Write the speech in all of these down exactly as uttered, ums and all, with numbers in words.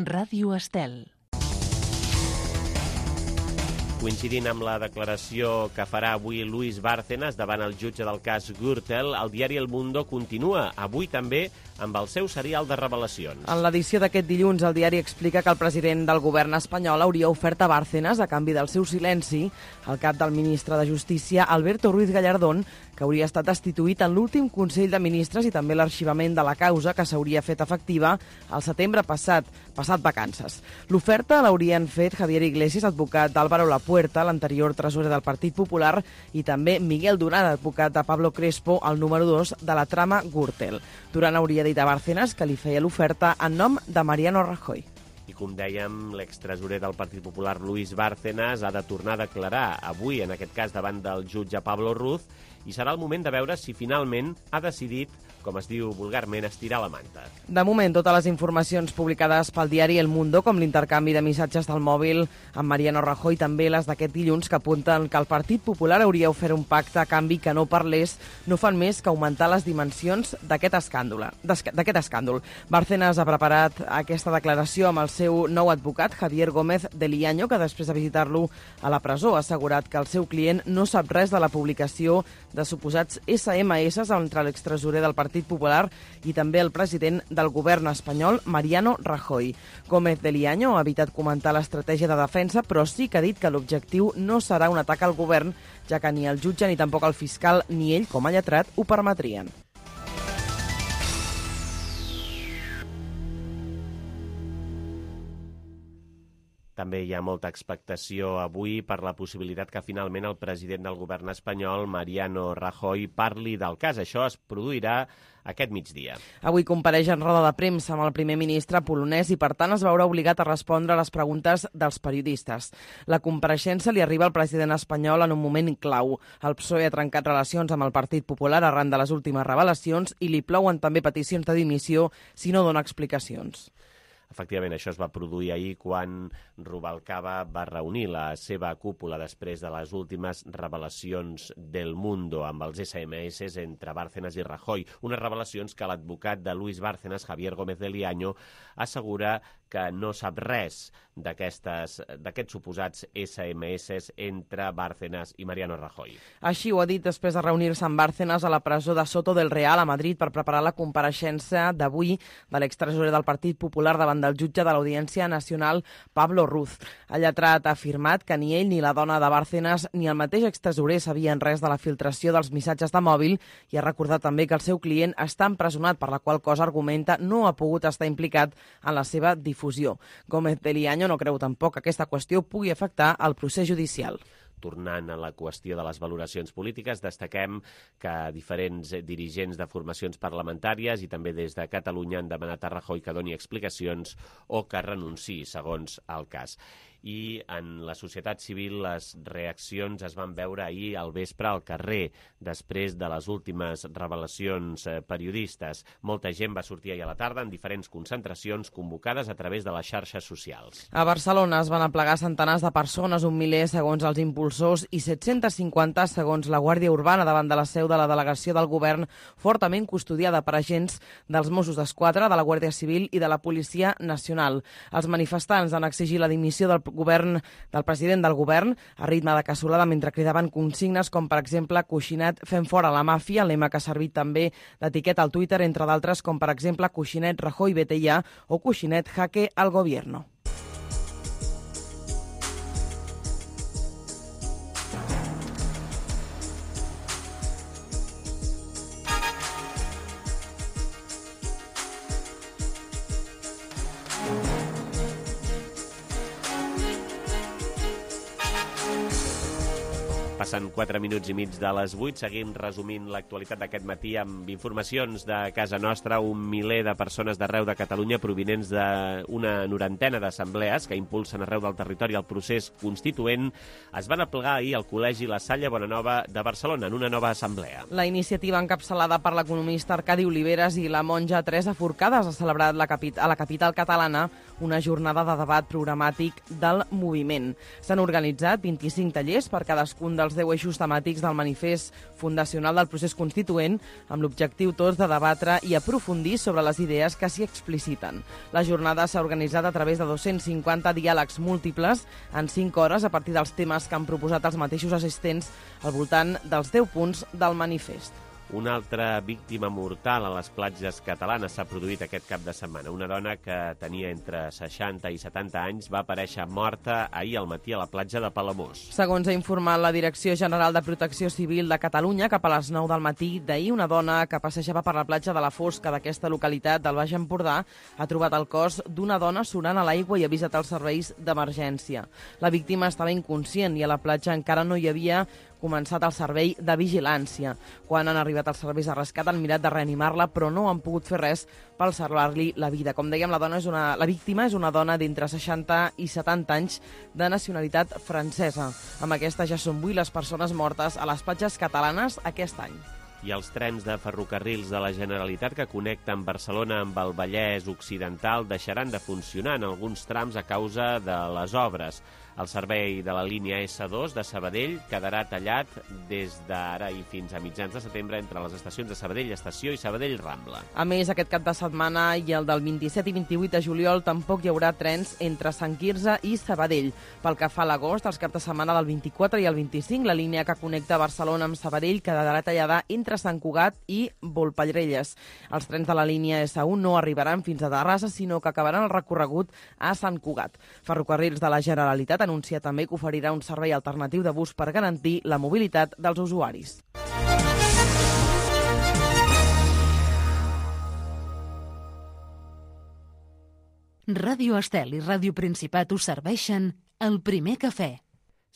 Ràdio Estel. Coincidint amb la declaració que farà avui Luis Bárcenas davant el jutge del cas Gürtel, el diari El Mundo continua avui també amb el seu serial de revelacions. En l'edició d'aquest dilluns, el diari explica que el president del govern espanyol hauria ofert a Bárcenas, a canvi del seu silenci, el cap del ministre de Justícia, Alberto Ruiz Gallardón, que hauria estat destituït en l'últim Consell de Ministres, i també l'arxivament de la causa, que s'hauria fet efectiva al setembre passat, passat vacances. L'oferta l'haurien fet Javier Iglesias, advocat d'Álvaro Lapuerta, l'anterior tresorer del Partit Popular, i també Miguel Durán, advocat de Pablo Crespo, el número dos de la trama Gürtel. Durán hauria dit a Bárcenas que li feia l'oferta en nom de Mariano Rajoy. I com dèiem, l'extresorer del Partit Popular, Luis Bárcenas, ha de tornar a declarar avui, en aquest cas, davant del jutge Pablo Ruz, i serà el moment de veure si finalment ha decidit, com es diu vulgarment, estirar la manta. De moment, totes les informacions publicades pel diari El Mundo, com l'intercanvi de missatges del mòbil amb Mariano Rajoy, també les d'aquest dilluns, que apunten que el Partit Popular hauria ofert un pacte a canvi que no parlés, no fan més que augmentar les dimensions d'aquest escàndol. d'aquest escàndol. Bárcenas ha preparat aquesta declaració amb el seu nou advocat, Javier Gómez de Liaño, que després de visitar-lo a la presó ha assegurat que el seu client no sap res de la publicació de suposats esse eme esse entre l'extresorer del Partit Popular i també el president del govern espanyol, Mariano Rajoy. Gómez de Liaño ha evitat comentar l'estratègia de defensa, però sí que ha dit que l'objectiu no serà un atac al govern, ja que ni el jutge ni tampoc el fiscal ni ell, com a lletrat, ho permetrien. També hi ha molta expectació avui per la possibilitat que finalment el president del govern espanyol, Mariano Rajoy, parli del cas. Això es produirà aquest migdia. Avui compareix en roda de premsa amb el primer ministre polonès i, per tant, es veurà obligat a respondre a les preguntes dels periodistes. La compareixença li arriba al president espanyol en un moment clau. El P S O E ha trencat relacions amb el Partit Popular arran de les últimes revelacions i li plouen també peticions de dimissió si no dona explicacions. Efectivament, això es va produir ahir quan Rubalcaba va reunir la seva cúpula després de les últimes revelacions del Mundo amb els esse eme esse entre Bárcenas i Rajoy. Unes revelacions que l'advocat de Luis Bárcenas, Javier Gómez de Liaño, assegura que no sap res d'aquests suposats esse eme esse entre Bárcenas i Mariano Rajoy. Així ho ha dit després de reunir-se amb Bárcenas a la presó de Soto del Real a Madrid per preparar la compareixença d'avui de l'extresorer del Partit Popular davant del jutge de l'Audiència Nacional, Pablo Ruz. El lletrat ha afirmat que ni ell ni la dona de Bárcenas ni el mateix extresorer sabien res de la filtració dels missatges de mòbil i ha recordat també que el seu client està empresonat, per la qual cosa argumenta no ha pogut estar implicat en la seva difusió. Gómez de Liaño no creu tampoc que aquesta qüestió pugui afectar el procés judicial. Tornant a la qüestió de les valoracions polítiques, destaquem que diferents dirigents de formacions parlamentàries i també des de Catalunya han demanat a Rajoy que doni explicacions o que renunciï, segons el cas. I en la societat civil les reaccions es van veure ahir al vespre al carrer, després de les últimes revelacions periodistes. Molta gent va sortir ahir a la tarda en diferents concentracions convocades a través de les xarxes socials. A Barcelona es van aplegar centenars de persones, un miler segons els impulsors i set-cents cinquanta segons la Guàrdia Urbana davant de la seu de la delegació del govern, fortament custodiada per agents dels Mossos d'Esquadra, de la Guàrdia Civil i de la Policia Nacional. Els manifestants han exigit la dimissió del govern del president del govern a ritme de cassolada mentre cridaven consignes com, per exemple, Coixinet fent fora la màfia, lema que ha servit també d'etiqueta al Twitter, entre d'altres com, per exemple, Coixinet Rajoy vete ya o Coixinet jaque al gobierno. Passen quatre minuts i mig de les vuit. Seguim resumint l'actualitat d'aquest matí amb informacions de casa nostra. Un miler de persones d'arreu de Catalunya provinents d'una norantena d'assemblees que impulsen arreu del territori el procés constituent es van aplegar ahir al Col·legi La Salle Bonanova de Barcelona en una nova assemblea. La iniciativa encapçalada per l'economista Arcadi Oliveres i la monja Teresa Forcades ha celebrat la capi- a la capital catalana una jornada de debat programàtic del moviment. S'han organitzat vint-i-cinc tallers per cadascun dels deu eixos temàtics del manifest fundacional del procés constituent, amb l'objectiu tots de debatre i aprofundir sobre les idees que s'hi expliciten. La jornada s'ha organitzat a través de dos-cents cinquanta diàlegs múltiples en cinc hores a partir dels temes que han proposat els mateixos assistents al voltant dels deu punts del manifest. Una altra víctima mortal a les platges catalanes s'ha produït aquest cap de setmana. Una dona que tenia entre seixanta i setanta anys va aparèixer morta ahir al matí a la platja de Palamós. Segons ha informat la Direcció General de Protecció Civil de Catalunya, cap a les nou del matí d'ahir, una dona que passejava per la platja de la Fosca d'aquesta localitat del Baix Empordà ha trobat el cos d'una dona surant a l'aigua i ha avisat els serveis d'emergència. La víctima estava inconscient i a la platja encara no hi havia començat el servei de vigilància. Quan han arribat els serveis de rescat han mirat de reanimar-la, però no han pogut fer res per salvar-li la vida. Com dèiem, la, dona és una, la víctima és una dona d'entre seixanta i setanta anys de nacionalitat francesa. Amb aquesta ja són vuit les persones mortes a les platges catalanes aquest any. I els trens de ferrocarrils de la Generalitat que connecten Barcelona amb el Vallès Occidental deixaran de funcionar en alguns trams a causa de les obres. El servei de la línia esse dos de Sabadell quedarà tallat des d'ara i fins a mitjans de setembre entre les estacions de Sabadell Estació i Sabadell Rambla. A més, aquest cap de setmana i el del vint-i-set i vint-i-vuit de juliol tampoc hi haurà trens entre Sant Quirze i Sabadell. Pel que fa a l'agost, els caps de setmana del vint-i-quatre i el vint-i-cinc, la línia que connecta Barcelona amb Sabadell quedarà tallada entre Sant Cugat i Volpellrelles. Els trens de la línia esse u no arribaran fins a Terrassa, sinó que acabaran el recorregut a Sant Cugat. Ferrocarrils de la Generalitat anuncia també que oferirà un servei alternatiu de bus per garantir la mobilitat dels usuaris. Ràdio Estel i Ràdio Principat us serveixen el primer cafè.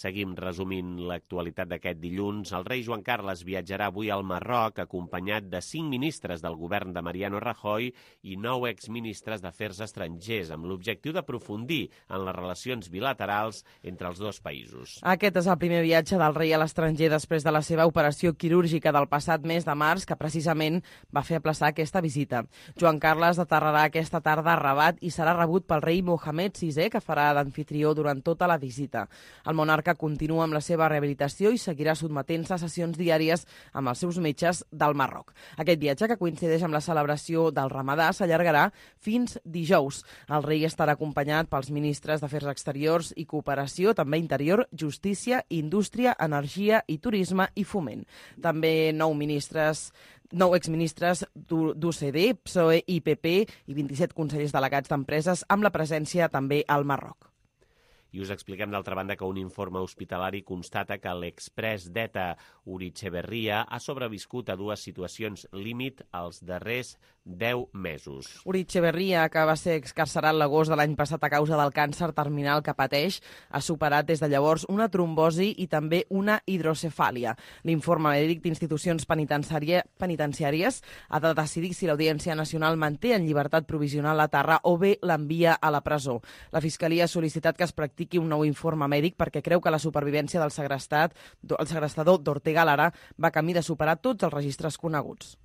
Seguim resumint l'actualitat d'aquest dilluns. El rei Joan Carles viatjarà avui al Marroc acompanyat de cinc ministres del govern de Mariano Rajoy i nou exministres d'Afers Estrangers, amb l'objectiu d'aprofundir en les relacions bilaterals entre els dos països. Aquest és el primer viatge del rei a l'estranger després de la seva operació quirúrgica del passat mes de març, que precisament va fer aplaçar aquesta visita. Joan Carles aterrarà aquesta tarda a Rabat i serà rebut pel rei Mohamed sisè, que farà d'anfitrió durant tota la visita. El monarca continua amb la seva rehabilitació i seguirà sotmetent-se a sessions diàries amb els seus metges del Marroc. Aquest viatge, que coincideix amb la celebració del Ramadà, s'allargarà fins dijous. El rei estarà acompanyat pels ministres d'Afers Exteriors i Cooperació, també Interior, Justícia, Indústria, Energia i Turisme i Foment. També nou ministres nou exministres d'u ce de, pe soe i pe pe i vint-i-set consellers delegats d'empreses, amb la presència també al Marroc. I us expliquem, d'altra banda, que un informe hospitalari constata que l'express d'ETA Uri Etxeberria ha sobreviscut a dues situacions límit els darrers deu mesos. Uri Etxeberria, que va ser excarcerat l'agost de l'any passat a causa del càncer terminal que pateix, ha superat des de llavors una trombosi i també una hidrocefàlia. L'informe mèdic d'institucions penitenciàries ha de decidir si l'Audiència Nacional manté en llibertat provisional a Tarra o bé l'envia a la presó. La Fiscalia ha sol·licitat que es practiqui un nou informe mèdic perquè creu que la supervivència del segrestat, el segrestador d'Ortega Lara va camí de superar tots els registres coneguts.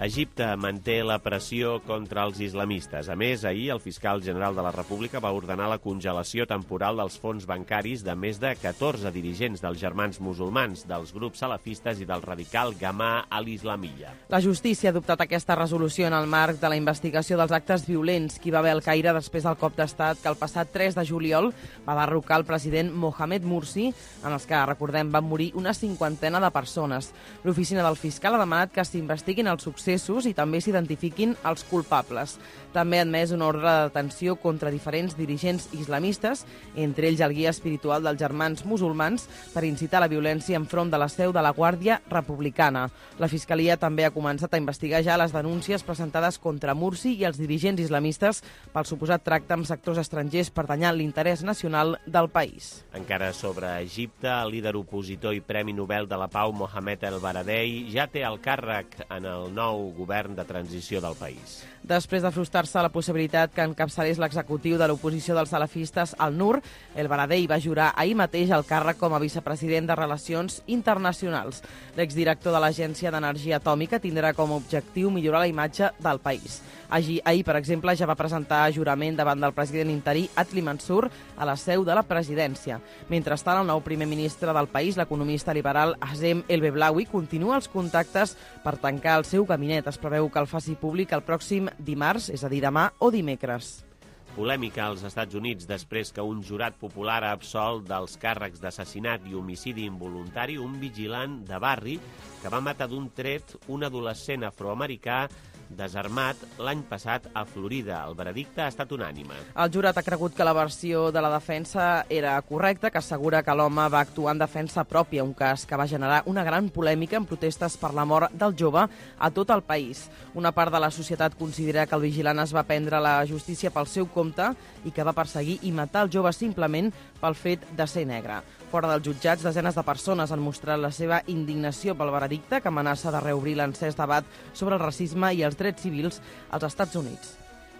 Egipte manté la pressió contra els islamistes. A més, ahir el fiscal general de la República va ordenar la congelació temporal dels fons bancaris de més de catorze dirigents dels Germans Musulmans, dels grups salafistes i del radical Gamà al-Islamiyya. La justícia ha adoptat aquesta resolució en el marc de la investigació dels actes violents que hi va haver al Caire després del cop d'estat que el passat tres de juliol va derrocar el president Mohamed Morsi, en els que, recordem, van morir una cinquantena de persones. L'oficina del fiscal ha demanat que s'investiguin els successos i també s'identifiquin els culpables. També ha admès una ordre de detenció contra diferents dirigents islamistes, entre ells el guia espiritual dels Germans Musulmans, per incitar la violència enfront de la seu de la Guàrdia Republicana. La Fiscalia també ha començat a investigar ja les denúncies presentades contra Morsi i els dirigents islamistes pel suposat tracte amb sectors estrangers per danyar l'interès nacional del país. Encara sobre Egipte, el líder opositor i Premi Nobel de la Pau Mohamed El Baradei ja té el càrrec en el nou govern de transició del país. Després de frustrar-se la possibilitat que encapçalés l'executiu de l'oposició dels salafistes, el N U R, El Baradei va jurar ahir mateix el càrrec com a vicepresident de Relacions Internacionals. L'exdirector de l'Agència d'Energia Atòmica tindrà com a objectiu millorar la imatge del país. Ahir, ahir, per exemple, ja va presentar jurament davant del president interí Adli Mansur a la seu de la presidència. Mentrestant, el nou primer ministre del país, l'economista liberal Hazem El Beblawi, continua els contactes per tancar el seu gabinet. Es preveu que el faci públic el pròxim dimarts, és a dir, demà o dimecres. Polèmica als Estats Units després que un jurat popular ha absolt dels càrrecs d'assassinat i homicidi involuntari un vigilant de barri que va matar d'un tret un adolescent afroamericà desarmat l'any passat a Florida. El veredicte ha estat unànime. El jurat ha cregut que la versió de la defensa era correcta, que assegura que l'home va actuar en defensa pròpia, un cas que va generar una gran polèmica en protestes per la mort del jove a tot el país. Una part de la societat considera que el vigilant es va prendre la justícia pel seu compte i que va perseguir i matar el jove simplement pel fet de ser negre. Fora dels jutjats, desenes de persones han mostrat la seva indignació pel veredicte, que amenaça de reobrir l'encès debat sobre el racisme i els drets civils als Estats Units.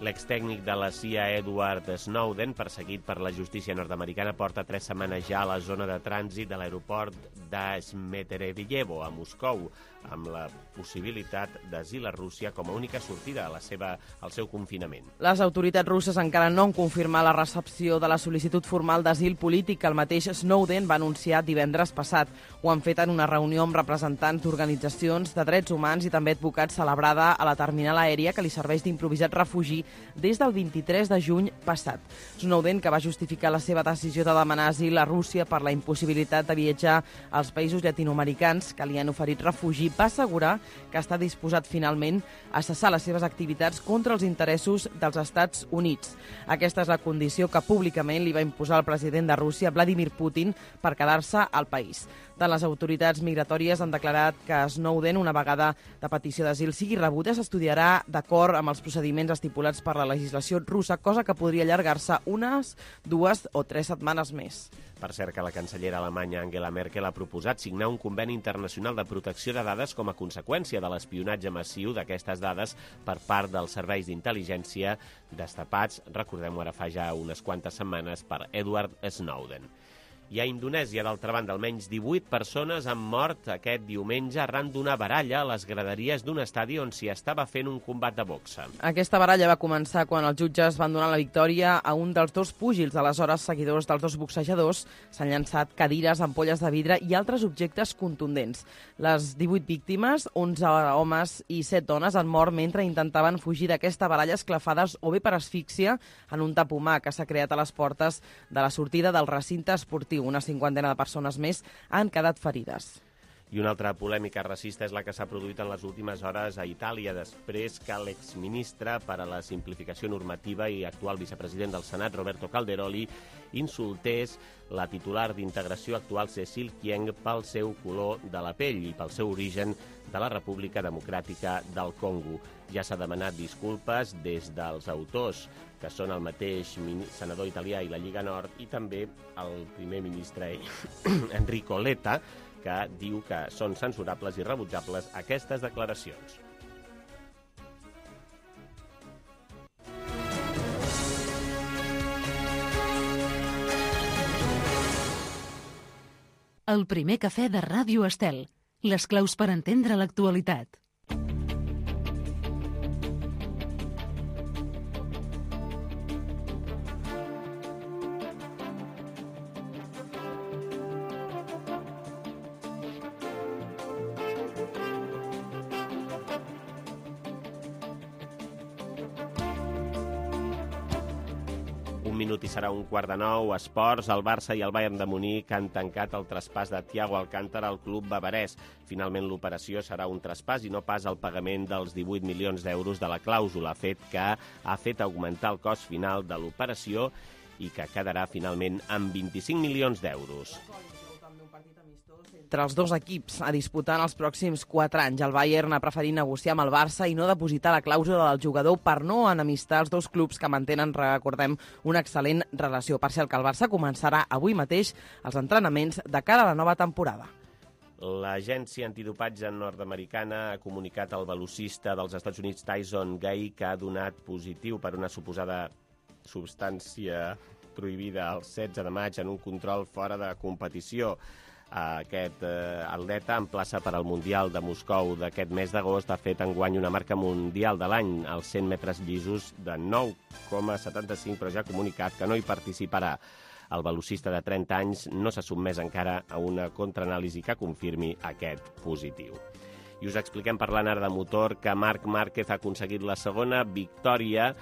L'extècnic de la C I A, Edward Snowden, perseguit per la justícia nord-americana, porta tres setmanes ja a la zona de trànsit de l'aeroport d'Smetereviyevo, a Moscou, amb la possibilitat d'asil a Rússia com a única sortida a la seva, al seu confinament. Les autoritats russes encara no han confirmat la recepció de la sol·licitud formal d'asil polític que el mateix Snowden va anunciar divendres passat. Ho han fet en una reunió amb representants d'organitzacions de drets humans i també advocats celebrada a la terminal aèria que li serveix d'improvisat refugi des del vint-i-tres de juny passat. Snowden, que va justificar la seva decisió de demanar asil a Rússia per la impossibilitat de viatjar als països llatinoamericans que li han oferit refugi, va assegurar que està disposat finalment a cessar les seves activitats contra els interessos dels Estats Units. Aquesta és la condició que públicament li va imposar el president de Rússia, Vladimir Putin, per quedar-se al país. Tant les autoritats migratòries han declarat que Snowden, una vegada la petició d'asil sigui rebuda, s'estudiarà d'acord amb els procediments estipulats per la legislació russa, cosa que podria allargar-se unes, dues o tres setmanes més. Per cert, que la cancellera alemanya Angela Merkel ha proposat signar un conveni internacional de protecció de dades com a conseqüència de l'espionatge massiu d'aquestes dades per part dels serveis d'intel·ligència destapats, recordem-ho ara fa ja unes quantes setmanes, per Edward Snowden. I a Indonèsia, d'altra banda, almenys divuit persones han mort aquest diumenge arran d'una baralla a les graderies d'un estadi on s'hi estava fent un combat de boxa. Aquesta baralla va començar quan els jutges van donar la victòria a un dels dos púgils. Aleshores, seguidors dels dos boxejadors s'han llançat cadires, ampolles de vidre i altres objectes contundents. Les divuit víctimes, onze homes i set dones, han mort mentre intentaven fugir d'aquesta baralla esclafades o bé per asfíxia en un tapomar que s'ha creat a les portes de la sortida del recinte esportiu. Una cinquantena de persones més han quedat ferides. I una altra polèmica racista és la que s'ha produït en les últimes hores a Itàlia, després que l'exministre per a la simplificació normativa i actual vicepresident del Senat, Roberto Calderoli, insultés la titular d'Integració actual, Cécile Kyenge, pel seu color de la pell i pel seu origen de la República Democràtica del Congo. Ja s'ha demanat disculpes des dels autors, que són el mateix senador italià i la Lliga Nord, i també el primer ministre Enrico Letta, que diu que són censurables i rebutjables aquestes declaracions. El primer cafè de Ràdio Estel. Les claus per entendre l'actualitat. Un minut i serà un quart de nou. Esports, el Barça i el Bayern de Munic han tancat el traspàs de Thiago Alcántara al club bavarès. Finalment, l'operació serà un traspàs i no pas el pagament dels divuit milions d'euros de la clàusula, fet que ha fet augmentar el cost final de l'operació i que quedarà finalment amb vint-i-cinc milions d'euros. Entre els dos equips a disputar en els pròxims quatre anys. El Bayern ha preferit negociar amb el Barça i no depositar la clàusula del jugador per no enemistar els dos clubs que mantenen, recordem, una excel·lent relació. Per cert, que el Barça començarà avui mateix els entrenaments de cara a la nova temporada. L'agència antidopatge nord-americana ha comunicat al velocista dels Estats Units Tyson Gay que ha donat positiu per una suposada substància prohibida el setze de maig en un control fora de competició. Aquest eh, atleta emplaça per al Mundial de Moscou d'aquest mes d'agost. Ha fet enguany una marca mundial de l'any als cent metres llisos de nou coma setanta-cinc, però ja ha comunicat que no hi participarà. El velocista de trenta anys no s'ha sotmès encara a una contraanàlisi que confirmi aquest positiu. I us expliquem, parlant ara de motor, que Marc Márquez ha aconseguit la segona victòria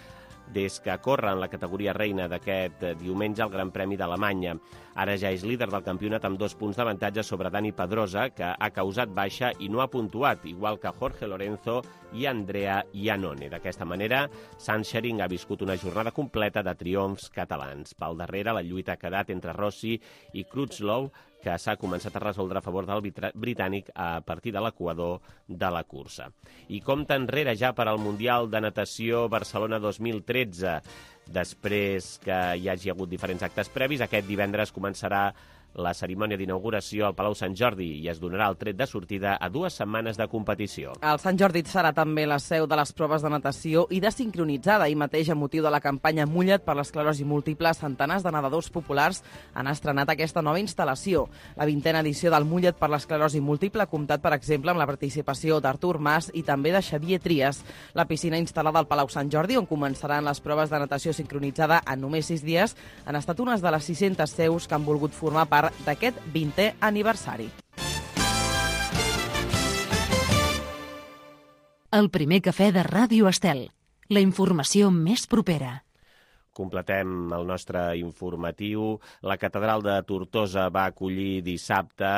des que corre en la categoria reina d'aquest diumenge al Gran Premi d'Alemanya. Ara ja és líder del campionat amb dos punts d'avantatge sobre Dani Pedrosa, que ha causat baixa i no ha puntuat, igual que Jorge Lorenzo i Andrea Iannone. D'aquesta manera, Sandschering ha viscut una jornada completa de triomfs catalans. Pel darrere, la lluita ha quedat entre Rossi i Crutchlow, que s'ha començat a resoldre a favor del britànic a partir de l'equador de la cursa. I compta enrere ja per al Mundial de Natació Barcelona dos mil tretze. Després que hi hagi hagut diferents actes previs, aquest divendres començarà la cerimònia d'inauguració al Palau Sant Jordi i es donarà el tret de sortida a dues setmanes de competició. El Sant Jordi serà també la seu de les proves de natació i de sincronitzada. Ahir mateix, a motiu de la campanya Mulla't per l'esclerosi múltiple, centenars de nedadors populars han estrenat aquesta nova instal·lació. La vintena edició del Mulla't per l'esclerosi múltiple ha comptat, per exemple, amb la participació d'Artur Mas i també de Xavier Trias. La piscina instal·lada al Palau Sant Jordi, on començaran les proves de natació sincronitzada en només sis dies, han estat unes de les sis-centes seus que han volgut formar part d'aquest vintè aniversari. El primer cafè de Ràdio Estel. La informació més propera. Completem el nostre informatiu. La catedral de Tortosa va acollir dissabte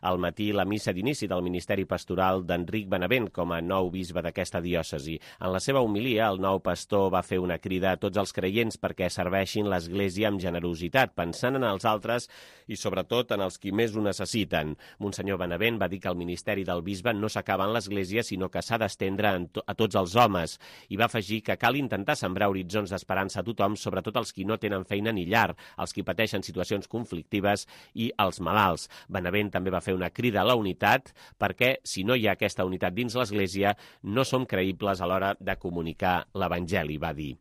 al matí la missa d'inici del ministeri pastoral d'Enric Benavent com a nou bisbe d'aquesta diòcesi. En la seva homilia, el nou pastor va fer una crida a tots els creients perquè serveixin l'Església amb generositat, pensant en els altres i sobretot en els qui més ho necessiten. Monsenyor Benavent va dir que el ministeri del bisbe no s'acaba en l'Església, sinó que s'ha d'estendre a tots els homes, i va afegir que cal intentar sembrar horitzons d'esperança a tothom, sobretot els qui no tenen feina ni llar, els qui pateixen situacions conflictives i els malalts. Benavent també va fer una crida a la unitat perquè, si no hi ha aquesta unitat dins l'Església, no som creïbles a l'hora de comunicar l'Evangeli, va dir.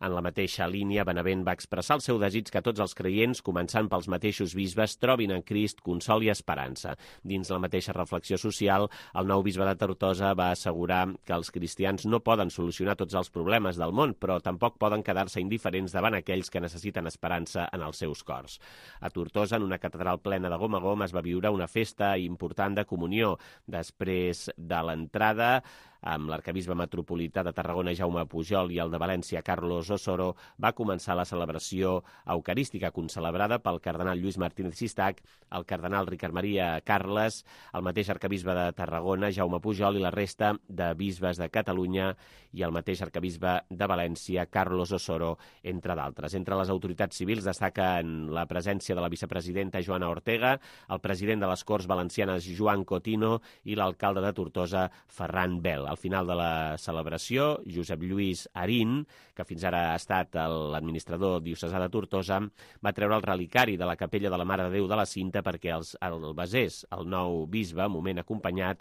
En la mateixa línia, Benavent va expressar el seu desig que tots els creients, començant pels mateixos bisbes, trobin en Crist consol i esperança. Dins la mateixa reflexió social, el nou bisbe de Tortosa va assegurar que els cristians no poden solucionar tots els problemes del món, però tampoc poden quedar-se indiferents davant aquells que necessiten esperança en els seus cors. A Tortosa, en una catedral plena de gom a gom, es va viure una festa important de comunió. Després de l'entrada, amb l'arquebisbe metropolità de Tarragona, Jaume Pujol, i el de València, Carlos Osoro, va començar la celebració eucarística concelebrada pel cardenal Lluís Martínez Sistac, el cardenal Ricard Maria Carles, el mateix arquebisbe de Tarragona, Jaume Pujol, i la resta de bisbes de Catalunya i el mateix arquebisbe de València, Carlos Osoro, entre d'altres. Entre les autoritats civils destaquen la presència de la vicepresidenta Joana Ortega, el president de les Corts Valencianes, Joan Cotino, i l'alcalde de Tortosa, Ferran Bel. Al final de la celebració, Josep Lluís Arín, que fins ara ha estat l'administrador diocesà de Tortosa, va treure el relicari de la capella de la Mare de Déu de la Cinta perquè els, el besés el nou bisbe, moment acompanyat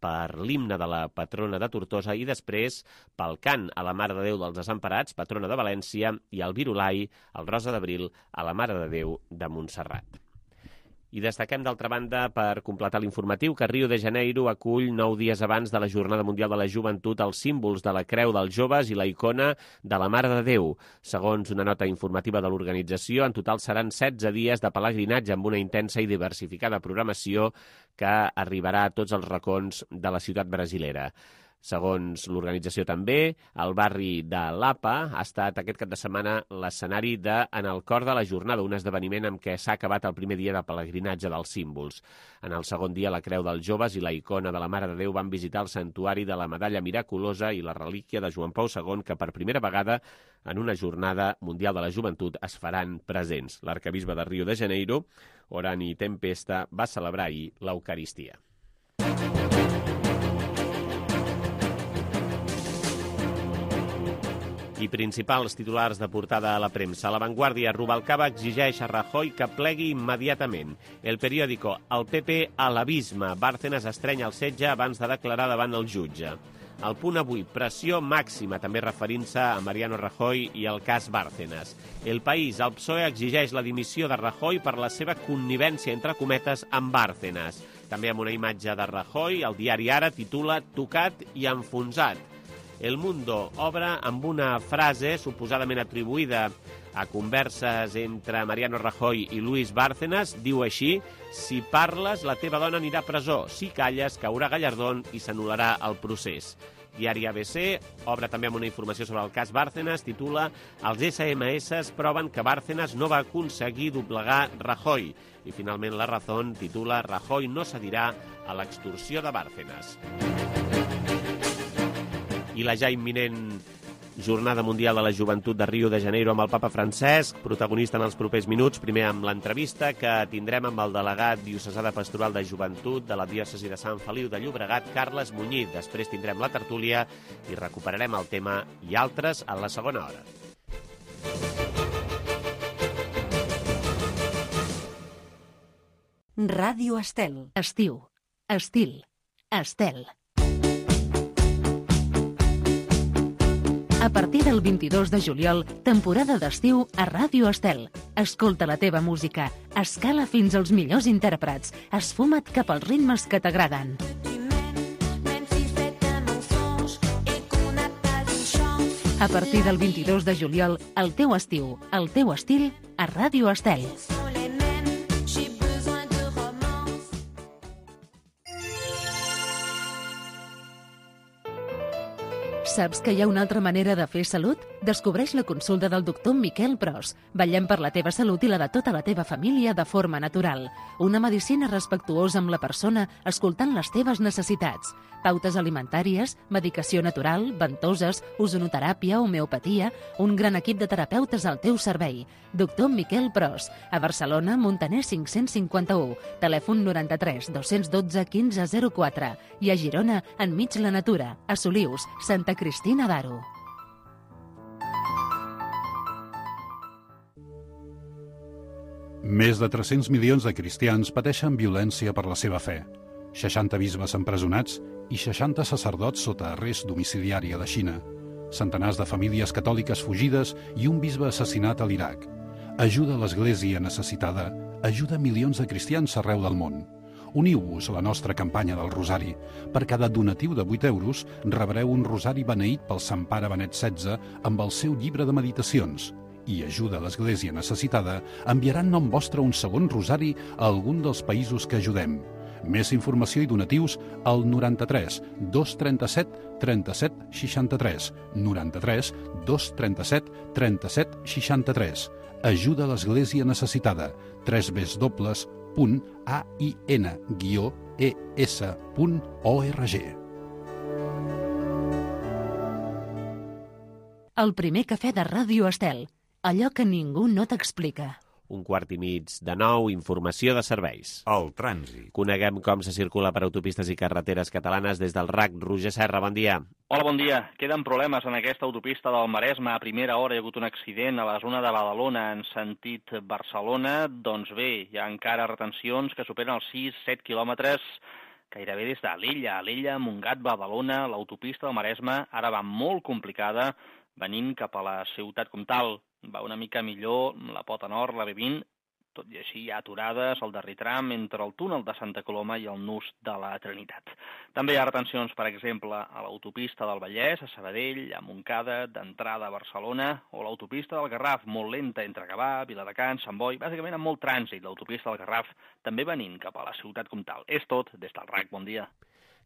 per l'himne de la patrona de Tortosa i després pel cant a la Mare de Déu dels Desemparats, patrona de València, i el virulai, el Rosa d'Abril, a la Mare de Déu de Montserrat. I destaquem, d'altra banda, per completar l'informatiu, que Rio de Janeiro acull nou dies abans de la Jornada Mundial de la Joventut els símbols de la Creu dels Joves i la icona de la Mare de Déu. Segons una nota informativa de l'organització, en total seran setze dies de pelegrinatge amb una intensa i diversificada programació que arribarà a tots els racons de la ciutat brasilera. Segons l'organització també, el barri de Lapa ha estat aquest cap de setmana l'escenari de En el cor de la jornada, un esdeveniment amb què s'ha acabat el primer dia de pelegrinatge dels símbols. En el segon dia, la Creu dels Joves i la icona de la Mare de Déu van visitar el santuari de la Medalla Miraculosa i la relíquia de Joan Pau segon, que per primera vegada en una jornada mundial de la joventut es faran presents. L'arquebisbe de Rio de Janeiro, Orani Tempesta, va celebrar ahir l'Eucaristia. I principals titulars de portada a la premsa. La Vanguardia, Rubalcaba exigeix a Rajoy que plegui immediatament. El periòdico, el P P a l'abisme. Bárcenas estreny el setge abans de declarar davant el jutge. El Punt avui, pressió màxima, també referint-se a Mariano Rajoy i el cas Bárcenas. El País, el P S O E exigeix la dimissió de Rajoy per la seva connivència, entre cometes, amb Bárcenas. També amb una imatge de Rajoy, el diari Ara titula Tocat i enfonsat. El Mundo obre amb una frase suposadament atribuïda a converses entre Mariano Rajoy i Luis Bárcenas. Diu així: si parles, la teva dona anirà a presó. Si calles, caurà Gallardón i s'anul·larà el procés. Diari A B C obre també amb una informació sobre el cas Bárcenas. Titula: els S M S proven que Bárcenas no va aconseguir doblegar Rajoy. I finalment La Razón titula: Rajoy no cedirà a l'extorsió de Bárcenas. I la ja imminent Jornada Mundial de la Joventut de Rio de Janeiro amb el papa Francesc, protagonista en els propers minuts, primer amb l'entrevista que tindrem amb el delegat diocesà de Pastoral de Joventut de la diòcesi de Sant Feliu de Llobregat, Carles Muñiz. Després tindrem la tertúlia i recuperarem el tema i altres a la segona hora. Ràdio Estel. Estiu. Estil. Estel. A partir del vint-i-dos de juliol, temporada d'estiu a Ràdio Estel. Escolta la teva música, escala fins als millors intèrprets, esfuma't cap als ritmes que t'agraden. A partir del vint-i-dos de juliol, el teu estiu, el teu estil, a Ràdio Estel. Saps que hi ha una altra manera de fer salut? Descobreix la consulta del doctor Miquel Pros. Vetllem per la teva salut i la de tota la teva família de forma natural. Una medicina respectuosa amb la persona, escoltant les teves necessitats. Pautes alimentàries, medicació natural, ventoses, ozonoteràpia, homeopatia, un gran equip de terapeutes al teu servei. Doctor Miquel Pros, a Barcelona, Montaner cinc-cents cinquanta-u, telèfon noranta-tres dos-cents dotze quinze zero quatre i a Girona, enmig la natura, a Solius, Santa Cristina d'Aro. Més de tres-cents milions de cristians pateixen violència per la seva fe. seixanta bisbes empresonats i seixanta sacerdots sota arrest domiciliari a la Xina. Centenars de famílies catòliques fugides i un bisbe assassinat a l'Iraq. Ajuda a l'Església necessitada, ajuda milions de cristians arreu del món. Uniu-vos a la nostra campanya del Rosari. Per cada donatiu de vuit euros rebreu un rosari beneït pel Sant Pare Benet setze amb el seu llibre de meditacions. I ajuda a l'Església necessitada enviarà en nom vostre un segon rosari a algun dels països que ajudem. Més informació i donatius al noranta-tres dos trenta-set trenta-set seixanta-tres, noranta-tres dos trenta-set trenta-set seixanta-tres. Ajuda a l'Església necessitada. w w w punt a i n guió e s punt org. El primer cafè de Ràdio Estel. Allò que ningú no t'explica. Un quart i mig de nou, informació de serveis. El trànsit. Coneguem com se circula per autopistes i carreteres catalanes des del R A C. Roger Serra, bon dia. Hola, bon dia. Queden problemes en aquesta autopista del Maresme. A primera hora hi ha hagut un accident a la zona de Badalona en sentit Barcelona. Doncs bé, hi ha encara retencions que superen els sis set quilòmetres gairebé des d'Alella. Alella, Montgat, Badalona, l'autopista del Maresme ara va molt complicada venint cap a la ciutat comtal. Va una mica millor la pota nord, la B vint, tot i així hi ha aturades al darrer tram entre el túnel de Santa Coloma i el nus de la Trinitat. També hi ha retencions, per exemple, a l'autopista del Vallès, a Sabadell, a Montcada, d'entrada a Barcelona, o l'autopista del Garraf, molt lenta entre Gavà, Viladecans, Sant Boi, bàsicament amb molt trànsit, l'autopista del Garraf, també venint cap a la ciutat comtal. És tot des del R A C. Bon dia.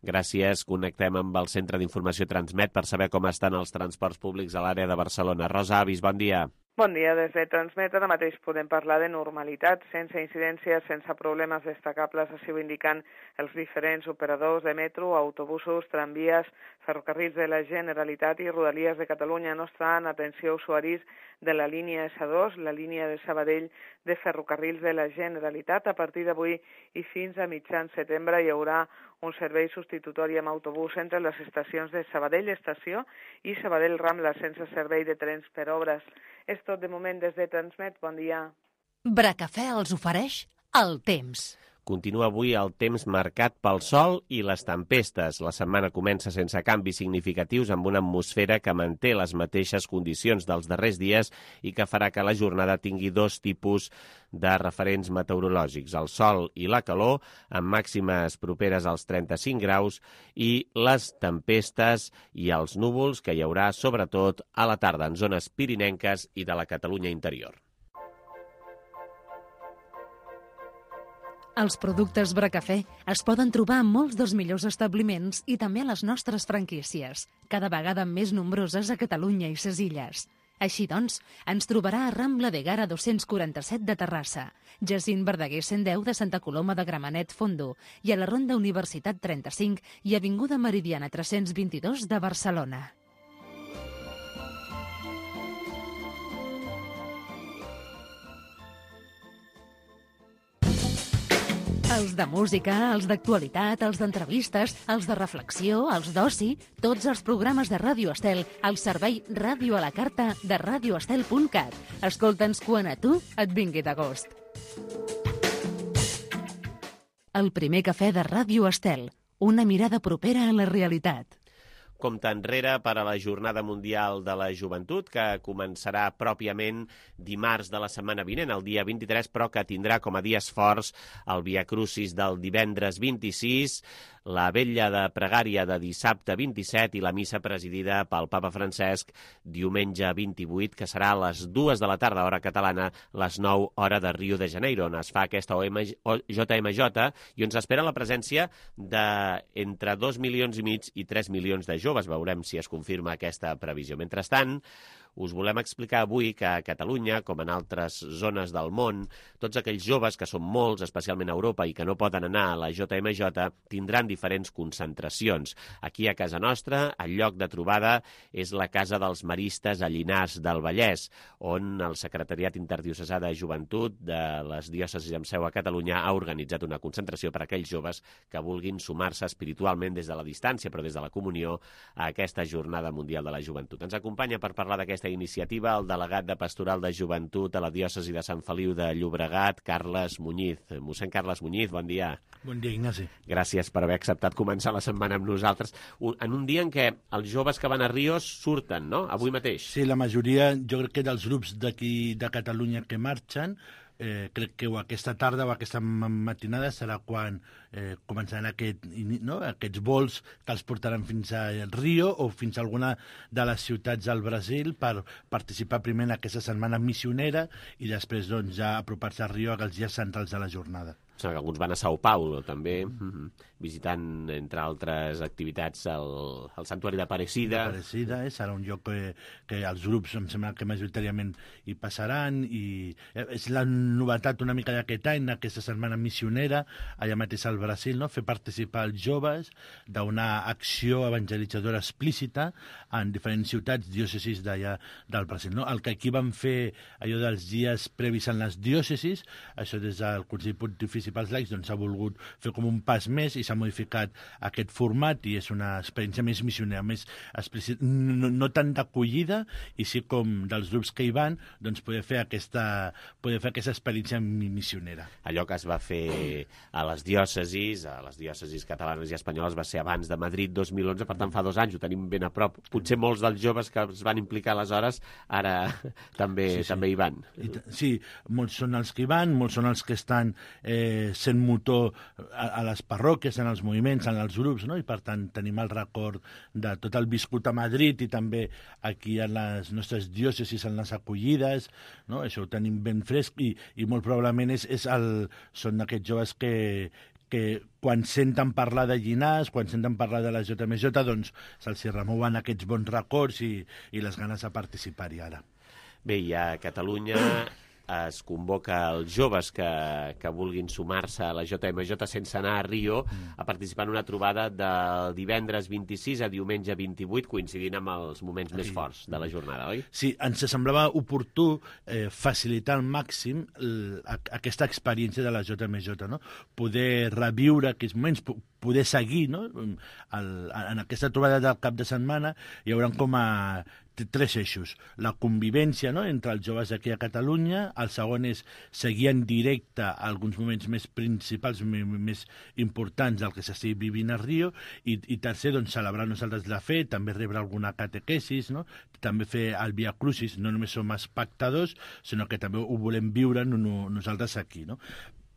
Gràcies. Connectem amb el Centre d'Informació Transmet per saber com estan els transports públics a l'àrea de Barcelona. Rosa Avis, bon dia. Bon dia, des de Transmet ara mateix podem parlar de normalitat, sense incidències, sense problemes destacables, així ho indiquen els diferents operadors de metro, autobusos, tramvies, ferrocarrils de la Generalitat i Rodalies de Catalunya. No estan, atenció, usuaris de la línia essa dos, la línia de Sabadell de ferrocarrils de la Generalitat. A partir d'avui i fins a mitjan setembre hi haurà un servei substitutori amb autobús entre les estacions de Sabadell Estació i Sabadell Rambla, sense servei de trens per obres. És tot de moment des de Transmet. Bon dia. Bracafè els ofereix el temps. Continua avui el temps marcat pel sol i les tempestes. La setmana comença sense canvis significatius amb una atmosfera que manté les mateixes condicions dels darrers dies i que farà que la jornada tingui dos tipus de referents meteorològics, el sol i la calor, amb màximes properes als trenta-cinc graus, i les tempestes i els núvols que hi haurà sobretot a la tarda en zones pirinenques i de la Catalunya interior. Els productes Bracafè es poden trobar en molts dels millors establiments i també a les nostres franquícies, cada vegada més nombroses a Catalunya i ses Illes. Així doncs, ens trobarà a Rambla de Gara dos-cents quaranta-set de Terrassa, Jacint Verdaguer cent deu de Santa Coloma de Gramenet Fondo i a la Ronda Universitat trenta-cinc i Avinguda Meridiana tres-cents vint-i-dos de Barcelona. Els de música, els d'actualitat, els d'entrevistes, els de reflexió, els d'oci, tots els programes de Ràdio Estel al servei Ràdio a la Carta de radio estel punt cat. Escolta'ns quan a tu et vingui de gust. El primer cafè de Ràdio Estel, una mirada propera a la realitat. Compte enrere per a la Jornada Mundial de la Joventut, que començarà pròpiament dimarts de la setmana vinent, el dia vint-i-tres, però que tindrà com a dies forts el Via Crucis del divendres vint-i-sis, la vetlla de pregària de dissabte vint-i-set i la missa presidida pel papa Francesc diumenge vint-i-vuit, que serà a les dues de la tarda, hora catalana, les nou, hora de Rio de Janeiro, on es fa aquesta J M J i on s'espera la presència d'entre dos milions i mig i tres milions de joves. Veurem si es confirma aquesta previsió. Mentrestant, us volem explicar avui que a Catalunya, com en altres zones del món, tots aquells joves, que són molts, especialment a Europa, i que no poden anar a la J M J, tindran diferents concentracions. Aquí a casa nostra, el lloc de trobada és la Casa dels Maristes a Llinars del Vallès, on el Secretariat Interdiocesà de Joventut de les diòcesis amb seu a Catalunya ha organitzat una concentració per a aquells joves que vulguin sumar-se espiritualment des de la distància, però des de la comunió, a aquesta Jornada Mundial de la Joventut. Ens acompanya per parlar d'aquesta iniciativa el delegat de Pastoral de Joventut a la diòcesi de Sant Feliu de Llobregat, Carles Muñiz. Mossèn Carles Muñiz, bon dia. Bon dia, Ignasi. Gràcies per haver acceptat començar la setmana amb nosaltres. En un dia en què els joves que van a Ríos surten, no?, avui mateix. Sí, la majoria, jo crec que dels grups d'aquí de Catalunya que marxen, eh, crec que o aquesta tarda o aquesta matinada serà quan eh, començaran aquest, no, aquests vols que els portaran fins a Rio o fins a alguna de les ciutats del Brasil per participar primer en aquesta setmana missionera i després doncs, ja apropar-se a Rio als dies centrals de la jornada. O sigui, alguns van a Sao Paulo, també, mm-hmm. visitant, entre altres activitats, el, el Santuari d'Aparecida. Aparecida, eh? Serà un lloc que, que els grups, em sembla que majoritàriament hi passaran, i és la novetat una mica d'aquest any, aquesta setmana missionera, allà mateix al Brasil, no? Fer participar els joves d'una acció evangelitzadora explícita en diferents ciutats, diòcesis d'allà del Brasil. No? El que aquí van fer allò dels dies previs en les diòcesis, això des del Consell Pontifici pels laics, doncs s'ha volgut fer com un pas més i s'ha modificat aquest format i és una experiència més missionera, més explícita, no, no tant d'acollida, i sí com dels grups que hi van, doncs poder fer aquesta, poder fer aquesta experiència missionera. Allò que es va fer a les diòcesis, a les diòcesis catalanes i espanyoles, va ser abans de Madrid dos mil onze, per tant fa dos anys, ho tenim ben a prop. Potser molts dels joves que es van implicar aleshores ara també, sí, sí. també hi van. Sí, molts són els que hi van, molts són els que estan eh, sent motor a, a les parròquies, en els moviments, en els grups, no? I per tant tenim el record de tot el viscut a Madrid i també aquí en les nostres diòcesis, en les acollides, no? Això ho tenim ben fresc i, i molt probablement és, és el, són aquests joves que, que quan senten parlar de Llinars, quan senten parlar de la J M J, doncs se'ls remouen aquests bons records i, i les ganes de participar-hi ara. Bé, i a Catalunya es convoca els joves que, que vulguin sumar-se a la J M J sense anar a Rio a participar en una trobada del divendres vint-i-sis a diumenge vint-i-vuit, coincidint amb els moments més forts de la jornada, oi? Sí, ens semblava oportú eh, facilitar al màxim l, a, aquesta experiència de la J M J, no? Poder reviure aquests moments, poder seguir, no? El, en aquesta trobada del cap de setmana hi haurà com a tres eixos. La convivència, no?, entre els joves aquí a Catalunya, el segon és seguir en directe alguns moments més principals, més importants del que s'estigui vivint a Rio, i, i tercer, doncs, celebrar nosaltres la fe, també rebre alguna catequesis, no?, també fer el Via Crucis, no només som espectadors, sinó que també ho volem viure no, no, nosaltres aquí, no?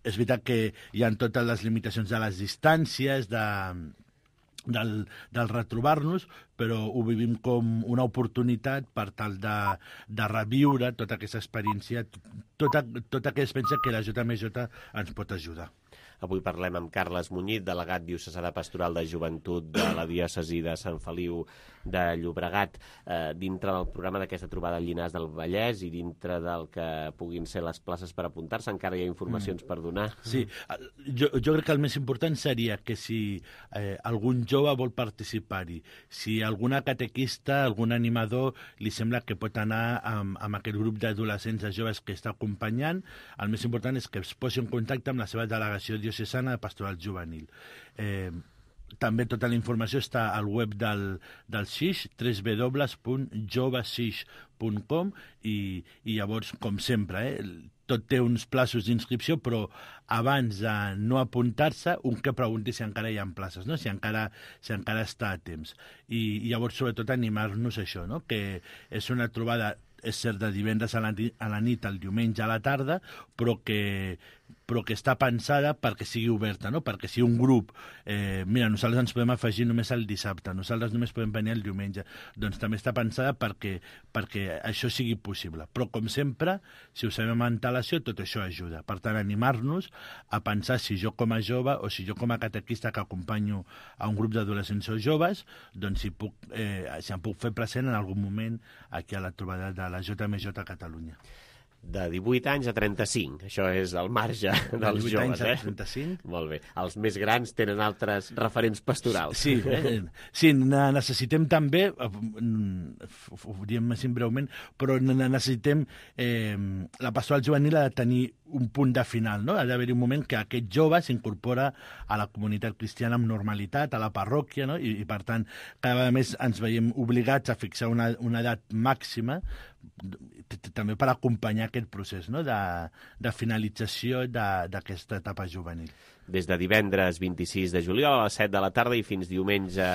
És veritat que hi ha totes les limitacions de les distàncies, de... Del, del retrobar-nos, però ho vivim com una oportunitat per tal de, de reviure tota aquesta experiència, tota, tota aquesta experiència que la J M J ens pot ajudar. Avui parlem amb Carles Muñiz, delegat diocesà de Pastoral de Joventut de la diòcesi de Sant Feliu de Llobregat, eh, dintre del programa d'aquesta trobada al Llinars del Vallès i dintre del que puguin ser les places per apuntar-se. Encara hi ha informacions mm. per donar? Sí, jo, jo crec que el més important seria que si eh, algun jove vol participar-hi, si alguna catequista, algun animador li sembla que pot anar amb, amb aquest grup d'adolescents, de joves que està acompanyant, el més important és que es posi en contacte amb la seva delegació diocesana de Pastoral Juvenil. Eh, també tota la informació està al web del, del S I X, w w w punt jovesix punt com, i, i llavors, com sempre, eh, tot té uns plaços d'inscripció, però abans de no apuntar-se, un que pregunti si encara hi ha places, no? si, encara, si encara està a temps. I, i llavors, sobretot, animar-nos a això, no? Que és una trobada, és cert, de divendres a la, a la nit, al diumenge a la tarda, però que però que està pensada perquè sigui oberta, no? Perquè si un grup, eh, mira, nosaltres ens podem afegir només el dissabte, nosaltres només podem venir el diumenge, doncs també està pensada perquè, perquè això sigui possible. Però, com sempre, si ho sabem amb antelació, tot això ajuda. Per tant, animar-nos a pensar si jo com a jove o si jo com a catequista que acompanyo a un grup d'adolescents o joves, doncs si, puc, eh, si em puc fer present en algun moment aquí a la trobada de la J M J a Catalunya. De divuit anys a trenta-cinc. Això és el marge dels divuit joves, anys a eh? trenta-cinc. Molt bé. Els més grans tenen altres referents pastorals. Sí, eh? Sí, necessitem també, ho diem més breument, però necessitem, eh, la pastoral juvenil ha de tenir un punt de final, no? Ha d'haver-hi un moment que aquest jove s'incorpora a la comunitat cristiana amb normalitat, a la parròquia, no? I, i per tant, cada vegada més ens veiem obligats a fixar una, una edat màxima també per acompanyar aquest procés, no? de, de finalització d'aquesta etapa juvenil. Des de divendres vint-i-sis de juliol a les set de la tarda i fins diumenge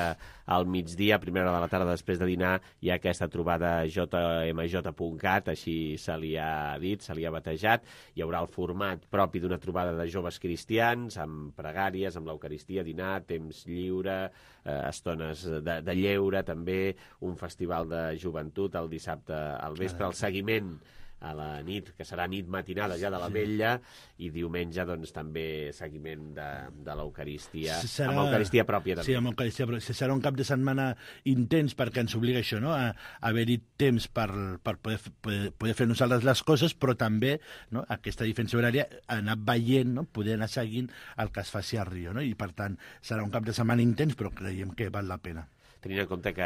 al migdia, a primera hora de la tarda després de dinar, hi ha aquesta trobada J M J punt cat, així se li ha dit, se li ha batejat. Hi haurà el format propi d'una trobada de joves cristians, amb pregàries, amb l'Eucaristia, dinar, temps lliure, eh, estones de, de lleure, també un festival de joventut el dissabte al vespre, el seguiment a la nit, que serà nit matinada ja de la Vetlla, i diumenge doncs també seguiment de, de l'Eucaristia, serà... amb Eucaristia pròpia també. Sí, amb Eucaristia pròpia. Serà un cap de setmana intens perquè ens obliga això, no? a, a haver-hi temps per, per poder, poder, poder fer nosaltres les coses, però també, no? aquesta diferència horària, anar veient, no? Poder anar seguint el que es faci a Rio, no? I per tant serà un cap de setmana intens, però creiem que val la pena. Tenint en compte que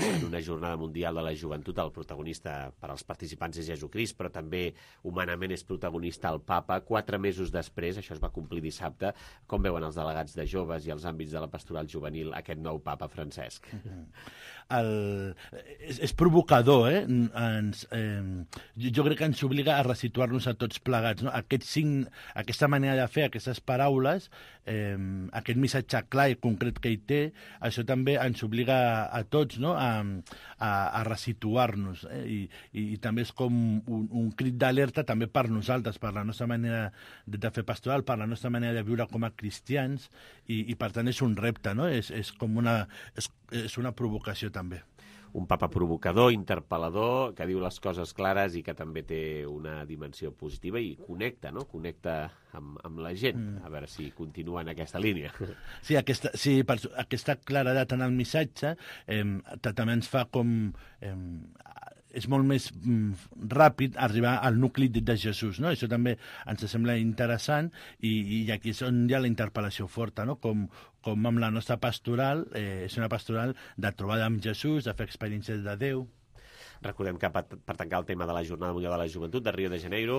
en una jornada mundial de la joventut el protagonista per als participants és Jesucrist, però també humanament és protagonista el papa. Quatre mesos després, això es va complir dissabte, com veuen els delegats de joves i els àmbits de la pastoral juvenil aquest nou papa Francesc? El... És, és provocador, eh? Ens, eh? Jo crec que ens obliga a resituar-nos a tots plegats, no? Aquest sign, aquesta manera de fer, aquestes paraules, eh, aquest missatge clar i concret que hi té, això també ens obliga a, a tots, no? a, a, a resituar-nos, eh? I, i, i també és com un, un crit d'alerta també per nosaltres, per la nostra manera de, de fer pastoral, per la nostra manera de viure com a cristians, i, i per tant és un repte, no? És, és com una, és, és una provocació també. Un papa provocador, interpel·lador, que diu les coses clares i que també té una dimensió positiva i connecta, no? Connecta amb, amb la gent. Mm. A veure si continua en aquesta línia. Sí, aquesta, sí, per, aquesta claredat en el missatge eh, també ens fa com... Eh, és molt més mm, ràpid arribar al nucli de, de Jesús, no? Això també ens sembla interessant i, i aquí és on hi ha la interpel·lació forta, no? Com, com amb la nostra pastoral, eh, és una pastoral de trobada amb Jesús, de fer experiències de Déu. Recordem que per, per tancar el tema de la Jornada Mundial de la Joventut de Rio de Janeiro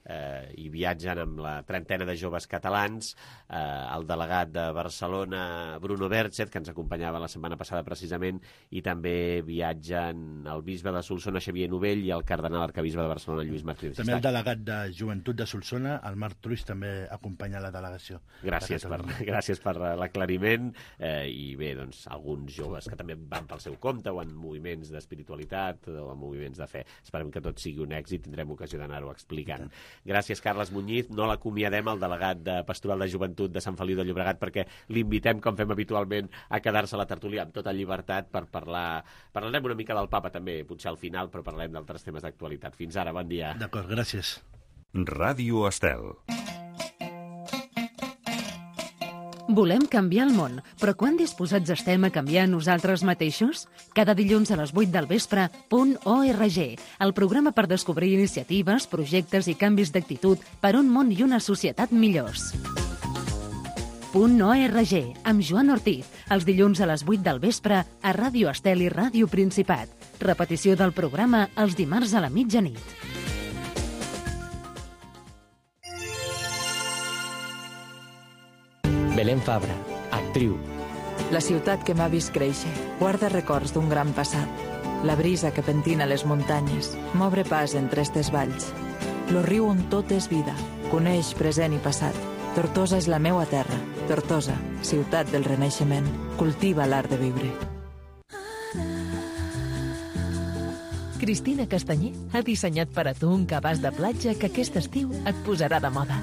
eh, hi viatgen amb la trentena de joves catalans, eh, el delegat de Barcelona, Bruno Berchet, que ens acompanyava la setmana passada precisament, i també viatgen el bisbe de Solsona, Xavier Novell, i el cardenal arcabisbe de Barcelona, Lluís Martínez. També el delegat de Joventut de Solsona, el Marc Truix, també acompanya la delegació. Gràcies per, gràcies per l'aclariment, eh, i bé, doncs, alguns joves que també van pel seu compte o en moviments d'espiritualitat o en moviments de fe. Esperem que tot sigui un èxit, tindrem ocasió d'anar-ho explicant. Gràcies, Carles Muñiz. No l'acomiadem, el delegat de Pastoral de Joventut de Sant Feliu de Llobregat, perquè l'invitem, com fem habitualment, a quedar-se a la tertúlia amb tota llibertat per parlar... Parlarem una mica del papa, també, potser al final, però parlarem d'altres temes d'actualitat. Fins ara, bon dia. D'acord, gràcies. Ràdio Estel. Volem canviar el món, però quan disposats estem a canviar nosaltres mateixos? Cada dilluns a les vuit del vespre, Punt org, el programa per descobrir iniciatives, projectes i canvis d'actitud per un món i una societat millors. Punt org, amb Joan Ortiz, els dilluns a les vuit del vespre a Ràdio Estel i Ràdio Principat. Repetició del programa els dimarts a la mitjanit. Belén Fabra, actriu. La ciutat que m'ha vist créixer guarda records d'un gran passat. La brisa que pentina les muntanyes m'obre pas entre estes valls. Lo riu on tot és vida, coneix present i passat. Tortosa és la meua terra. Tortosa, ciutat del renaixement, cultiva l'art de viure. Cristina Castanyer ha dissenyat per a tu un cabàs de platja que aquest estiu et posarà de moda.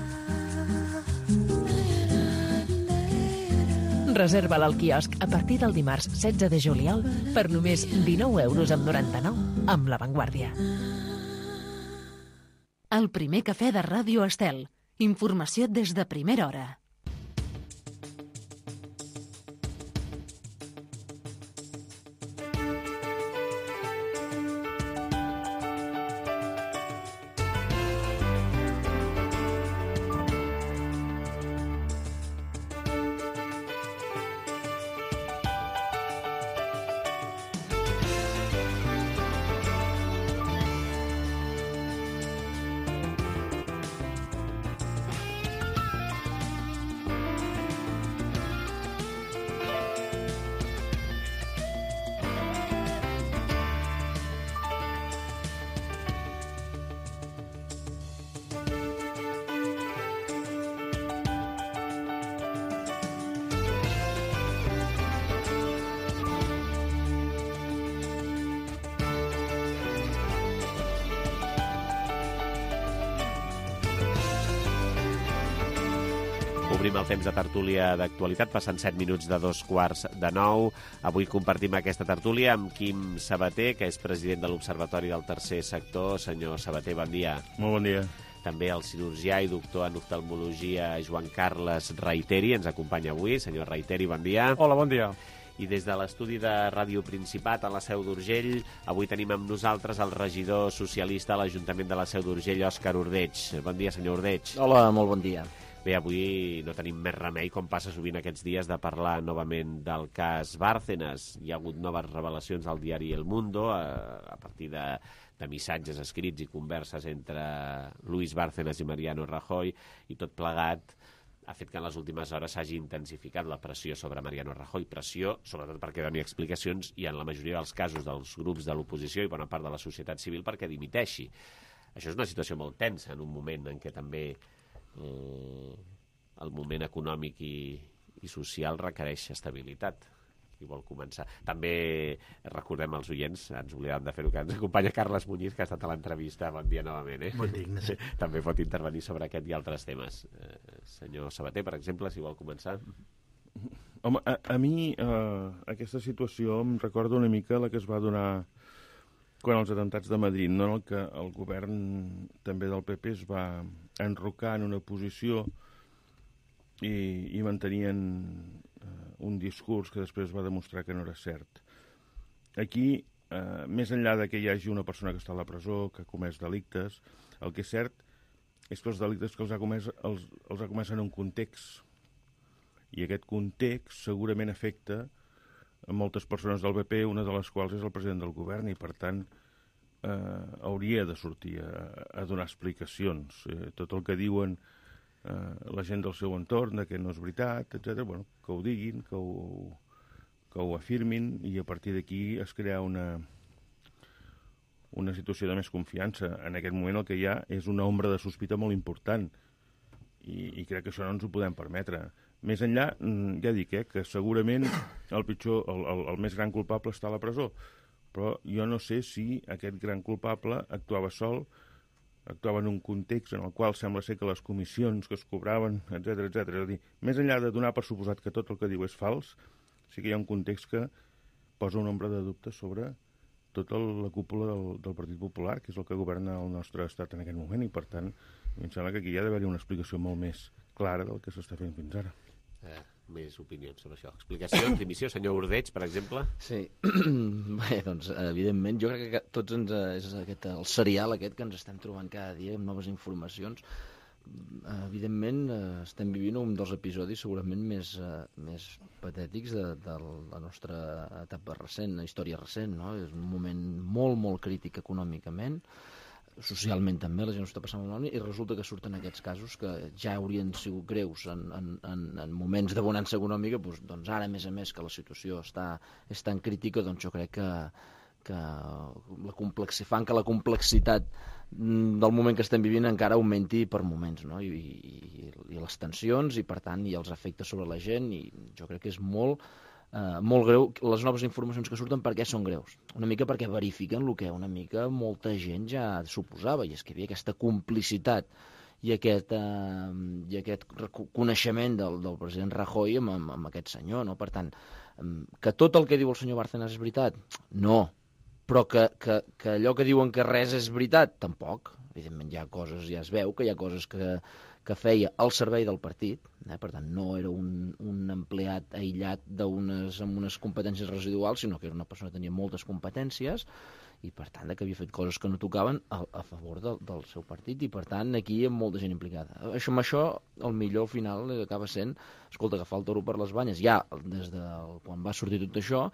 Reserva-la al quiosc a partir del dimarts setze de juliol per només dinou euros amb noranta-nou amb La Vanguardia. El primer cafè de Ràdio Estel. Informació des de primera hora. Obrim el temps de tertúlia d'actualitat, passant set minuts de dos quarts de nou. Avui compartim aquesta tertúlia amb Quim Sabater, que és president de l'Observatori del Tercer Sector. Senyor Sabater, bon dia. Molt bon dia. També el cirurgià i doctor en oftalmologia Joan Carles Reiteri ens acompanya avui. Senyor Reiteri, bon dia. Hola, bon dia. I des de l'estudi de Ràdio Principat a la Seu d'Urgell, avui tenim amb nosaltres el regidor socialista a l'Ajuntament de la Seu d'Urgell, Òscar Ordeig. Bon dia, senyor Ordeig. Hola, molt bon dia. Bé, avui no tenim més remei, com passa sovint aquests dies, de parlar novament del cas Bárcenas. Hi ha hagut noves revelacions al diari El Mundo a, a partir de, de missatges escrits i converses entre Luis Bárcenas i Mariano Rajoy, i tot plegat ha fet que en les últimes hores s'hagi intensificat la pressió sobre Mariano Rajoy, pressió sobretot perquè doni explicacions i en la majoria dels casos dels grups de l'oposició i bona part de la societat civil perquè dimiteixi. Això és una situació molt tensa en un moment en què també eh, el moment econòmic i, i social requereix estabilitat. Qui vol començar? També recordem als oients, ens oblidàvem de fer-ho, que ens acompanya Carles Muñiz, que ha estat a l'entrevista. Bon dia novament, eh? Bon dia, Ignasi. També pot intervenir sobre aquest i altres temes. Eh, senyor Sabater, per exemple, si vol començar. Home, a, a mi eh, aquesta situació em recorda una mica la que es va donar quan els atemptats de Madrid, no? En el que el govern també del P P es va enrocar en una posició i, i mantenien un discurs que després va demostrar que no era cert. Aquí eh, més enllà de que hi hagi una persona que està a la presó, que ha comès delictes, el que és cert és que els delictes que els ha comès els, els ha comès en un context. I aquest context segurament afecta a moltes persones del P P, una de les quals és el president del govern, i per tant eh, hauria de sortir a, a donar explicacions. Eh, tot el que diuen eh, la gent del seu entorn, de que no és veritat, etcètera, bueno, que ho diguin, que ho, que ho afirmin, i a partir d'aquí es crea una, una situació de més confiança. En aquest moment el que hi ha és una ombra de sospita molt important, i, i crec que això no ens ho podem permetre. Més enllà, ja dic, eh, que segurament el pitjor, el, el, el més gran culpable està a la presó, però jo no sé si aquest gran culpable actuava sol, actuava en un context en el qual sembla ser que les comissions que es cobraven, etcètera, etcètera. És a dir, més enllà de donar per suposat que tot el que diu és fals, sí que hi ha un context que posa una ombra de dubte sobre tota la cúpula del, del Partit Popular, que és el que governa el nostre estat en aquest moment, i per tant, em sembla que aquí hi ha d'haver-hi una explicació molt més clara del que s'està fent fins ara. Eh, més opinions sobre això. Explicacions, dimissió, senyor Ordeig, per exemple? Sí, bé, doncs, evidentment, jo crec que tots ens, és aquest, el serial aquest que ens estem trobant cada dia amb noves informacions. Evidentment, estem vivint un dels episodis segurament més, més patètics de, de la nostra etapa recent, la història recent, no? És un moment molt, molt crític econòmicament, socialment també, la gent ho està passant molt malament, i resulta que surten aquests casos que ja haurien sigut greus en, en, en moments de bonança econòmica, doncs, doncs ara, a més a més, que la situació està, és tan crítica, doncs jo crec que, que la complexi, fan que la complexitat del moment que estem vivint encara augmenti per moments, no? I, i, i les tensions, i per tant, i els efectes sobre la gent, i jo crec que és molt... Uh, molt greu les noves informacions que surten. Per què són greus? Una mica perquè verifiquen el que una mica molta gent ja suposava, i és que hi havia aquesta complicitat i aquest, uh, i aquest coneixement del, del president Rajoy amb, amb, amb aquest senyor, no? Per tant, um, que tot el que diu el senyor Bárcenas és veritat? No. Però que, que, que allò que diuen que res és veritat? Tampoc. Evidentment hi ha coses, ja es veu que hi ha coses que, que feia al servei del partit, eh? Per tant no era un, un empleat aïllat d'unes, amb unes competències residuals, sinó que era una persona que tenia moltes competències, i per tant que havia fet coses que no tocaven a, a favor del, del seu partit, i per tant aquí hi ha molta gent implicada. Això, amb això, el millor al final acaba sent, escolta, agafar el toro per les banyes, ja des de quan va sortir tot això,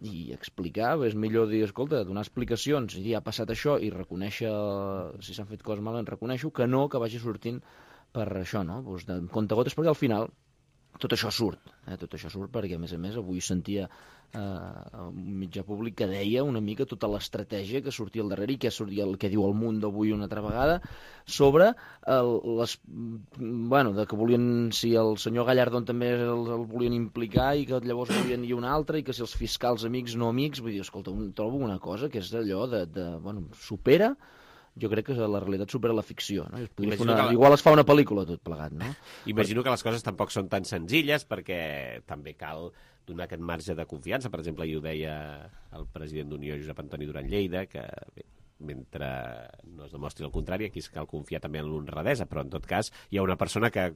i explicar, és millor dir, escolta, donar explicacions, i dir, ha passat això, i reconèixer, si s'han fet coses malament, reconèixer-ho, que no que vagi sortint per això, no? Pues de comptagotes, perquè al final tot això surt, eh? Tot això surt perquè, a més a més, avui sentia eh, un mitjà públic que deia una mica tota l'estratègia que sortia al darrere i que sortia el que diu el Mundo avui una altra vegada sobre el, les... bueno, de que volien, si el senyor Gallardón també el, el volien implicar i que llavors volien ir un altre i que si els fiscals amics no amics, vull dir, escolta, un, trobo una cosa que és allò de, de bueno, supera, jo crec que la realitat supera la ficció, no? Es una... la... Igual es fa una pel·lícula tot plegat, no? Imagino que les coses tampoc són tan senzilles, perquè també cal donar aquest marge de confiança. Per exemple, hi ho deia el president d'Unió, Josep Antoni Duran Lleida, que bé, mentre no es demostri el contrari, aquí cal confiar també en l'honradesa, però en tot cas hi ha una persona que,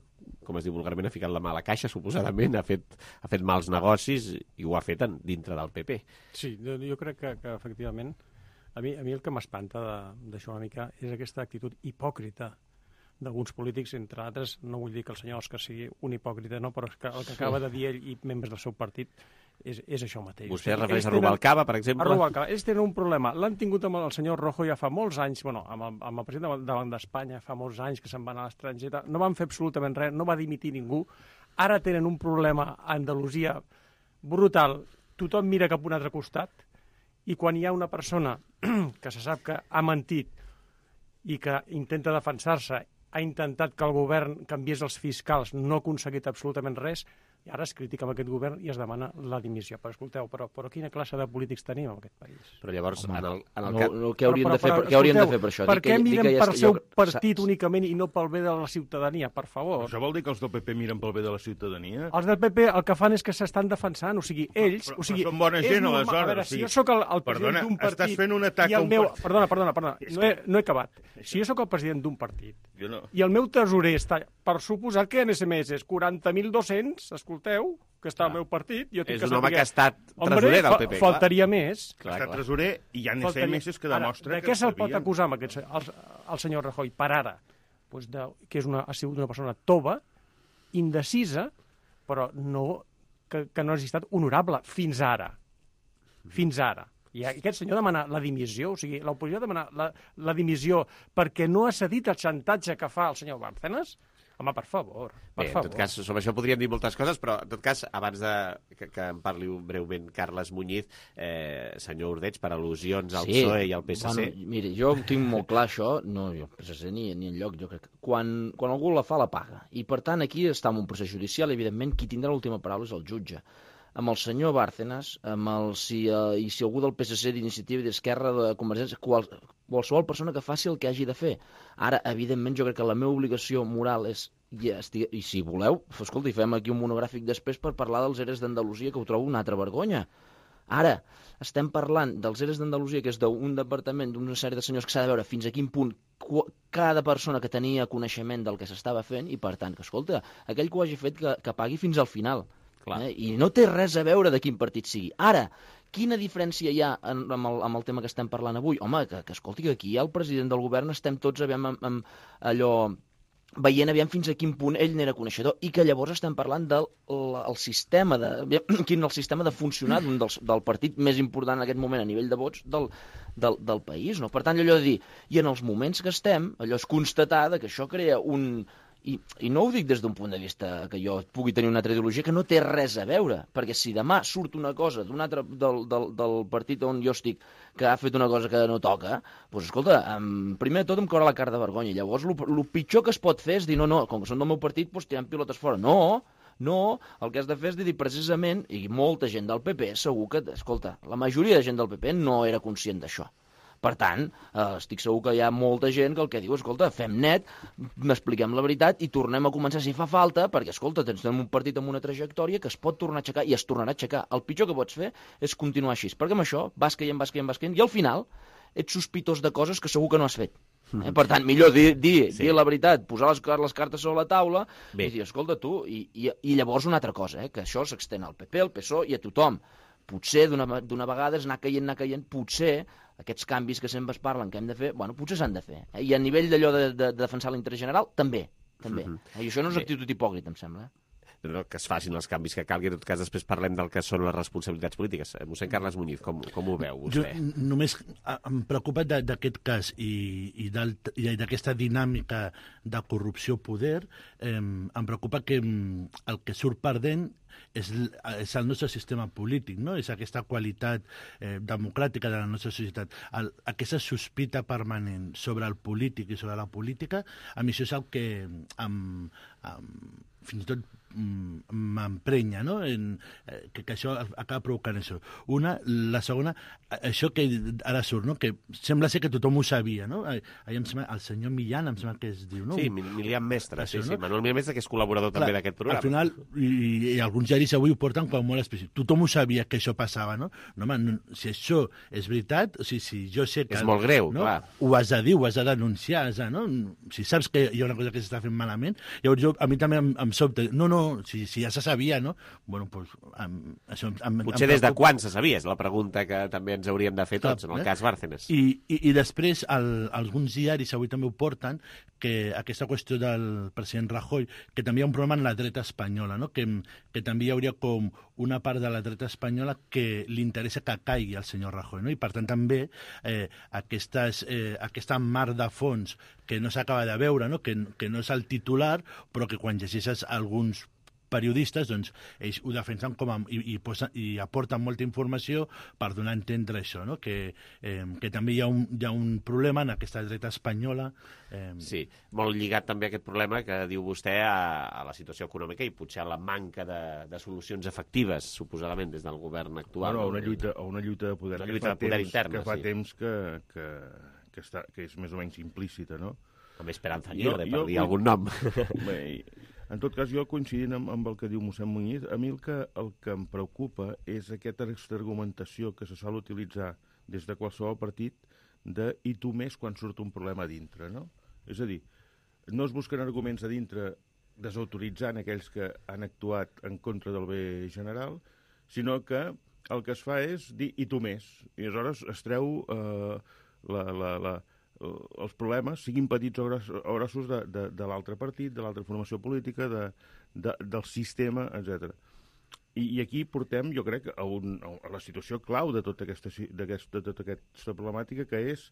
com es diu vulgarment, ha ficat la mà a la caixa, suposadament, ha fet, ha fet mals negocis i ho ha fet en, dintre del P P. Sí, jo, jo crec que, que efectivament A mi, a mi el que m'espanta d'això una mica és aquesta actitud hipòcrita d'alguns polítics, entre altres, no vull dir que el senyor Òscar sigui un hipòcrita, no, però que el que acaba de dir ell i membres del seu partit és, és això mateix. Vostè es refereix a Rubalcaba, per exemple? A Rubalcaba. Ells tenen un problema. L'han tingut amb el senyor Rojo ja fa molts anys, bueno, amb el, amb el president del Banc d'Espanya fa molts anys que se'n van a l'estranger, no van fer absolutament res, no va dimitir ningú. Ara tenen un problema a Andalusia brutal. Tothom mira cap a un altre costat, i quan hi ha una persona que se sap que ha mentit i que intenta defensar-se, ha intentat que el govern canviés els fiscals, no ha aconseguit absolutament res, i ara es critica amb aquest govern i es demana la dimissió. Però escolteu, però, però quina classe de polítics tenim en aquest país? Però llavors, Home, en el, en el no, cap... no, què haurien, però, de, fer, però, per, què haurien de fer per això? Per què miren pel seu jo... partit únicament i no pel bé de la ciutadania, per favor? Això vol dir que els del P P miren pel bé de la ciutadania? Els del P P el que fan és que s'estan defensant, o sigui, ells... Però, o sigui, però són bona gent, normal, aleshores. A veure, o sigui, si jo sóc el, el president d'un partit... Estàs fent un atac i el meu... a un partit... Perdona, perdona, perdona, no he, no he acabat. Si jo sóc el president d'un partit jo no. i el meu tresorer està, per suposar que en S M S quaranta mil dos-cents, escolteu, que està al meu partit... Jo tinc és que un home saber... que ha estat tresorer del P P. Fa, faltaria més. Clar, ha estat tresorer i hi ha S M S que demostra ara, que de què se'l sabien... pot acusar amb aquest, el, el senyor Rajoy per ara? Pues de, que és una, ha sigut una persona tova, indecisa, però no, que, que no ha estat honorable fins ara. Fins ara. I aquest senyor demana la dimissió, o sigui, l'oposició demana la, la dimissió perquè no ha cedit el xantatge que fa el senyor Bárcenas. Home, per favor, per Bé, favor. en tot cas, sobre això podríem dir moltes coses, però en tot cas, abans de que, que em parli breument Carles Muñiz, eh, senyor Ordeig, per al·lusions al sí. P S O E i al P S C... Bueno, mire, jo ho tinc molt clar, això, no, jo, P S C ni, ni enlloc, jo crec que quan, quan algú la fa, la paga. I, per tant, aquí està en un procés judicial, evidentment, qui tindrà l'última paraula és el jutge. Amb el senyor Bárcenas, amb el, si, uh, i si algú del P S C, d'Iniciativa i d'Esquerra, de Convergència, qual, qualsevol persona que faci el que hagi de fer. Ara, evidentment, jo crec que la meva obligació moral és, i, estigui, i si voleu, escolta, hi fem aquí un monogràfic després per parlar dels ERES d'Andalusia, que ho trobo una altra vergonya. Ara, estem parlant dels ERES d'Andalusia, que és d'un departament, d'una sèrie de senyors que s'ha de veure fins a quin punt cada persona que tenia coneixement del que s'estava fent, i per tant, que escolta, aquell que ho hagi fet que, que pagui fins al final. Eh? I no té res a veure de quin partit sigui. Ara, quina diferència hi ha en, amb, el, amb el tema que estem parlant avui? Home, que, que escolti, que aquí hi ha el president del govern, estem tots aviam, amb, amb allò, veient aviam fins a quin punt ell n'era coneixedor, i que llavors estem parlant del el, el sistema de, quin el sistema de funcionar d'un del, del partit més important en aquest moment a nivell de vots del, del, del país. No? Per tant, allò de dir, i en els moments que estem, allò és constatar que això crea un... I, I no ho dic des d'un punt de vista que jo pugui tenir una altra ideologia, que no té res a veure, perquè si demà surt una cosa d'un altre del, del, del partit on jo estic que ha fet una cosa que no toca, doncs escolta, um, primer de tot em caurà la cara de vergonya. Llavors, el pitjor que es pot fer és dir, no, no, com que són del meu partit, doncs tirem pilotes fora. No, no, el que has de fer és dir precisament, i molta gent del P P segur que, escolta, la majoria de gent del P P no era conscient d'això. Per tant, eh, estic segur que hi ha molta gent que el que diu, escolta, fem net, n'expliquem la veritat i tornem a començar si fa falta, perquè, escolta, tenim un partit amb una trajectòria que es pot tornar a aixecar i es tornarà a aixecar. El pitjor que pots fer és continuar així, perquè amb això vas caient, vas caient, vas caient, i al final ets sospitós de coses que segur que no has fet. Eh? Per tant, millor dir, dir, sí. dir la veritat, posar les, les cartes sobre la taula Bé. i dir, escolta, tu, i, i, i llavors una altra cosa, eh? Que això s'extén al P P, al P S O E i a tothom. Potser d'una vegada és anar caient, anar caient, potser aquests canvis que sempre es parlen que hem de fer, bueno, potser s'han de fer. Eh? I a nivell d'allò de, de, de defensar l'interès general, també. també. Mm-hmm. I això no és actitud hipòcrita, em sembla. Eh? Que es facin els canvis que calgui. En tot cas, després parlem del que són les responsabilitats polítiques. Mossèn Carles Muñiz, com, com ho veu vostè? Jo només em preocupa d'aquest cas i, i d'aquesta dinàmica de corrupció-poder. Eh, em preocupa que el que surt perdent és, és el nostre sistema polític, no? És aquesta qualitat eh, democràtica de la nostra societat. El, aquesta sospita permanent sobre el polític i sobre la política, a mi això és el que em, em, fins i tot m'emprenya, no? En, eh, que, que això acaba provocant això. Una, la segona, això que ara surt, no? Que sembla ser que tothom ho sabia, no? Ahir em sembla, el senyor Millán, em sembla que es diu, no? Sí, Milian Mestre, això, sí, no? sí. Manuel Milian Mestre, que és col·laborador Clar, també d'aquest programa. Al final, i, i alguns diaris avui ho porten com molt específic. Tothom ho sabia que això passava, no? No, home, no, si això és veritat, o sigui, si jo sé que... És molt greu, no? clar. Ho has de dir, ho has de denunciar, has de, no? Si saps que hi ha una cosa que s'està fent malament, llavors jo, a mi també em, em sobta. No, no, si, si ja se sabia, no? Bueno, doncs... Em, això em, em, Potser em des de quan se sabia, és la pregunta que també ens hauríem de fer tots, Clar, en el eh? cas Bárcenas. I, i, i després, el, alguns diaris avui també ho porten, que aquesta qüestió del president Rajoy, que també hi ha un problema en la dreta espanyola, no? que, que també hi hauria com una part de la dreta espanyola que li interessa que caigui el senyor Rajoy, no? I per tant també eh, aquestes, eh, aquesta mar de fons que no s'acaba de veure, no? Que, que no és el titular, però que quan llegeixes alguns periodistes, doncs, ells ho defensen com a, i, i, posen, i aporten molta informació per donar a entendre això, no? que, eh, que també hi ha, un, hi ha un problema en aquesta dreta espanyola. Eh... Sí, molt lligat també a aquest problema que diu vostè a, a la situació econòmica i potser a la manca de, de solucions efectives, suposadament, des del govern actual. Bueno, a una lluita, a una lluita de poder, una lluita de poder temps, interna, que fa sí. temps que, que, que, està, que és més o menys implícita, no? Amb Esperanza Aguirre, per dir jo, algun nom. Bé, en tot cas, jo coincidint amb, amb el que diu mossèn Muñiz, a mi el que, el que em preocupa és aquesta argumentació que se sol utilitzar des de qualsevol partit de i tu més quan surt un problema a dintre, no? És a dir, no es busquen arguments a dintre desautoritzant aquells que han actuat en contra del bé general, sinó que el que es fa és dir i tu més. I aleshores es treu eh, la, la, la, els problemes, siguin petits o grossos, de, de, de l'altre partit, de l'altra formació política, de, de, del sistema, etcètera. I, I aquí portem, jo crec, a, un, a la situació clau de tota aquesta, de tota aquesta problemàtica, que és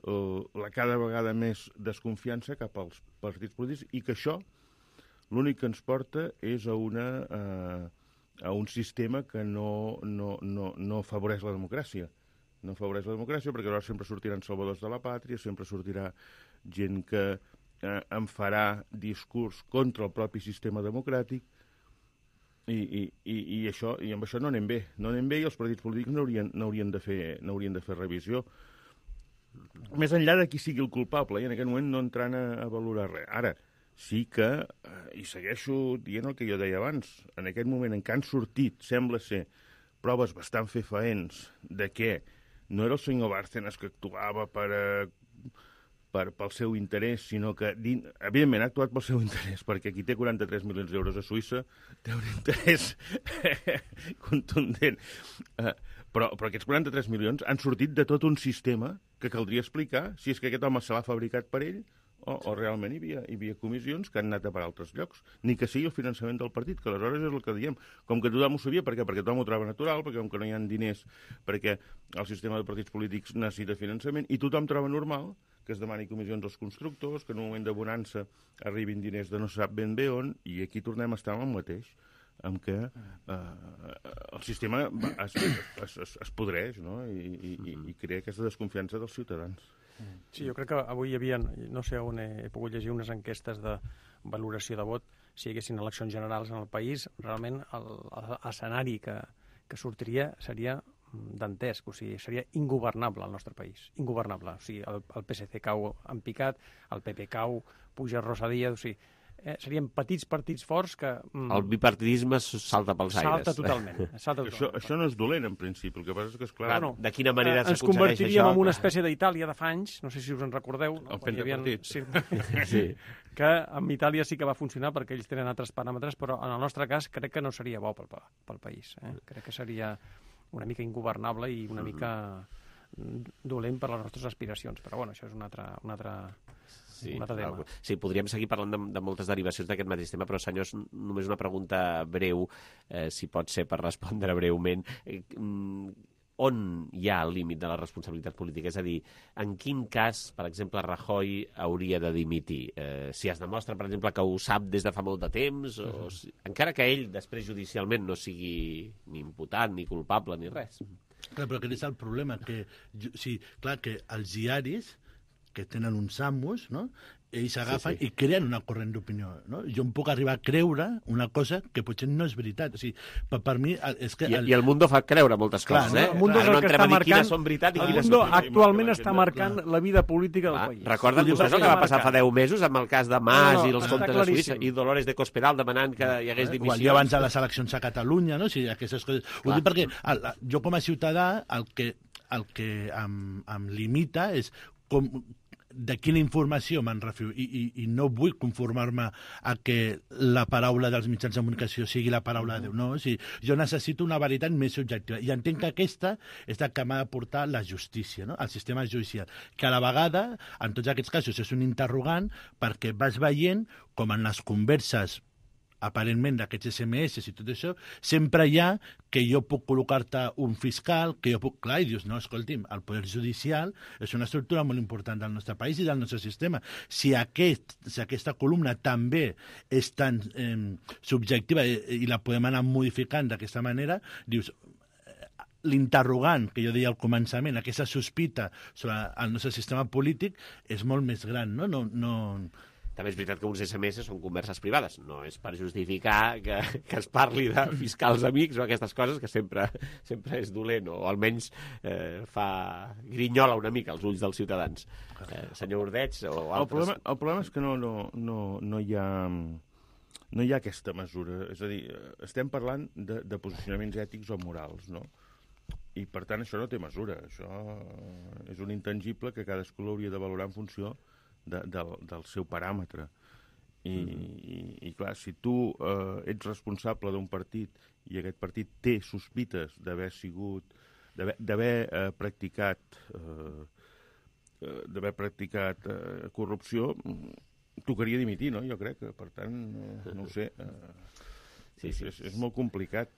uh, la cada vegada més desconfiança cap als partits polítics, i que això l'únic que ens porta és a, una, uh, a un sistema que no, no, no, no afavoreix la democràcia. No afavoreix la democràcia, perquè llavors sempre sortiran salvadors de la pàtria, sempre sortirà gent que eh, en farà discurs contra el propi sistema democràtic, i, i, i, i, això, i amb això no anem bé. No anem bé, i els partits polítics n'haurien n'haurien de fer, n'haurien de fer revisió. Més enllà de qui sigui el culpable, i en aquest moment no entrant a, a valorar res. Ara, sí que, eh, i segueixo dient el que jo deia abans, en aquest moment en què han sortit, sembla ser, proves bastant fefaents de què no era el senyor Bárcenas que actuava per, per, pel seu interès, sinó que, evidentment, ha actuat pel seu interès, perquè qui té quaranta-tres milions d'euros a Suïssa té un interès contundent. Uh, però, però aquests quaranta-tres milions han sortit de tot un sistema que caldria explicar si és que aquest home se l'ha fabricat per ell, o, o realment hi havia, hi havia comissions que han anat a per altres llocs, ni que sigui el finançament del partit, que aleshores és el que diem. Com que tothom ho sabia, per què? Perquè tothom ho troba natural, perquè com que no hi ha diners, perquè el sistema de partits polítics necessita finançament, i tothom troba normal que es demani comissions als constructors, que en un moment de bonança arribin diners de no sap ben bé on, i aquí tornem a estar amb el mateix, amb què eh, el sistema es, es, es, es podreix, no? I, i, i crea aquesta desconfiança dels ciutadans. Sí, jo crec que avui hi havia, no sé on he, he pogut llegir unes enquestes de valoració de vot, si hi haguessin eleccions generals en el país, realment l'escenari que, que sortiria seria dantesc, o sigui, seria ingovernable el nostre país, ingovernable. O sigui, el, el P S C cau en picat, el P P cau, puja Rosa Díaz, o sigui, eh, serien petits partits forts que... Mm, el bipartidisme salta pels aires. Salta totalment. Salta totalment. Això, això no és dolent, en principi. El que passa és que, esclar... Bueno, de quina manera eh, ens convertiríem això? En una espècie d'Itàlia de fa anys, no sé si us en recordeu. El no? pentapartit. Sí, sí. Que en Itàlia sí que va funcionar perquè ells tenen altres paràmetres, però en el nostre cas crec que no seria bo pel, pel país. Eh? Crec que seria una mica ingovernable i una mica dolent per les nostres aspiracions. Però bueno, això és un altre... Un altre Sí, sí, podríem seguir parlant de, de moltes derivacions d'aquest mateix tema, però, senyors, només una pregunta breu, eh, si pot ser per respondre breument. Eh, on hi ha el límit de la responsabilitat política? És a dir, en quin cas, per exemple, Rajoy hauria de dimitir? Eh, si es demostra, per exemple, que ho sap des de fa molt de temps, o si, encara que ell després judicialment no sigui ni imputat, ni culpable, ni res. Clar, però aquest és el problema, que, sí, clar, que els diaris que tenen uns amos, no? Ells agafen sí, sí. i creen una corrent d'opinió. No? Jo em puc arribar a creure una cosa que potser no és veritat. O sigui, per, per mi... És que I, el... I el Mundo fa creure moltes clar, coses, eh? El Mundo és el que està marcant... Són veritat i el quines Mundo són... actualment està marcant clar. La vida política del ah, país. Recorden vostès el que va passar fa deu mesos amb el cas de Mas no, no, i els comptes de Suïssa i Dolores de Cospedal demanant que hi hagués dimissions? O el dia abans de les eleccions a Catalunya, no? O sigui, aquestes coses... Ho dic perquè el, jo com a ciutadà el que, el que em, em limita és com... de quina informació me'n refio I, i, i no vull conformar-me a que la paraula dels mitjans de comunicació sigui la paraula de Déu, no? O sigui, jo necessito una veritat més subjectiva i entenc que aquesta és la que m'ha de portar la justícia, no? El sistema judicial, que a la vegada, en tots aquests casos, és un interrogant perquè vas veient com en les converses aparentment d'aquests esse eme esse i tot això, sempre hi ha que jo puc col·locar-te un fiscal, que jo puc... Clar, i dius, no, escolti'm, el poder judicial és una estructura molt important del nostre país i del nostre sistema. Si, aquest, si aquesta columna també és tan eh, subjectiva i, i la podem anar modificant d'aquesta manera, dius, l'interrogant que jo deia al començament, aquesta sospita sobre el nostre sistema polític és molt més gran, no? No... no També és veritat que uns esse eme esse són converses privades. No és per justificar que, que es parli de fiscals amics o aquestes coses, que sempre, sempre és dolent, o almenys eh, fa grinyola una mica als ulls dels ciutadans. Eh, senyor Ordeig o altres... El problema, el problema és que no, no, no, no, hi ha, no hi ha aquesta mesura. És a dir, estem parlant de, de posicionaments ètics o morals, no? I, per tant, això no té mesura. Això és un intangible que cadascú l'hauria de valorar en funció De, del, del seu paràmetre. I, i, i clar, si tu eh, ets responsable d'un partit i aquest partit té sospites d'haver sigut, d'haver eh, practicat eh, d'haver practicat eh, corrupció, tocaria dimitir, no? Jo crec que, per tant, eh, no ho sé, eh, sí, sí. És, és molt complicat.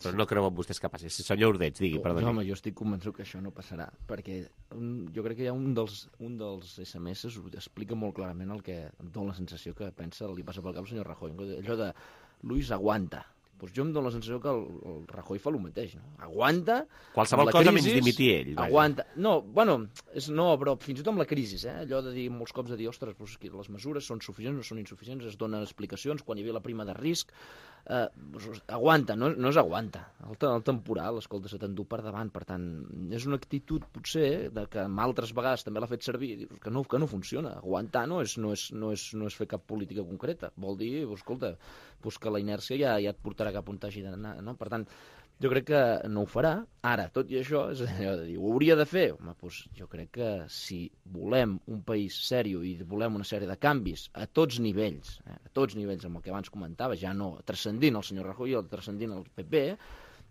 Però no creuen vostès que passi. Senyor Ordeig, digui, perdoni. No, home, jo estic convençut que això no passarà, perquè un, jo crec que hi ha un dels, un dels esse eme esse explica molt clarament el que em dóna la sensació que pensa, li passa pel cap al senyor Rajoy. Allò de, Luis, aguanta. Pues jo em dono la sensació que el, el Rajoy fa el mateix, no? Aguanta. Qualsevol cosa menys dimitir ell. Vaja. Aguanta. No, bueno, és, no, però fins i tot amb la crisi, eh? Allò de dir molts cops de dir, ostres, pues, les mesures són suficients, no són insuficients, es donen explicacions quan hi havia la prima de risc. Eh, aguanta, no, no és aguanta. El, el temporal, escolta, se t'endú per davant. Per tant, és una actitud, potser, de que amb altres vegades també l'ha fet servir, que no, que no funciona. Aguantar no és, no, és, no, és, no és fer cap política concreta. Vol dir, escolta, pues que la inèrcia ja, ja et portarà cap on t'hagi d'anar, no? Per tant, jo crec que no ho farà. Ara, tot i això, és allò de dir, ho hauria de fer? Home, doncs jo crec que si volem un país sèrio i volem una sèrie de canvis a tots nivells, eh, a tots nivells, amb el que abans comentava, ja no transcendint el senyor Rajoy o transcendint el pe pe,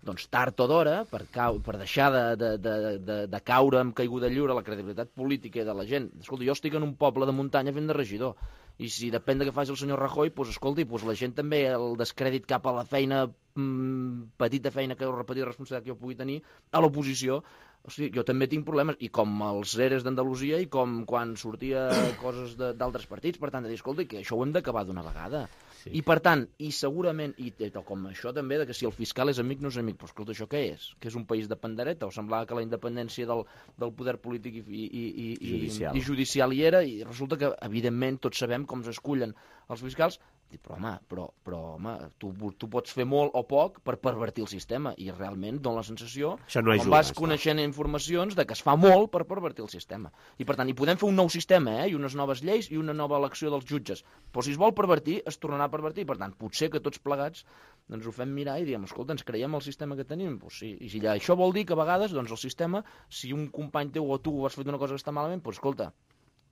doncs tard o d'hora, per, cau, per deixar de, de, de, de, de caure amb caiguda lliure la credibilitat política de la gent. Escolta, jo estic en un poble de muntanya fent de regidor, i si depèn de què faci el senyor Rajoy, doncs escolti, doncs la gent també, el descrèdit cap a la feina, mmm, petita feina que heu repetit, responsabilitat que jo pugui tenir, a l'oposició, o sigui, jo també tinc problemes, i com els eres d'Andalusia i com quan sortia coses d'altres partits, per tant, de dir, escolta, que això ho hem d'acabar d'una vegada. Sí. I per tant, i segurament, i com això també, de que si el fiscal és amic no és amic, però escolta, això què és? Que és un país de pandereta? O semblava que la independència del, del poder polític i, i, i, i, judicial. i judicial hi era, i resulta que, evidentment, tots sabem com s'escullen els fiscals. Però, home, però, però, home tu, tu pots fer molt o poc per pervertir el sistema, i realment dona la sensació, no com vas coneixent informacions, de que es fa molt per pervertir el sistema. I, per tant, hi podem fer un nou sistema, eh? I unes noves lleis i una nova elecció dels jutges. Però si es vol pervertir, es tornarà a pervertir. Per tant, potser que tots plegats ens ho fem mirar i diem, escolta, ens creiem el sistema que tenim? Pues sí. I si això vol dir que a vegades doncs, el sistema, si un company teu o tu has fet una cosa que està malament, doncs escolta,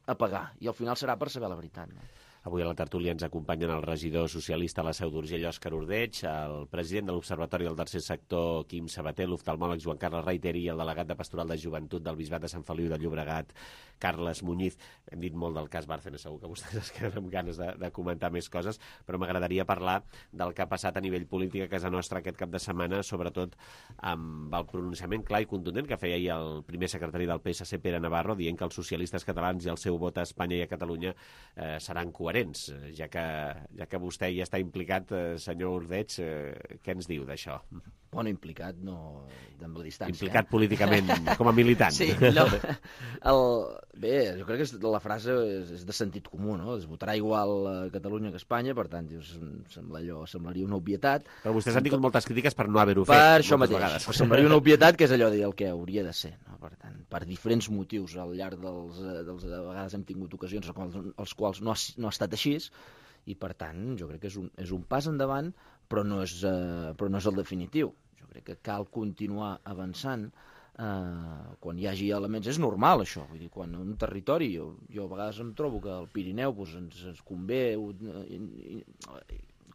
a pagar. I al final serà per saber la veritat, no? Avui a la tertúlia ens acompanyen el regidor socialista a la Seu d'Urgell, Òscar Ordeig, el president de l'Observatori del Tercer Sector, Quim Sabater, l'oftalmòleg Joan Carles Reiteri i el delegat de Pastoral de Joventut del Bisbat de Sant Feliu de Llobregat, Carles Muñiz. Hem dit molt del cas Bárcenas, segur que vostès es queden amb ganes de, de comentar més coses, però m'agradaria parlar del que ha passat a nivell polític a casa nostra aquest cap de setmana, sobretot amb el pronunciament clar i contundent que feia ahir el primer secretari del pe esse ce, Pere Navarro, dient que els socialistes catalans i el seu vot a Espanya i a Catalunya eh, seran coherents. Ja que, ja que vostè hi està implicat, eh, senyor Ordeig, eh, què ens diu d'això? Bueno, implicat no amb la distància. Implicat eh? políticament, com a militant. Sí, no. El, bé, jo crec que la frase és, és de sentit comú, no? Es votarà igual a Catalunya que a Espanya, per tant, dius, sembla allò, semblaria una obvietat. Però vostès han tingut moltes crítiques per no haver-ho fet. Per això mateix, vegades. Semblaria una obvietat, que és allò de dir el que hauria de ser, no? Per tant, per diferents motius al llarg dels, dels de vegades hem tingut ocasions als quals no ha, no ha estat així, i per tant jo crec que és un, és un pas endavant, però no és, eh, però no és el definitiu. Jo crec que cal continuar avançant eh, quan hi hagi elements. És normal això, vull dir, quan un territori, jo, jo a vegades em trobo que al Pirineu pues, ens, ens convé eh,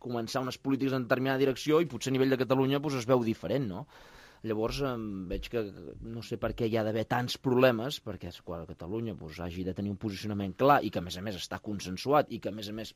començar unes polítiques en determinada direcció i potser a nivell de Catalunya pues, es veu diferent, no? Llavors em veig que no sé per què hi ha d'haver tants problemes, perquè quan Catalunya doncs, hagi de tenir un posicionament clar i que a més a més està consensuat i que a més a més,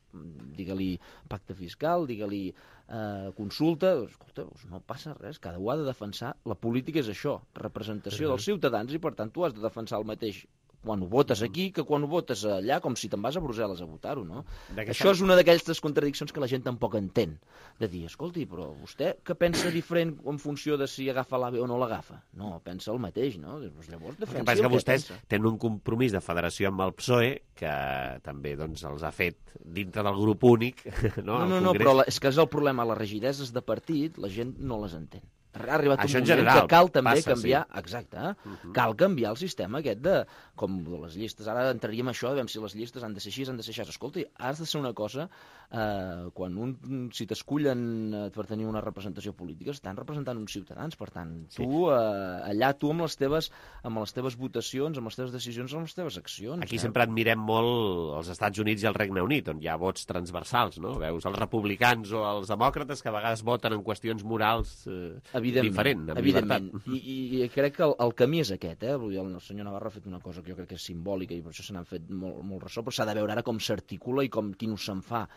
digue-li pacte fiscal, digue-li eh, consulta, doncs, escolta, doncs no passa res, cada un ha de defensar, la política és això, representació dels ciutadans i per tant tu has de defensar el mateix quan ho votes aquí que quan ho votes allà, com si te'n vas a Brussel·les a votar-ho, no? Això és una d'aquestes contradiccions que la gent tampoc entén, de dir, escolti, però vostè que pensa diferent en funció de si agafa l'AVE o no l'agafa? No, pensa el mateix, no? Doncs llavors defensi el que, que vostès pensa. Tenen un compromís de federació amb el P S O E que també doncs, els ha fet dintre del grup únic, no? No, no, no, però la, és que és el problema, les rigideses de partit, la gent no les entén. Ha arribat això un moment general, que cal també passa, canviar, sí. exacte, eh? uh-huh. cal canviar el sistema aquest de, com de les llistes, ara entraríem això, de si les llistes han de ser així, han de ser així. Escolti, has de ser una cosa eh, quan un, si t'escullen eh, per tenir una representació política, estan representant uns ciutadans, per tant, tu, eh, allà tu amb les teves amb les teves votacions, amb les teves decisions, amb les teves accions. Aquí eh? sempre admirem molt els Estats Units i el Regne Unit, on hi ha vots transversals, no? Veus els republicans o els demòcrates que a vegades voten en qüestions morals eh, diferent, amb evidentment. llibertat. I, I crec que el, el camí és aquest, eh? Vull dir, el senyor Navarro ha fet una cosa que jo crec que és simbòlica i per això se n'han fet molt, molt ressò, però s'ha de veure ara com s'articula i com quin ús se'n fa.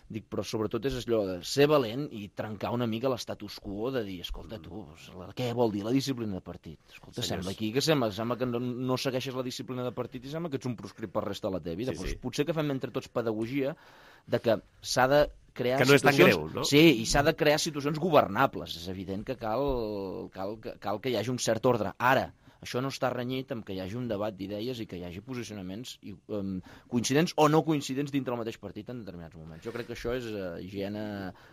Dic, però sobretot és allò de ser valent i trencar una mica l'estatus quo de dir, escolta, tu, què vol dir la disciplina de partit? Escolta, Senyors. sembla aquí que sembla, sembla que no, no segueixes la disciplina de partit i sembla que ets un proscrit per resta de la teva vida. Sí, pues, sí. Potser que fem entre tots pedagogia de que s'ha de crear que no és tan situacions... greu, no? Sí, i s'ha de crear situacions governables. És evident que cal, cal, cal que hi hagi un cert ordre. Ara, això no està renyit amb que hi hagi un debat d'idees i que hi hagi posicionaments um, coincidents o no coincidents dintre el mateix partit en determinats moments. Jo crec que això és uh, higiene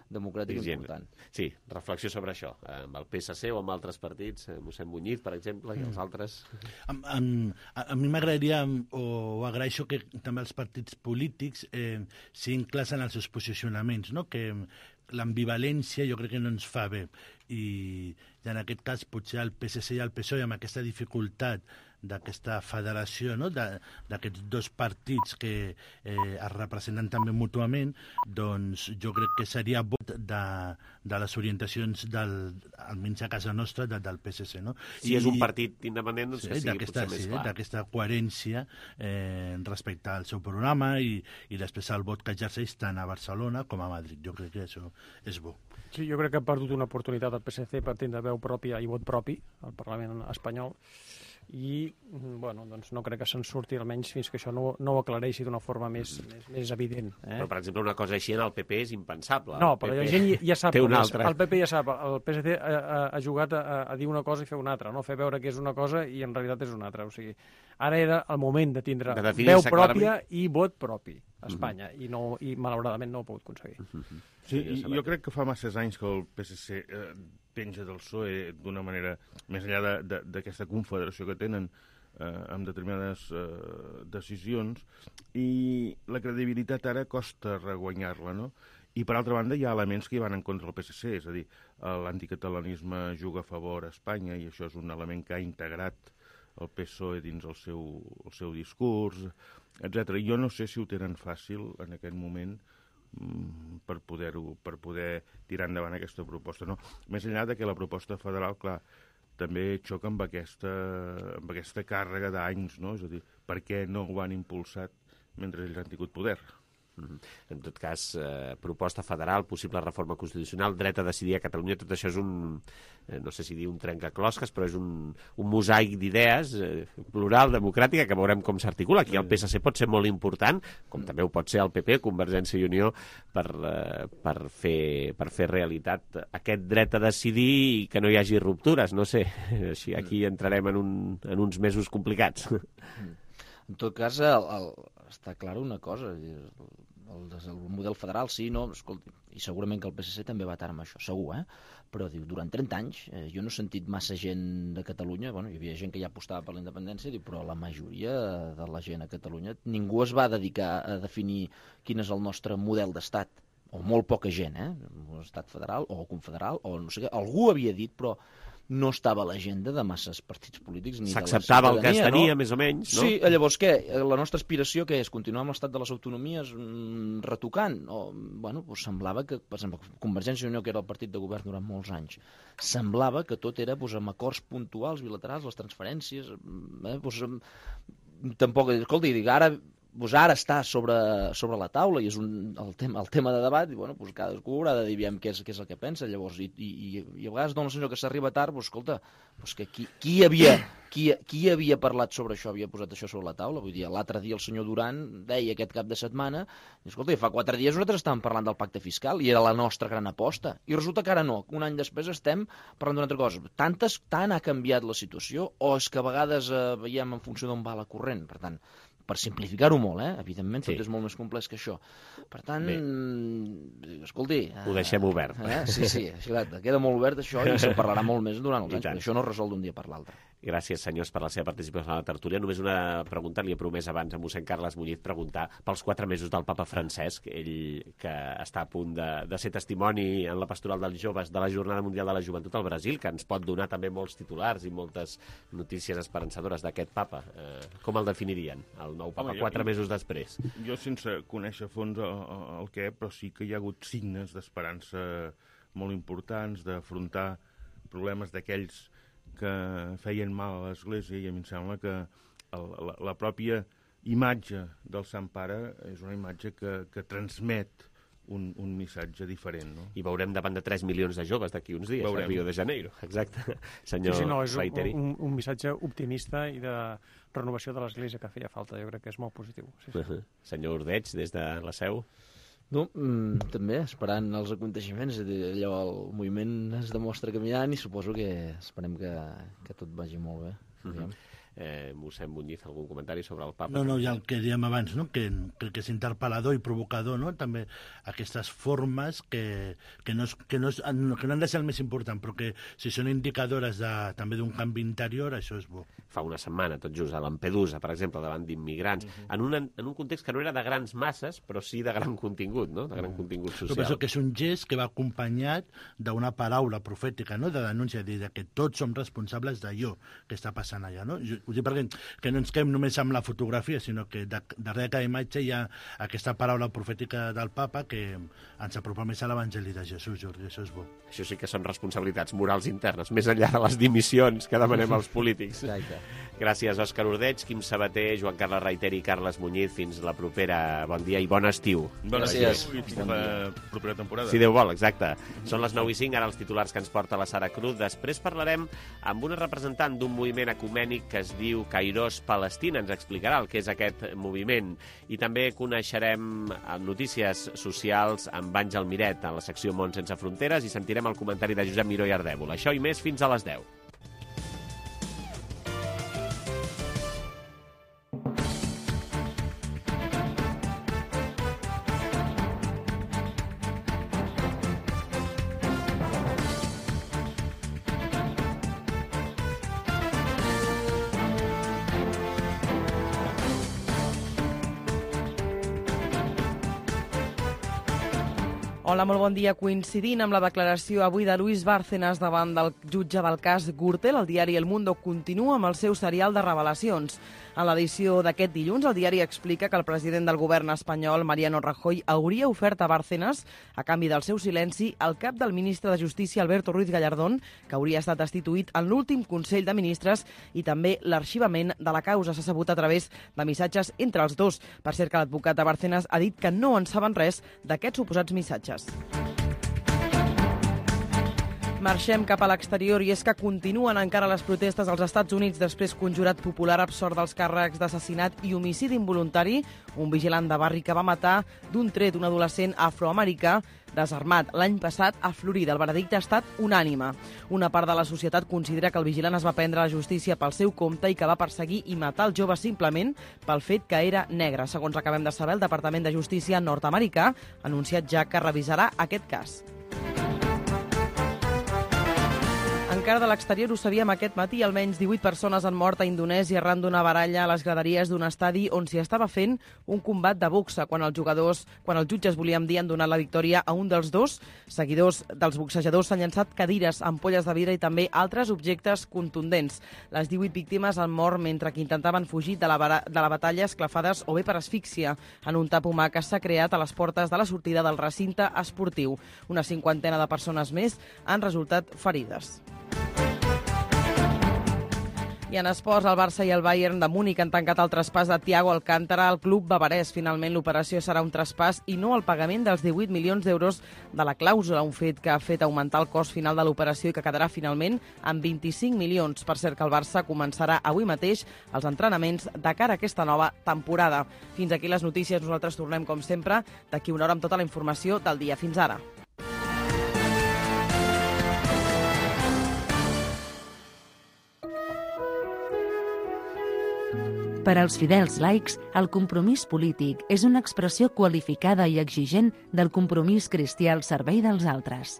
democràtica higiene. important. Sí, reflexió sobre això. Amb el P S C o amb altres partits, eh, mossèn Muñiz, per exemple, i els altres... A, a, a, a mi m'agradaria, o agraeixo que també els partits polítics eh, siguin clars en els seus posicionaments, no? Que l'ambivalència jo crec que no ens fa bé i, i en aquest cas potser el P S C i el P S O E amb aquesta dificultat d'aquesta federació, no? d'aquests dos partits que eh, es representen també mútuament, doncs jo crec que seria vot de, de les orientacions del, almenys a casa nostra, de, del P S C. No? Si I, és un partit independent, doncs sí, que sigui potser més sí, clar. D'aquesta coherència eh, respecte al seu programa i, i després el vot que exerceix tant a Barcelona com a Madrid. Jo crec que això és bo. Sí, jo crec que ha perdut una oportunitat el P S C per tindre veu pròpia i vot propi al Parlament espanyol i, bueno, doncs no crec que se'n surti almenys fins que això no, no ho aclareixi d'una forma més, mm. més, més evident. Eh? Però, per exemple, una cosa així en el P P és impensable. No, però la gent ja sap. Té una altra. El P P ja sap. El P S C ha, ha, ha jugat a, a dir una cosa i fer una altra, no? Fer veure que és una cosa i en realitat és una altra. O sigui, ara era el moment de tindre de veu pròpia clarament. I vot propi a Espanya, mm -hmm. i, no, i malauradament no ho ha pogut aconseguir. Mm -hmm. Sí, i jo crec que fa masses anys que el P S C eh, penja del P S O E d'una manera, més enllà d'aquesta confederació que tenen, eh, amb determinades eh, decisions, i la credibilitat ara costa reguanyar-la, no? I, per altra banda, hi ha elements que hi van en contra del P S C, és a dir, l'anticatalanisme juga a favor a Espanya, i això és un element que ha integrat el P S O E dins el seu, el seu discurs, etcètera. Jo no sé si ho tenen fàcil en aquest moment per poder-ho, per poder tirar endavant aquesta proposta. No? Més enllà de que la proposta federal, clar, també xoca amb aquesta, amb aquesta càrrega d'anys, no? És a dir, per què no ho han impulsat mentre ells han tingut poder? En tot cas, eh, proposta federal, possible reforma constitucional, dret a decidir a Catalunya, tot això és un, eh, no sé si dir un trencaclosques, però és un, un mosaic d'idees eh, plural, democràtica, que veurem com s'articula. Aquí el P S C pot ser molt important, com també ho pot ser el P P, Convergència i Unió, per, eh, per, fer, per fer realitat aquest dret a decidir i que no hi hagi ruptures, no sé. Així aquí entrarem en, un, en uns mesos complicats. En tot cas, el, el, està clara una cosa, el, el, el model federal sí, no, escolti, i segurament que el P S C també va tard amb això, segur, eh? Però diu, durant trenta anys eh, jo no he sentit massa gent de Catalunya, bueno, hi havia gent que ja apostava per la independència, diu, però la majoria de la gent a Catalunya, ningú es va dedicar a definir quin és el nostre model d'estat, o molt poca gent, eh? Un estat federal o confederal, o no sé què, algú havia dit, però no estava a l'agenda de masses partits polítics. S'acceptava el que es tenia, no? Més o menys, no? Sí, llavors què? La nostra aspiració què és? Continuar amb l'estat de les autonomies mm, retocant? O, bueno, doncs semblava que, per exemple, Convergència i Unió, que era el partit de govern durant molts anys, semblava que tot era doncs, amb acords puntuals, bilaterals, les transferències, eh, doncs, tampoc, escolta, dic, ara... Pues ara està sobre, sobre la taula i és un, el, tema, el tema de debat i bueno, pues cadascú haurà de dir aviam què és, què és el que pensa llavors i, i, i a vegades dona la sensació que s'arriba tard, pues, escolta, pues que qui, qui, havia, qui, qui havia parlat sobre això, havia posat això sobre la taula, vull dir, l'altre dia el senyor Duran deia aquest cap de setmana i escolta, fa quatre dies nosaltres estàvem parlant del pacte fiscal i era la nostra gran aposta i resulta que ara no, un any després estem parlant d'una altra cosa, Tantes, tant ha canviat la situació o és que a vegades eh, veiem en funció d'on va la corrent, per tant per simplificar-ho molt, eh? Evidentment, tot Sí. és molt més complex que això. Per tant, Bé. escolti... Ho deixem obert. Eh? Sí, sí, exacte. Queda molt obert això i se'n parlarà molt més durant els I anys, tant. perquè això no es resol d'un dia per l'altre. Gràcies, senyors, per la seva participació a la tertúlia. Només una pregunta, li he promès abans a mossèn Carles Muñiz preguntar pels quatre mesos del papa Francesc, ell que està a punt de, de ser testimoni en la pastoral dels joves de la Jornada Mundial de la Joventut al Brasil, que ens pot donar també molts titulars i moltes notícies esperançadores d'aquest papa. Eh, com el definirien, el nou papa, Home, jo- quatre mesos després? Jo, sense conèixer a fons el, el què, però sí que hi ha hagut signes d'esperança molt importants, d'afrontar problemes d'aquells que feien mal a l'Església, i a mi em sembla que el, la, la pròpia imatge del Sant Pare és una imatge que, que transmet un, un missatge diferent, no? I veurem davant de tres milions de joves d'aquí uns dies, Veurem. a Rio de Janeiro. Exacte. Senyor Sí, sí, no, és Reiteri. un, un, un missatge optimista i de renovació de l'Església que feia falta. Jo crec que és molt positiu. Sí, sí. Uh -huh. Senyor Ordeig, des de la seu. No, mm, també, esperant els aconteixements, allò, el moviment es demostra caminant i suposo que esperem que, que tot vagi molt bé. Uh -huh. eh, mossèn Muñiz, algun comentari sobre el papa? No, no, ja el que dèiem abans, no? que, que, que és interpel·lador i provocador, no? També aquestes formes que, que, no és, que, no és, que no han de ser el més important, però que si són indicadores de, també d'un canvi interior, això és bo. Fa una setmana, tot just, a Lampedusa, per exemple, davant d'immigrants, uh -huh. en, un, en un context que no era de grans masses, però sí de gran contingut, no? De gran contingut social. Jo penso que és un gest que va acompanyat d'una paraula profètica, no? De denúncia, de que tots som responsables d'allò que està passant allà, no? Jo, ho dic perquè que no ens quedem només amb la fotografia, sinó que de, darrere cada imatge hi ha aquesta paraula profètica del papa que ens apropa més a l'Evangeli de Jesús, Jordi, això és bo. Això sí que són responsabilitats morals internes, més enllà de les dimissions que demanem als polítics. Exacte. Gràcies, Òscar Ordeig, Quim Sabater, Joan Carles Reiteri i Carles Muñiz. Fins la propera. Bon dia i bon estiu. Bon Gràcies. estiu i fins la propera temporada. Si Déu vol, exacte. Són les nou i cinc, ara els titulars que ens porta la Sara Cruz. Després parlarem amb una representant d'un moviment ecumènic que es diu Kairos Palestina. Ens explicarà el que és aquest moviment. I també coneixerem notícies socials amb Àngel Miret a la secció Món sense fronteres i sentirem el comentari de Josep Miró i Ardèvol. Això i més fins a les deu. Hola, molt bon dia. Coincidint amb la declaració avui de Luis Bárcenas davant del jutge del cas Gürtel, el diari El Mundo continua amb el seu serial de revelacions. En l'edició d'aquest dilluns, el diari explica que el president del govern espanyol, Mariano Rajoy, hauria ofert a Bárcenas, a canvi del seu silenci, el cap del ministre de Justícia, Alberto Ruiz Gallardón, que hauria estat destituït en l'últim Consell de Ministres, i també l'arxivament de la causa. S'ha sabut a través de missatges entre els dos. Per cert, que l'advocat de Bárcenas ha dit que no en saben res d'aquests suposats missatges. Marxem cap a l'exterior i és que continuen encara les protestes als Estats Units després que un jurat popular absort dels càrrecs d'assassinat i homicidi involuntari, un vigilant de barri que va matar d'un tret un adolescent afroamericà desarmat l'any passat a Florida. El veredicte ha estat unànime. Una part de la societat considera que el vigilant es va prendre la justícia pel seu compte i que va perseguir i matar el jove simplement pel fet que era negre. Segons acabem de saber, el Departament de Justícia nord-americà ha anunciat ja que revisarà aquest cas. Encara de l'exterior ho sabíem aquest matí, almenys divuit persones han mort a Indonèsia arran d'una baralla a les graderies d'un estadi on s'hi estava fent un combat de boxa. Quan els jugadors, quan els jutges, volíem dir, han donat la victòria a un dels dos, seguidors dels boxejadors s'han llançat cadires, ampolles de vidre i també altres objectes contundents. Les divuit víctimes han mort mentre que intentaven fugir de la, de la batalla esclafades o bé per asfíxia en un tap humà que s'ha creat a les portes de la sortida del recinte esportiu. Una cinquantena de persones més han resultat ferides. I en esports, el Barça i el Bayern de Múnich han tancat el traspàs de Thiago Alcántara al club bavarès. Finalment, l'operació serà un traspàs i no el pagament dels divuit milions d'euros de la clàusula, un fet que ha fet augmentar el cost final de l'operació i que quedarà finalment amb vint-i-cinc milions. Per cert, que el Barça començarà avui mateix els entrenaments de cara a aquesta nova temporada. Fins aquí les notícies. Nosaltres tornem, com sempre, d'aquí una hora amb tota la informació del dia. Fins ara. Per als fidels laics, el compromís polític és una expressió qualificada i exigent del compromís cristià al servei dels altres.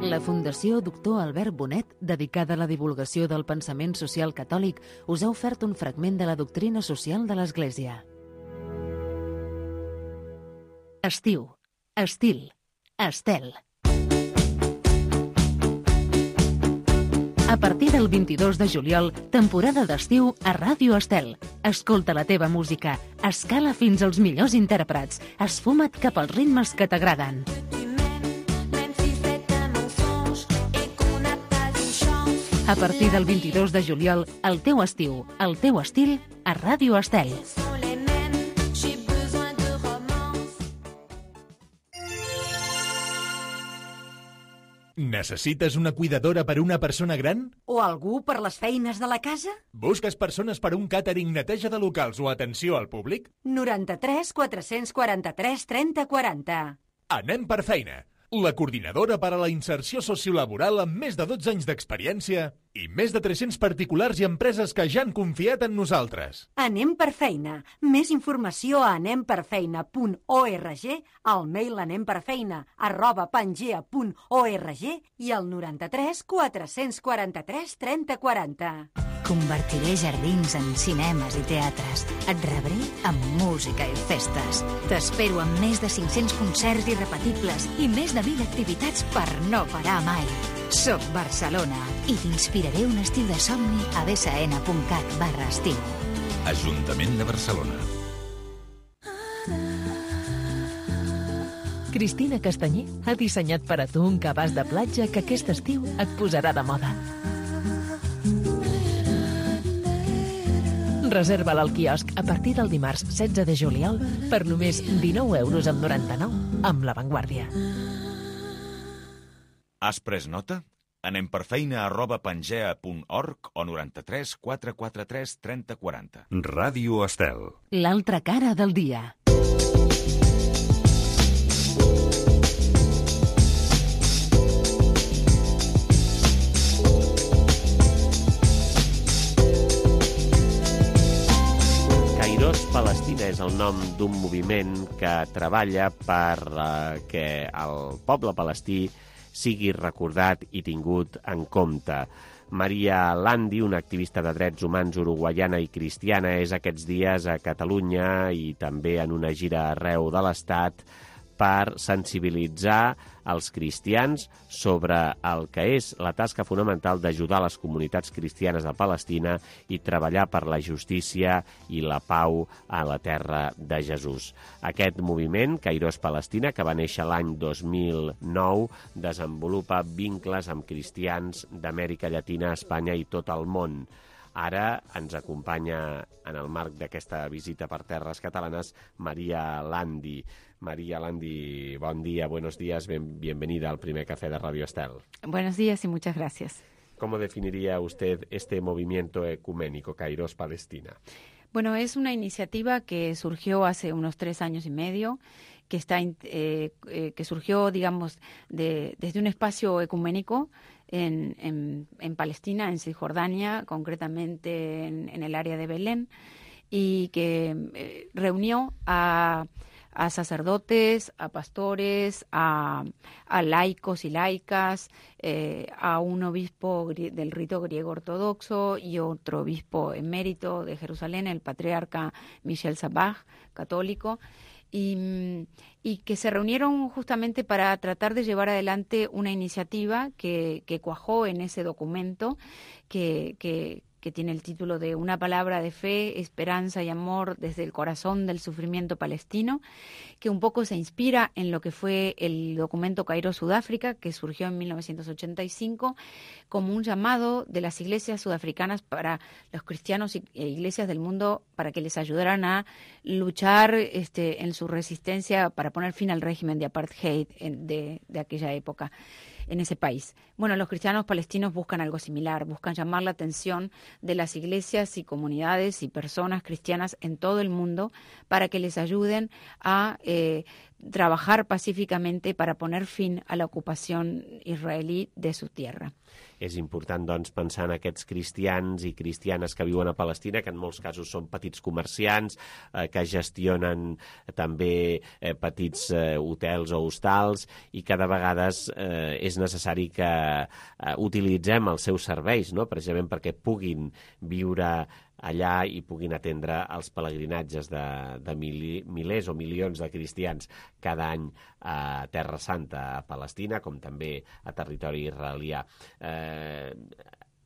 La Fundació Doctor Albert Bonet, dedicada a la divulgació del pensament social catòlic, us ha ofert un fragment de la doctrina social de l'Església. Estiu, estil, estel. A partir del vint-i-dos de juliol, temporada d'estiu a Ràdio Estel. Escolta la teva música, escala fins als millors intèrprets, esfuma't cap als ritmes que t'agraden. A partir del vint-i-dos de juliol, el teu estiu, el teu estil, a Ràdio Estel. Necessites una cuidadora per a una persona gran? O algú per les feines de la casa? Busques persones per a un càtering, neteja de locals o atenció al públic? noranta-tres quatre-cents quaranta-tres trenta quaranta. Anem per feina. La coordinadora per a la inserció sociolaboral amb més de dotze anys d'experiència i més de tres-cents particulars i empreses que ja han confiat en nosaltres. Anem per feina. Més informació a anem per feina punt org, al mail anemperfeina arroba pangea punt org i al noranta-tres quatre-cents quaranta-tres trenta quaranta. Convertiré jardins en cinemes i teatres. Et rebré amb música i festes. T'espero amb més de cinc-cents concerts irrepetibles i més de mil activitats per no parar mai. Soc Barcelona i t'inspiraré un estiu de somni a bsn punt cat barra estiu. Ajuntament de Barcelona. Cristina Castanyer ha dissenyat per a tu un cabàs de platja que aquest estiu et posarà de moda. Reserva-la al quiosc a partir del dimarts setze de juliol per només dinou euros amb noranta-nou amb La Vanguardia. Has pres nota? Anem per feina arroba pangea punt org o noranta-tres quatre quaranta-tres trenta quaranta. Ràdio Estel. L'altra cara del dia. Palestina és el nom d'un moviment que treballa per eh, que el poble palestí sigui recordat i tingut en compte. Maria Landi, una activista de drets humans uruguaiana i cristiana, és aquests dies a Catalunya i també en una gira arreu de l'Estat per sensibilitzar els cristians sobre el que és la tasca fonamental d'ajudar les comunitats cristianes de Palestina i treballar per la justícia i la pau a la terra de Jesús. Aquest moviment, Kairos Palestina, que va néixer l'any dos mil nou, desenvolupa vincles amb cristians d'Amèrica Llatina, Espanya i tot el món. Ara ens acompanya en el marc d'aquesta visita per terres catalanes Maria Landi. María Landi, buen día, buenos días, bien, bienvenida al primer café de Radio Estel. Buenos días y muchas gracias. ¿Cómo definiría usted este movimiento ecuménico Kairos Palestina? Bueno, es una iniciativa que surgió hace unos tres años y medio, que está eh, eh, que surgió, digamos, de, desde un espacio ecuménico en, en, en Palestina, en Cisjordania, concretamente en, en el área de Belén, y que eh, reunió a a sacerdotes, a pastores, a, a laicos y laicas, eh, a un obispo del rito griego ortodoxo y otro obispo emérito de Jerusalén, el patriarca Michel Sabaj, católico, y, y que se reunieron justamente para tratar de llevar adelante una iniciativa que, que cuajó en ese documento que, que que tiene el título de Una palabra de fe, esperanza y amor desde el corazón del sufrimiento palestino, que un poco se inspira en lo que fue el documento Kairos Sudáfrica, que surgió en mil novecientos ochenta y cinco, como un llamado de las iglesias sudafricanas para los cristianos e iglesias del mundo para que les ayudaran a luchar este, en su resistencia para poner fin al régimen de apartheid de, de aquella época en ese país. Bueno, los cristianos palestinos buscan algo similar, buscan llamar la atención de las iglesias y comunidades y personas cristianas en todo el mundo para que les ayuden a eh, trabajar pacíficamente para poner fin a la ocupación israelí de su tierra. És important, doncs, pensar en aquests cristians i cristianes que viuen a Palestina, que en molts casos són petits comerciants, eh, que gestionen també eh, petits eh, hotels o hostals, i que de vegades eh, és necessari que eh, utilitzem els seus serveis, no?, precisament perquè puguin viure allà i puguin atendre els pelegrinatges de, de mil, milers o milions de cristians cada any a Terra Santa, a Palestina, com també a territori israelià. Eh,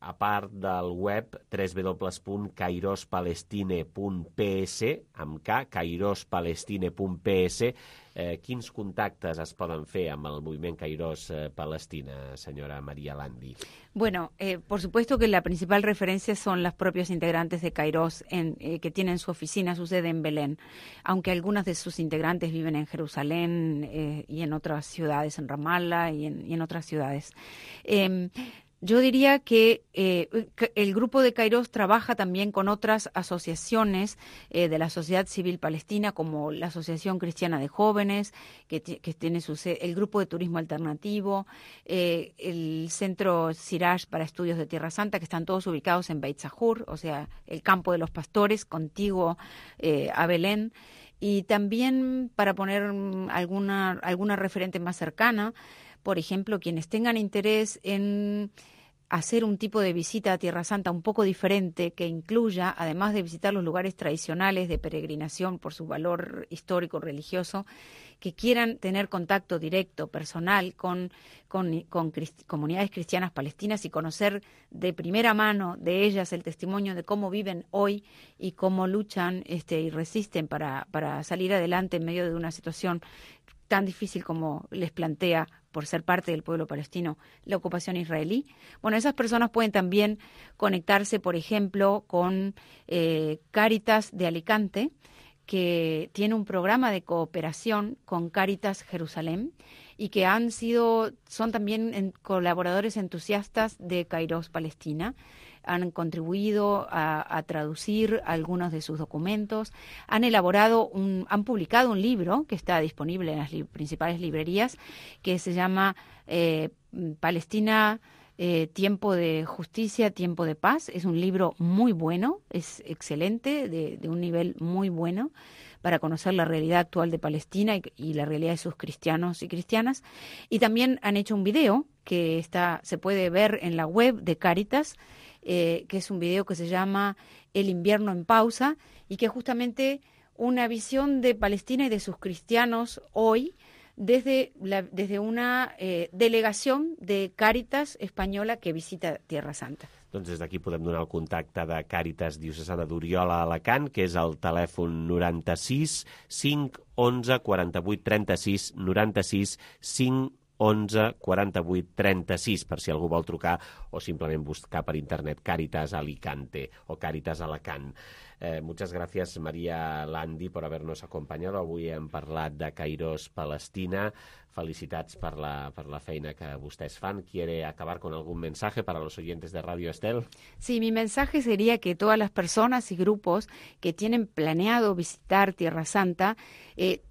a part del web w w w punt kairospalestine punt p s, amb K, kairospalestine punt p s, eh, quins contactes es poden fer amb el moviment Kairos eh, Palestina, senyora María Landi? Bueno, eh, por supuesto que la principal referencia son los propios integrantes de Kairos, en, eh, que tienen su oficina, su sede en Belén, aunque algunas de sus integrantes viven en Jerusalén eh, y en otras ciudades, en Ramallah y en, y en otras ciudades. Eh, Yo diría que eh, el grupo de Kairos trabaja también con otras asociaciones eh, de la sociedad civil palestina, como la Asociación Cristiana de Jóvenes, que, que tiene su, el Grupo de Turismo Alternativo, eh, el Centro Siraj para Estudios de Tierra Santa, que están todos ubicados en Beit Sahur, o sea, el campo de los pastores, contiguo eh, a Belén. Y también, para poner alguna, alguna referente más cercana, por ejemplo, quienes tengan interés en hacer un tipo de visita a Tierra Santa un poco diferente, que incluya, además de visitar los lugares tradicionales de peregrinación por su valor histórico religioso, que quieran tener contacto directo, personal, con, con, con crist- comunidades cristianas palestinas y conocer de primera mano de ellas el testimonio de cómo viven hoy y cómo luchan este, y resisten para, para salir adelante en medio de una situación tan difícil como les plantea, por ser parte del pueblo palestino, la ocupación israelí. Bueno, esas personas pueden también conectarse, por ejemplo, con eh, Cáritas de Alicante, que tiene un programa de cooperación con Cáritas Jerusalén y que han sido, son también en, colaboradores entusiastas de Kairos Palestina. Han contribuido a, a traducir algunos de sus documentos, han elaborado, un, han publicado un libro que está disponible en las li- principales librerías, que se llama eh, Palestina, eh, Tiempo de Justicia, Tiempo de Paz. Es un libro muy bueno, es excelente, de, de un nivel muy bueno, para conocer la realidad actual de Palestina y, y la realidad de sus cristianos y cristianas. Y también han hecho un video que está, se puede ver en la web de Cáritas, Eh, que es un video que se llama El invierno en pausa, y que es justamente una visión de Palestina y de sus cristianos hoy desde, la, desde una eh, delegación de Cáritas española que visita Tierra Santa. Doncs des d'aquí podem donar el contacte de Càritas Diocesana d'Oriola a Alacant, que és el telèfon noranta-sis cinc onze quaranta-vuit trenta-sis, noranta-sis cinc onze quaranta-vuit trenta-sis, per si algú vol trucar o simplement buscar per internet Càritas Alicante o Càritas Alacant. Eh, muchas gracias, María Landi, por habernos acompañado. Avui hem parlat de Kairos Palestina. Felicitats per la, per la feina que vostès fan. ¿Quiere acabar con algún mensaje para los oyentes de Radio Estel? Sí, mi mensaje sería que todas las personas y grupos que tienen planeado visitar Tierra Santa eh,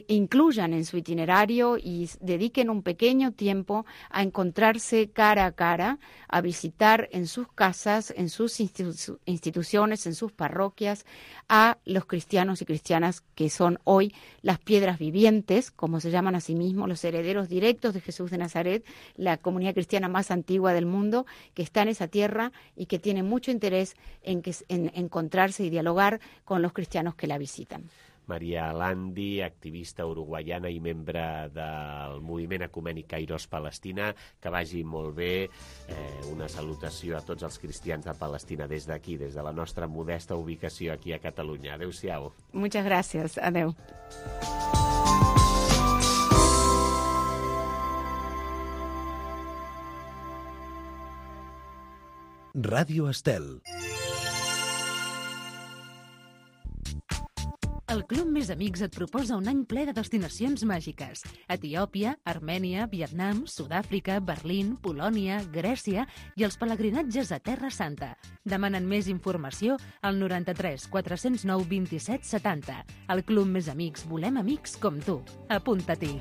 incluyan en su itinerario y dediquen un pequeño tiempo a encontrarse cara a cara, a visitar en sus casas, en sus institu- instituciones, en sus parroquias, a los cristianos y cristianas que son hoy las piedras vivientes, como se llaman a sí mismos, los herederos directos de Jesús de Nazaret, la comunidad cristiana más antigua del mundo, que está en esa tierra y que tiene mucho interés en, que, en encontrarse y dialogar con los cristianos que la visitan. María Landi, activista uruguaiana i membre del moviment ecumènic Kairos Palestina. Que vagi molt bé. Eh, una salutació a tots els cristians de Palestina des d'aquí, des de la nostra modesta ubicació aquí a Catalunya. Adéu-siau. Muchas gracias. Adéu. Ràdio Estel. El El Club Més Amics et proposa un any ple de destinacions màgiques. Etiòpia, Armènia, Vietnam, Sud-àfrica, Berlín, Polònia, Grècia i els pelegrinatges a Terra Santa. Demanen més informació al noranta-tres quatre-cents nou vint-i-set setanta. El Club Més Amics, volem amics com tu. Apunta-t'hi.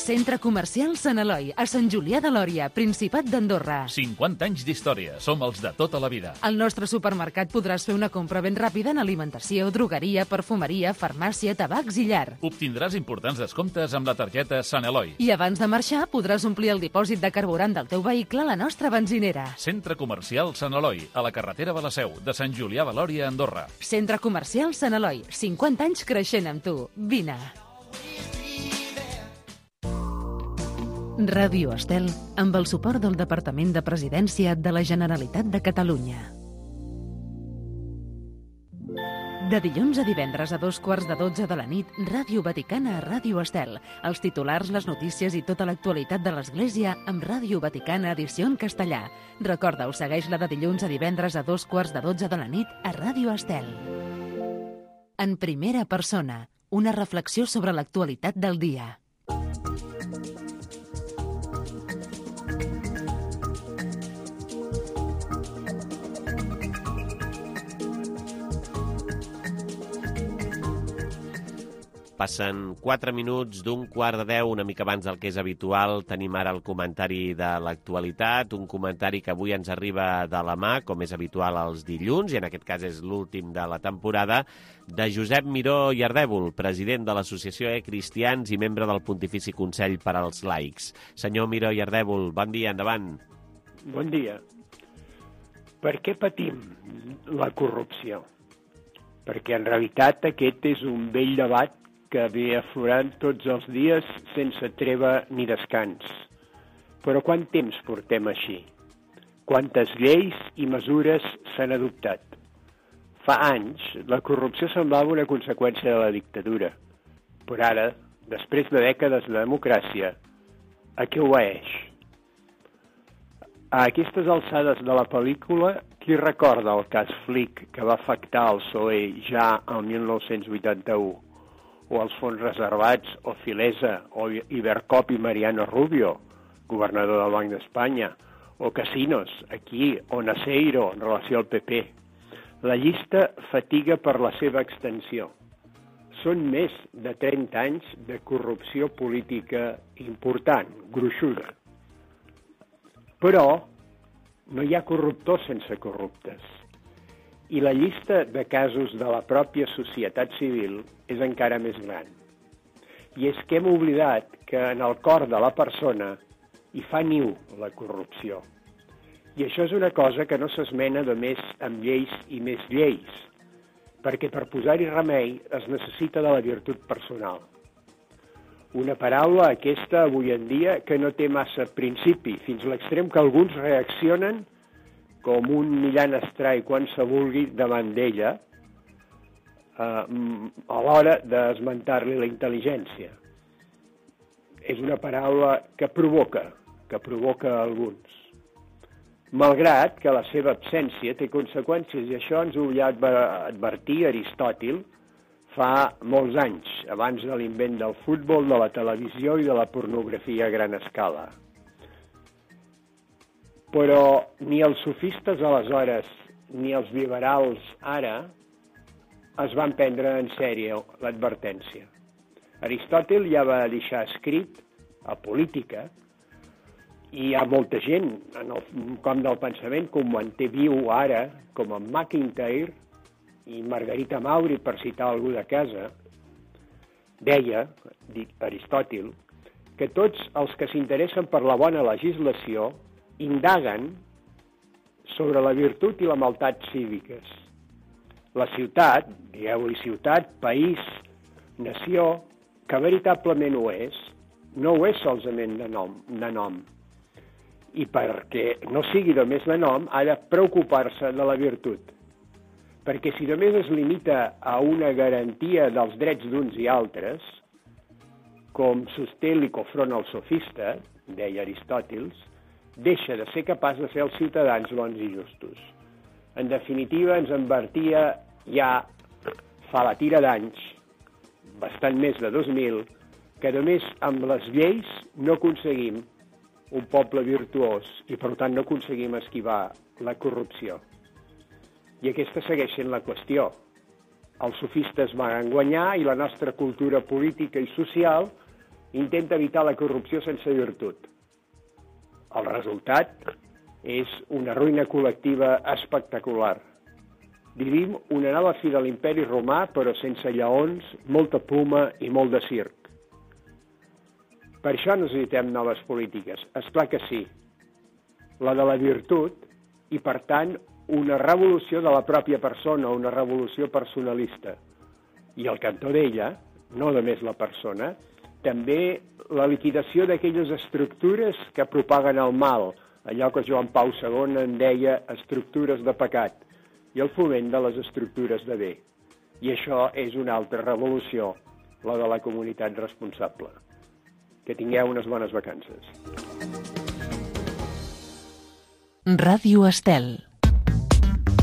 Centre Comercial Sant Eloi, a Sant Julià de Lòria, Principat d'Andorra. cinquanta anys d'història. Som els de tota la vida. Al nostre supermercat podràs fer una compra ben ràpida en alimentació, drogueria, perfumeria, farmàcia, tabacs i llar. Obtindràs importants descomptes amb la targeta Sant Eloi. I abans de marxar podràs omplir el dipòsit de carburant del teu vehicle a la nostra benzinera. Centre Comercial Sant Eloi, a la carretera de la Seu, de Sant Julià de Lòria, Andorra. Centre Comercial Sant Eloi, cinquanta anys creixent amb tu. Vine. Ràdio Estel, amb el suport del Departament de Presidència de la Generalitat de Catalunya. De dilluns a divendres a dos quarts de dotze de la nit, Ràdio Vaticana a Ràdio Estel. Els titulars, les notícies i tota l'actualitat de l'Església amb Ràdio Vaticana edició en castellà. Recorda-ho, segueix-la de dilluns a divendres a dos quarts de dotze de la nit a Ràdio Estel. En primera persona, una reflexió sobre l'actualitat del dia. Passen quatre minuts d'un quart de deu, una mica abans del que és habitual. Tenim ara el comentari de l'actualitat, un comentari que avui ens arriba de la mà, com és habitual els dilluns, i en aquest cas és l'últim de la temporada, de Josep Miró i Ardèvol, president de l'Associació E Cristians i membre del Pontifici Consell per als Laics. Senyor Miró i Ardèvol, bon dia, endavant. Bon dia. Per què patim la corrupció? Perquè en realitat aquest és un vell debat que ve aflorant tots els dies sense treva ni descans. Però quant temps portem així? Quantes lleis i mesures s'han adoptat? Fa anys, la corrupció semblava una conseqüència de la dictadura. Però ara, després de dècades de democràcia, a què obeeix? A aquestes alçades de la pel·lícula, qui recorda el cas Flick que va afectar el P S O E ja el mil nou-cents vuitanta-u? O els fons reservats, o Filesa, o Ibercop i Mariano Rubio, governador del Banc d'Espanya, o Casinos, aquí, o Naseiro, en relació al P P. La llista fatiga per la seva extensió. Són més de trenta anys de corrupció política important, gruixuda. Però no hi ha corruptors sense corruptes. I la llista de casos de la pròpia societat civil és encara més gran. I és que hem oblidat que en el cor de la persona hi fa niu la corrupció. I això és una cosa que no s'esmena només amb lleis i més lleis, perquè per posar-hi remei es necessita de la virtut personal. Una paraula aquesta avui en dia que no té massa principi, fins a l'extrem que alguns reaccionen com un millant estrai quan se vulgui davant d'ella, eh, a l'hora d'esmentar-li la intel·ligència. És una paraula que provoca, que provoca alguns. Malgrat que la seva absència té conseqüències, i això ens ho ja va advertir Aristòtil fa molts anys, abans de l'invent del futbol, de la televisió i de la pornografia a gran escala. Però ni els sofistes aleshores ni els liberals ara es van prendre en sèrio l'advertència. Aristòtil ja va deixar escrit a Política, i hi ha molta gent en el camp del pensament que ho manté viu ara, com en McIntyre i Margarita Mauri, per citar algú de casa, deia, dit Aristòtil, que tots els que s'interessen per la bona legislació indaguen sobre la virtut i la maldat cíviques. La ciutat, digueu-li ciutat, país, nació, que veritablement ho és, no ho és solament de nom, de nom. I perquè no sigui només de nom, ha de preocupar-se de la virtut. Perquè si només es limita a una garantia dels drets d'uns i altres, com sosté l'Icofront el sofista, deia Aristòtils, deixa de ser capaç de fer els ciutadans bons i justos. En definitiva, ens advertia ja fa la tira d'anys, bastant més de dos mil, que només amb les lleis no aconseguim un poble virtuós i, per tant, no aconseguim esquivar la corrupció. I aquesta segueix sent la qüestió. Els sofistes van guanyar i la nostra cultura política i social intenta evitar la corrupció sense virtut. El resultat és una ruïna col·lectiva espectacular. Vivim una nova fi de l'imperi romà, però sense lleons, molta puma i molt de circ. Per això necessitem noves polítiques. És clar que sí. La de la virtut i, per tant, una revolució de la pròpia persona, una revolució personalista. I al cantó d'ella, no només la persona, també la liquidació d'aquelles estructures que propaguen el mal, allò que Joan Pau segon en deia estructures de pecat, i el foment de les estructures de bé. I això és una altra revolució, la de la comunitat responsable. Que tingueu unes bones vacances. Ràdio Estel.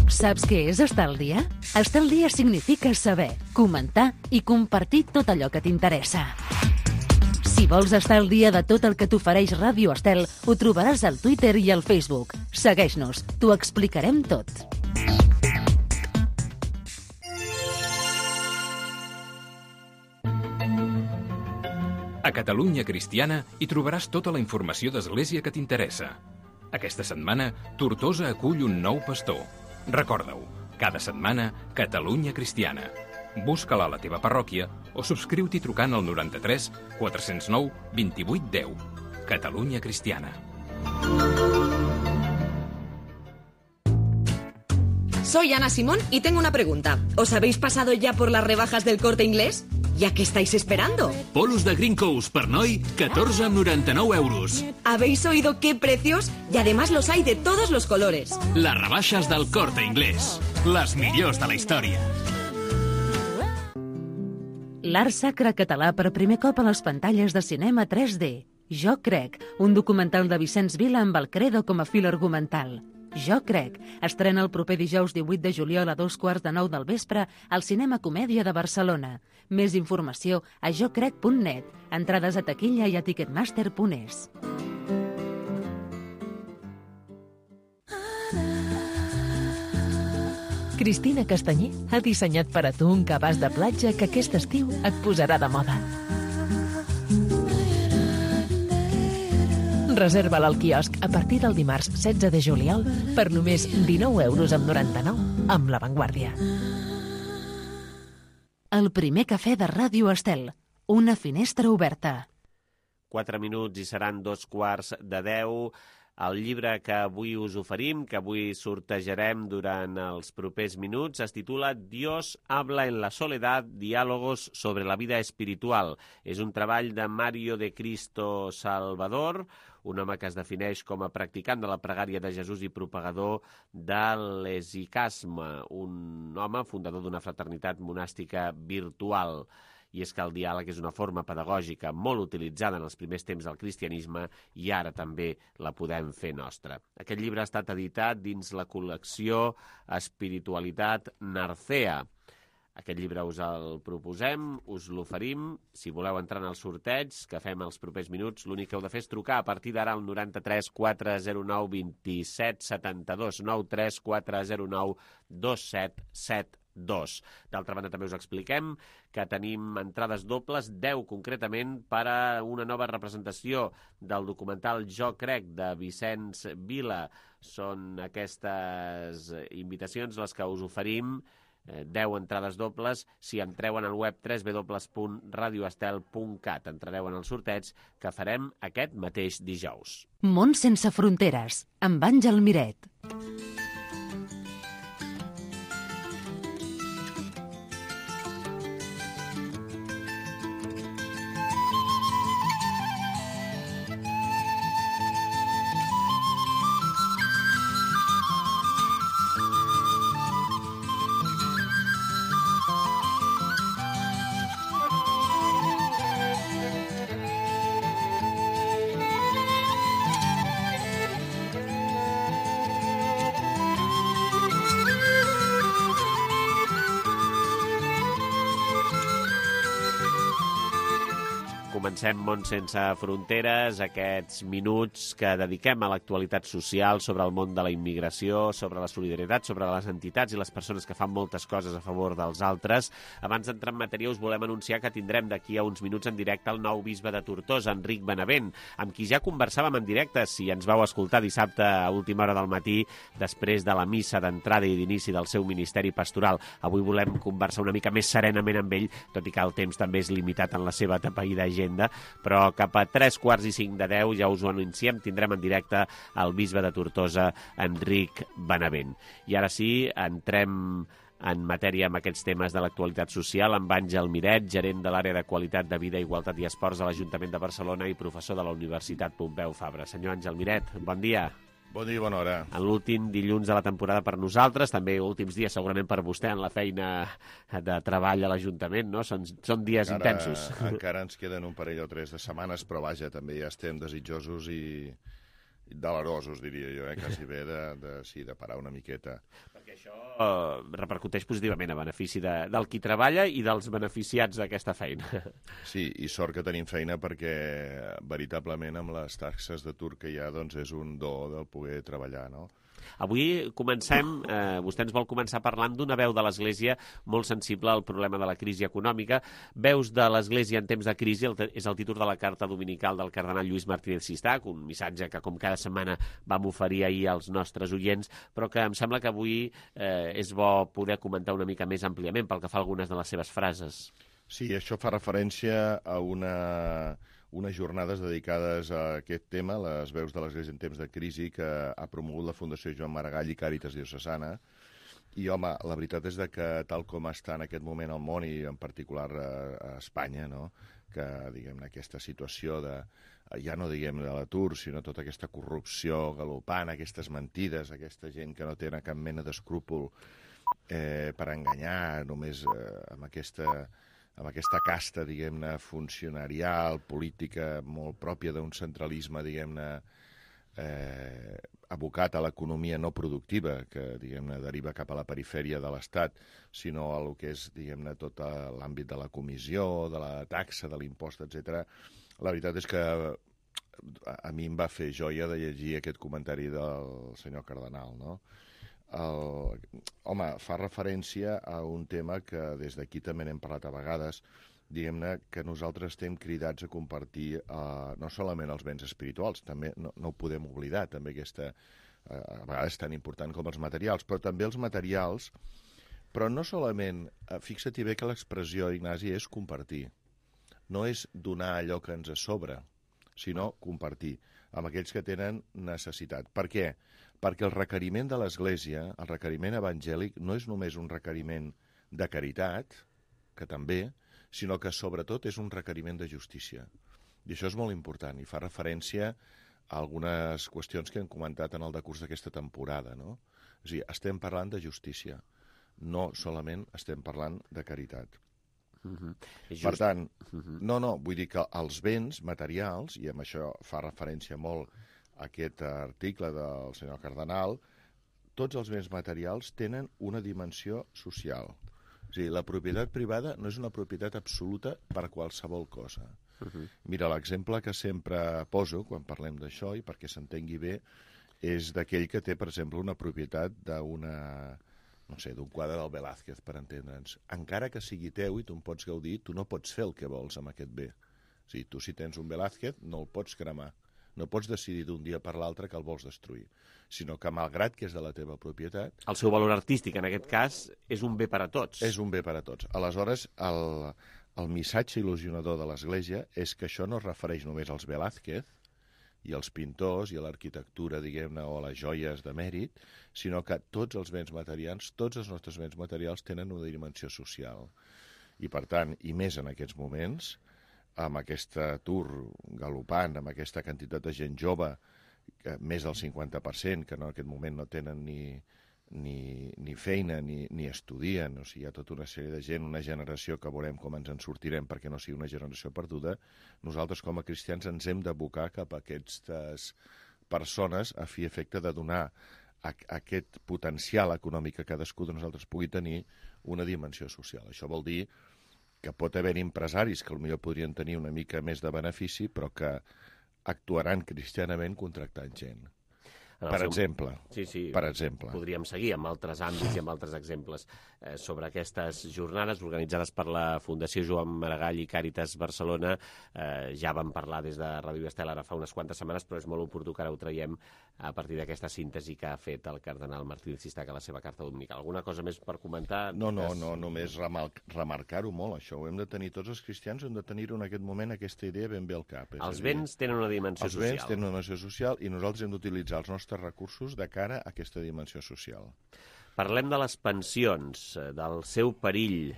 Saps què és estar al dia? Estar al dia significa saber, comentar i compartir tot allò que t'interessa. Si vols estar al dia de tot el que t'ofereix Ràdio Estel, ho trobaràs al Twitter i al Facebook. Segueix-nos, t'ho explicarem tot. A Catalunya Cristiana hi trobaràs tota la informació d'Església que t'interessa. Aquesta setmana, Tortosa acull un nou pastor. Recorda-ho, cada setmana, Catalunya Cristiana. Busca-la a la teva parròquia o subscriu-t'hi trucant al noranta-tres quatre cents nou vint-i-vuit deu. Catalunya Cristiana. Soy Ana Simón y tengo una pregunta. ¿Os habéis pasado ya por las rebajas del Corte Inglés? ¿Ya qué estáis esperando? Polos de Green Coast per noi, catorze amb noranta-nou euros. ¿Habéis oído qué precios? Y además los hay de todos los colores. Les rebaixes del Corte Inglés. Les millors de la història. L'art sacre català per primer cop a les pantalles de cinema tres D. Jo crec, un documental de Vicenç Vila amb el credo com a fil argumental. Jo crec, estrena el proper dijous divuit de juliol a dos quarts de nou del vespre al Cinema Comèdia de Barcelona. Més informació a jo crec punt net, entrades a taquilla i a ticketmaster punt es. Cristina Castanyer ha dissenyat per a tu un cabàs de platja que aquest estiu et posarà de moda. Reserva-la al quiosc a partir del dimarts setze de juliol per només dinou euros amb noranta-nou amb La Vanguardia. El primer cafè de Ràdio Estel. Una finestra oberta. Quatre minuts i seran dos quarts de deu. El llibre que avui us oferim, que avui sortejarem durant els propers minuts, es titula Dios habla en la soledad, diálogos sobre la vida espiritual. És un treball de Mario de Cristo Salvador, un home que es defineix com a practicant de la pregària de Jesús i propagador de l'esicasme, un home fundador d'una fraternitat monàstica virtual. I és que el diàleg és una forma pedagògica molt utilitzada en els primers temps del cristianisme i ara també la podem fer nostra. Aquest llibre ha estat editat dins la col·lecció Espiritualitat Narcea. Aquest llibre us el proposem, us l'oferim. Si voleu entrar en el sorteig que fem els propers minuts, l'únic que heu de fer és trucar a partir d'ara al noranta-tres quatre zero nou vint-i-set setanta-dos, noranta-tres quatre zero nou dos set set dos. D'altra banda, també us expliquem que tenim entrades dobles, deu concretament, per a una nova representació del documental Jo crec, de Vicenç Vila. Són aquestes invitacions les que us oferim, deu entrades dobles, si entreu en el web w w w punt radio estel punt cat. Entrareu en el sorteig que farem aquest mateix dijous. Món sense fronteres, amb Àngel Miret. comencem Món sense fronteres, aquests minuts que dediquem a l'actualitat social sobre el món de la immigració, sobre la solidaritat, sobre les entitats i les persones que fan moltes coses a favor dels altres. Abans d'entrar en matèria us volem anunciar que tindrem d'aquí a uns minuts en directe el nou bisbe de Tortosa, Enric Benavent, amb qui ja conversàvem en directe, si ens vau escoltar dissabte a última hora del matí, després de la missa d'entrada i d'inici del seu ministeri pastoral. Avui volem conversar una mica més serenament amb ell, tot i que el temps també és limitat en la seva atapeïda agenda, però cap a tres quarts i cinc de deu, ja us ho anunciem, tindrem en directe el bisbe de Tortosa, Enric Benavent. I ara sí, entrem en matèria amb aquests temes de l'actualitat social, amb Àngel Miret, gerent de l'àrea de qualitat de vida, igualtat i esports a l'Ajuntament de Barcelona i professor de la Universitat Pompeu Fabra. Senyor Àngel Miret, bon dia. Bon dia i bona hora. En l'últim dilluns de la temporada per nosaltres, també últims dies segurament per vostè en la feina de treball a l'Ajuntament, no? Són, són dies encara, intensos. Encara ens queden un parell o tres de setmanes, però vaja, també ja estem desitjosos i delerosos, diria jo, eh? Quasi bé de, de, sí, de parar una miqueta. Perquè això uh, repercuteix positivament a benefici de, del qui treballa i dels beneficiats d'aquesta feina. Sí, i sort que tenim feina perquè veritablement amb les taxes d'atur que hi ha doncs és un do del poder treballar, no? Avui comencem, eh, vostè ens vol començar parlant d'una veu de l'Església molt sensible al problema de la crisi econòmica. Veus de l'Església en temps de crisi el, és el títol de la carta dominical del cardenal Lluís Martínez Sistac, un missatge que com cada setmana vam oferir ahir als nostres oients, però que em sembla que avui eh, és bo poder comentar una mica més àmpliament pel que fa a algunes de les seves frases. Sí, això fa referència a una... unes jornades dedicades a aquest tema, les veus de l'Església en temps de crisi, que ha promogut la Fundació Joan Maragall i Càritas Diocesana. I, home, la veritat és que tal com està en aquest moment el món, i en particular a, a Espanya, no? Que, diguem-ne, aquesta situació de, ja no diguem de l'atur, sinó tota aquesta corrupció galopant, aquestes mentides, aquesta gent que no té cap mena d'escrúpol eh, per enganyar, només eh, amb aquesta... amb aquesta casta, diguem-ne, funcionarial, política, molt pròpia d'un centralisme, diguem-ne, eh, abocat a l'economia no productiva, que, diguem-ne, deriva cap a la perifèria de l'Estat, sinó a lo que és, diguem-ne, tot l'àmbit de la comissió, de la taxa, de l'impost, etcètera. La veritat és que a mi em va fer joia de llegir aquest comentari del senyor cardenal, no? El, home, fa referència a un tema que des d'aquí també n'hem parlat a vegades, diguem-ne que nosaltres estem cridats a compartir eh, no solament els béns espirituals, també no, no ho podem oblidar, també aquesta, eh, a vegades tan important com els materials, però també els materials, però no solament, eh, fixa-t'hi bé que l'expressió, Ignasi, és compartir, no és donar allò que ens sobra, sinó compartir amb aquells que tenen necessitat. Per què? Perquè el requeriment de l'Església, el requeriment evangèlic, no és només un requeriment de caritat, que també, sinó que sobretot és un requeriment de justícia. I això és molt important, i fa referència a algunes qüestions que hem comentat en el decurs d'aquesta temporada, no? És a dir, estem parlant de justícia, no solament estem parlant de caritat. Uh-huh. Per tant, uh-huh. no, no, vull dir que els béns materials, i amb això fa referència molt a aquest article del senyor cardenal, tots els béns materials tenen una dimensió social. És a dir, la propietat privada no és una propietat absoluta per qualsevol cosa. Uh-huh. Mira, l'exemple que sempre poso quan parlem d'això, i perquè s'entengui bé, és d'aquell que té, per exemple, una propietat d'una... no sé, d'un quadre del Velázquez, per entendre'ns. Encara que sigui teu i tu en pots gaudir, tu no pots fer el que vols amb aquest bé. O sigui, tu si tens un Velázquez no el pots cremar. No pots decidir d'un dia per l'altre que el vols destruir, sinó que, malgrat que és de la teva propietat... El seu valor artístic, en aquest cas, és un bé per a tots. És un bé per a tots. Aleshores, el, el missatge il·lusionador de l'Església és que això no es refereix només als Velázquez i als pintors i a l'arquitectura, diguem-ne, o a les joies de mèrit, sinó que tots els béns materials, tots els nostres béns materials tenen una dimensió social. I, per tant, i més en aquests moments, amb aquest atur galopant, amb aquesta quantitat de gent jove, que més del cinquanta per cent, que en aquest moment no tenen ni, ni, ni feina ni, ni estudien, o sigui, hi ha tota una sèrie de gent, una generació que veurem com ens en sortirem perquè no sigui una generació perduda, nosaltres com a cristians ens hem d'abocar cap a aquestes persones a fi efecte de donar a, a aquest potencial econòmic que cadascú de nosaltres pugui tenir una dimensió social. Això vol dir que pot haver empresaris que potser podrien tenir una mica més de benefici, però que actuaran cristianament contractant gent. Per seu... exemple, sí, sí, per exemple. Podríem seguir amb altres àmbits i amb altres exemples eh, sobre aquestes jornades organitzades per la Fundació Joan Maragall i Càritas Barcelona. Eh, ja vam parlar des de Ràdio Estel ara fa unes quantes setmanes, però és molt oportú que ara ho traiem a partir d'aquesta síntesi que ha fet el cardenal Martí Cistac a la seva carta dominical. Alguna cosa més per comentar? No, no, no, només remarcar-ho molt, això. Ho hem de tenir tots els cristians, hem de tenir-ho en aquest moment, aquesta idea ben bé al cap. Els béns tenen una dimensió social. Els béns tenen una dimensió social i nosaltres hem d'utilitzar els nostres recursos de cara a aquesta dimensió social. Parlem de les pensions, del seu perill,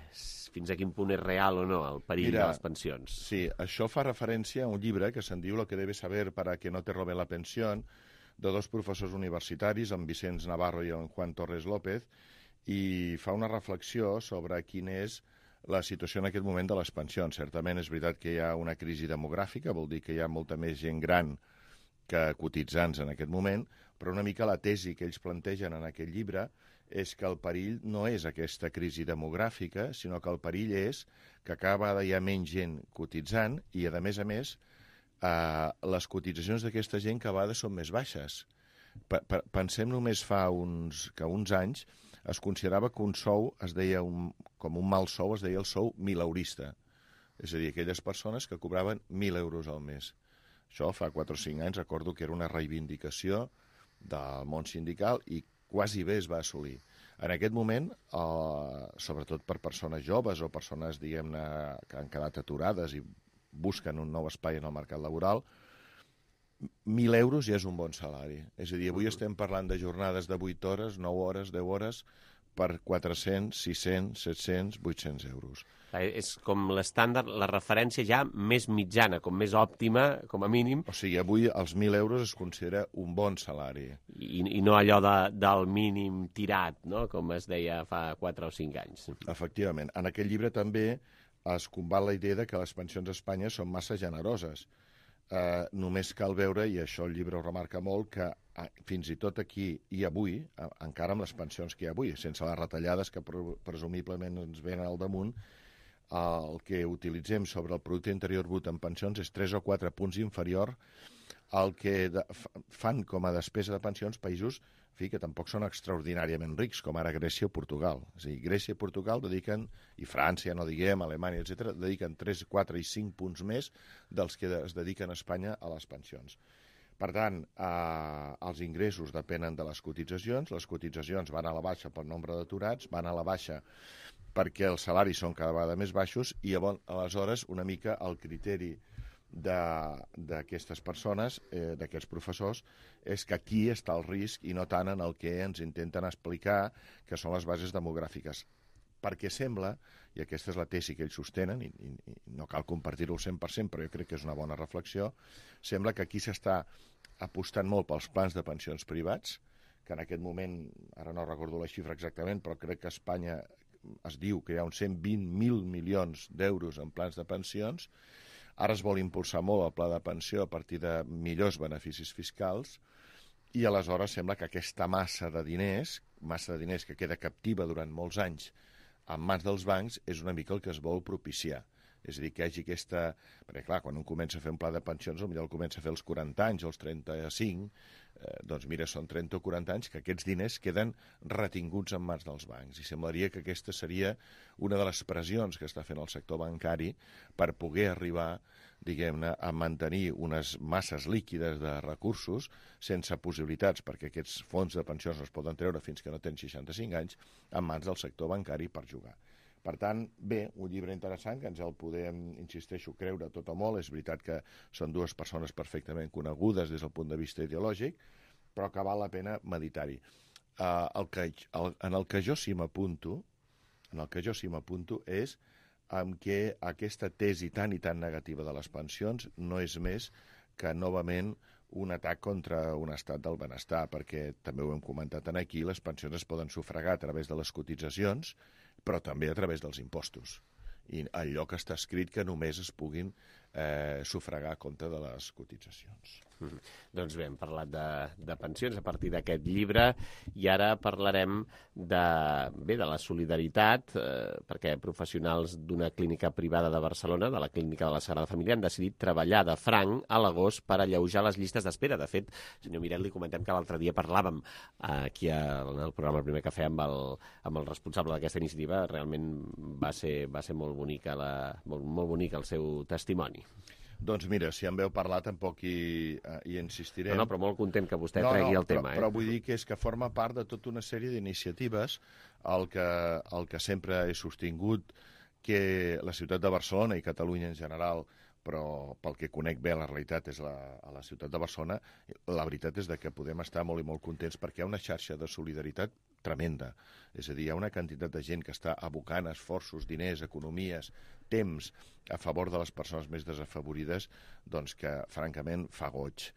fins a quin punt és real o no el perill Mira, de les pensions. Sí, això fa referència a un llibre que se'n diu Lo que debes saber para que no te roben la pensión, de dos professors universitaris, en Vicenç Navarro i en Juan Torres López, i fa una reflexió sobre quina és la situació en aquest moment de les pensions. Certament és veritat que hi ha una crisi demogràfica, vol dir que hi ha molta més gent gran que cotitzants en aquest moment, però una mica la tesi que ells plantegen en aquest llibre és que el perill no és aquesta crisi demogràfica, sinó que el perill és que cada vegada hi ha menys gent cotitzant i, a més a més, eh, les cotitzacions d'aquesta gent cada vegada són més baixes. P -p Pensem només fa uns, que uns anys es considerava que un sou es deia un, com un mal sou, es deia el sou mileurista. És a dir, aquelles persones que cobraven mil euros al mes. Això fa quatre o cinc anys recordo que era una reivindicació del món sindical i quasi bé es va assolir. En aquest moment, eh, sobretot per persones joves o persones, diguem-ne, que han quedat aturades i busquen un nou espai en el mercat laboral, mil euros ja és un bon salari. És a dir, avui estem parlant de jornades de vuit hores, nou hores, deu hores, per quatre-cents, sis-cents, set-cents, vuit-cents euros. És com l'estàndard, la referència ja més mitjana, com més òptima, com a mínim. O sigui, avui els mil euros es considera un bon salari. I, i no allò de, del mínim tirat, no?, com es deia fa quatre o cinc anys. Efectivament. En aquest llibre també es combat la idea de que les pensions a Espanya són massa generoses. Eh, només cal veure, i això el llibre ho remarca molt, que eh, fins i tot aquí i avui, eh, encara amb les pensions que hi ha avui, sense les retallades que pre presumiblement ens venen al damunt, eh, el que utilitzem sobre el producte interior brut en pensions és tres o quatre punts inferior al que de, fan com a despesa de pensions països en fi, que tampoc són extraordinàriament rics, com ara Grècia o Portugal. És a dir, Grècia i Portugal dediquen, i França, no diguem, Alemanya, etcètera, dediquen tres, quatre i cinc punts més dels que es dediquen a Espanya a les pensions. Per tant, eh, els ingressos depenen de les cotitzacions, les cotitzacions van a la baixa pel nombre d'aturats, van a la baixa perquè els salaris són cada vegada més baixos i aleshores una mica el criteri d'aquestes persones, eh, d'aquests professors, és que aquí està el risc i no tant en el que ens intenten explicar que són les bases demogràfiques. Perquè sembla, i aquesta és la tesi que ells sostenen, i, i, i no cal compartir-ho al cent per cent, però jo crec que és una bona reflexió, sembla que aquí s'està apostant molt pels plans de pensions privats, que en aquest moment, ara no recordo la xifra exactament, però crec que a Espanya es diu que hi ha uns cent vint mil milions d'euros en plans de pensions. Ara es vol impulsar molt el pla de pensió a partir de millors beneficis fiscals i aleshores sembla que aquesta massa de diners, massa de diners que queda captiva durant molts anys en mans dels bancs, és una mica el que es vol propiciar. És a dir, que hi hagi aquesta... Perquè, clar, quan un comença a fer un pla de pensions, potser el comença a fer als quaranta anys o als trenta-cinc, eh, doncs mira, són trenta o quaranta anys que aquests diners queden retinguts en mans dels bancs. I semblaria que aquesta seria una de les pressions que està fent el sector bancari per poder arribar, diguem-ne, a mantenir unes masses líquides de recursos sense possibilitats, perquè aquests fons de pensions no es poden treure fins que no tenen seixanta-cinc anys, en mans del sector bancari per jugar. Per tant, bé, un llibre interessant que ens el podem, insisteixo, creure tot o molt. És veritat que són dues persones perfectament conegudes des del punt de vista ideològic, però que val la pena meditar-hi. Uh, el que, el, en el que jo sí m'apunto, en el que jo sí m'apunto és en què aquesta tesi tan i tan negativa de les pensions no és més que, novament, un atac contra un estat del benestar, perquè també ho hem comentat aquí, les pensions es poden sufragar a través de les cotitzacions, però també a través dels impostos. I allò que està escrit que només es puguin eh, sufragar a compte de les cotitzacions. Mm-hmm. Doncs bé, hem parlat de, de pensions a partir d'aquest llibre i ara parlarem de, bé, de la solidaritat, eh, perquè professionals d'una clínica privada de Barcelona, de la Clínica de la Sagrada Família, han decidit treballar de franc a l'agost per alleujar les llistes d'espera. De fet, senyor Miret, li comentem que l'altre dia parlàvem eh, aquí en el programa El Primer Cafè amb el, amb el responsable d'aquesta iniciativa. Realment va ser, va ser molt bonica la, molt, molt bonic el seu testimoni. Doncs mira, si en veu parlar tampoc hi, hi insistirem. No, no, però molt content que vostè no, tregui no, el tema. Però, eh? però vull dir que és que forma part de tota una sèrie d'iniciatives el que, el que sempre he sostingut que la ciutat de Barcelona i Catalunya en general, però pel que conec bé la realitat és la, a la ciutat de Barcelona, la veritat és de que podem estar molt i molt contents perquè hi ha una xarxa de solidaritat tremenda. És a dir, hi ha una quantitat de gent que està abocant esforços, diners, economies, temps a favor de les persones més desafavorides, doncs que, francament, fa goig.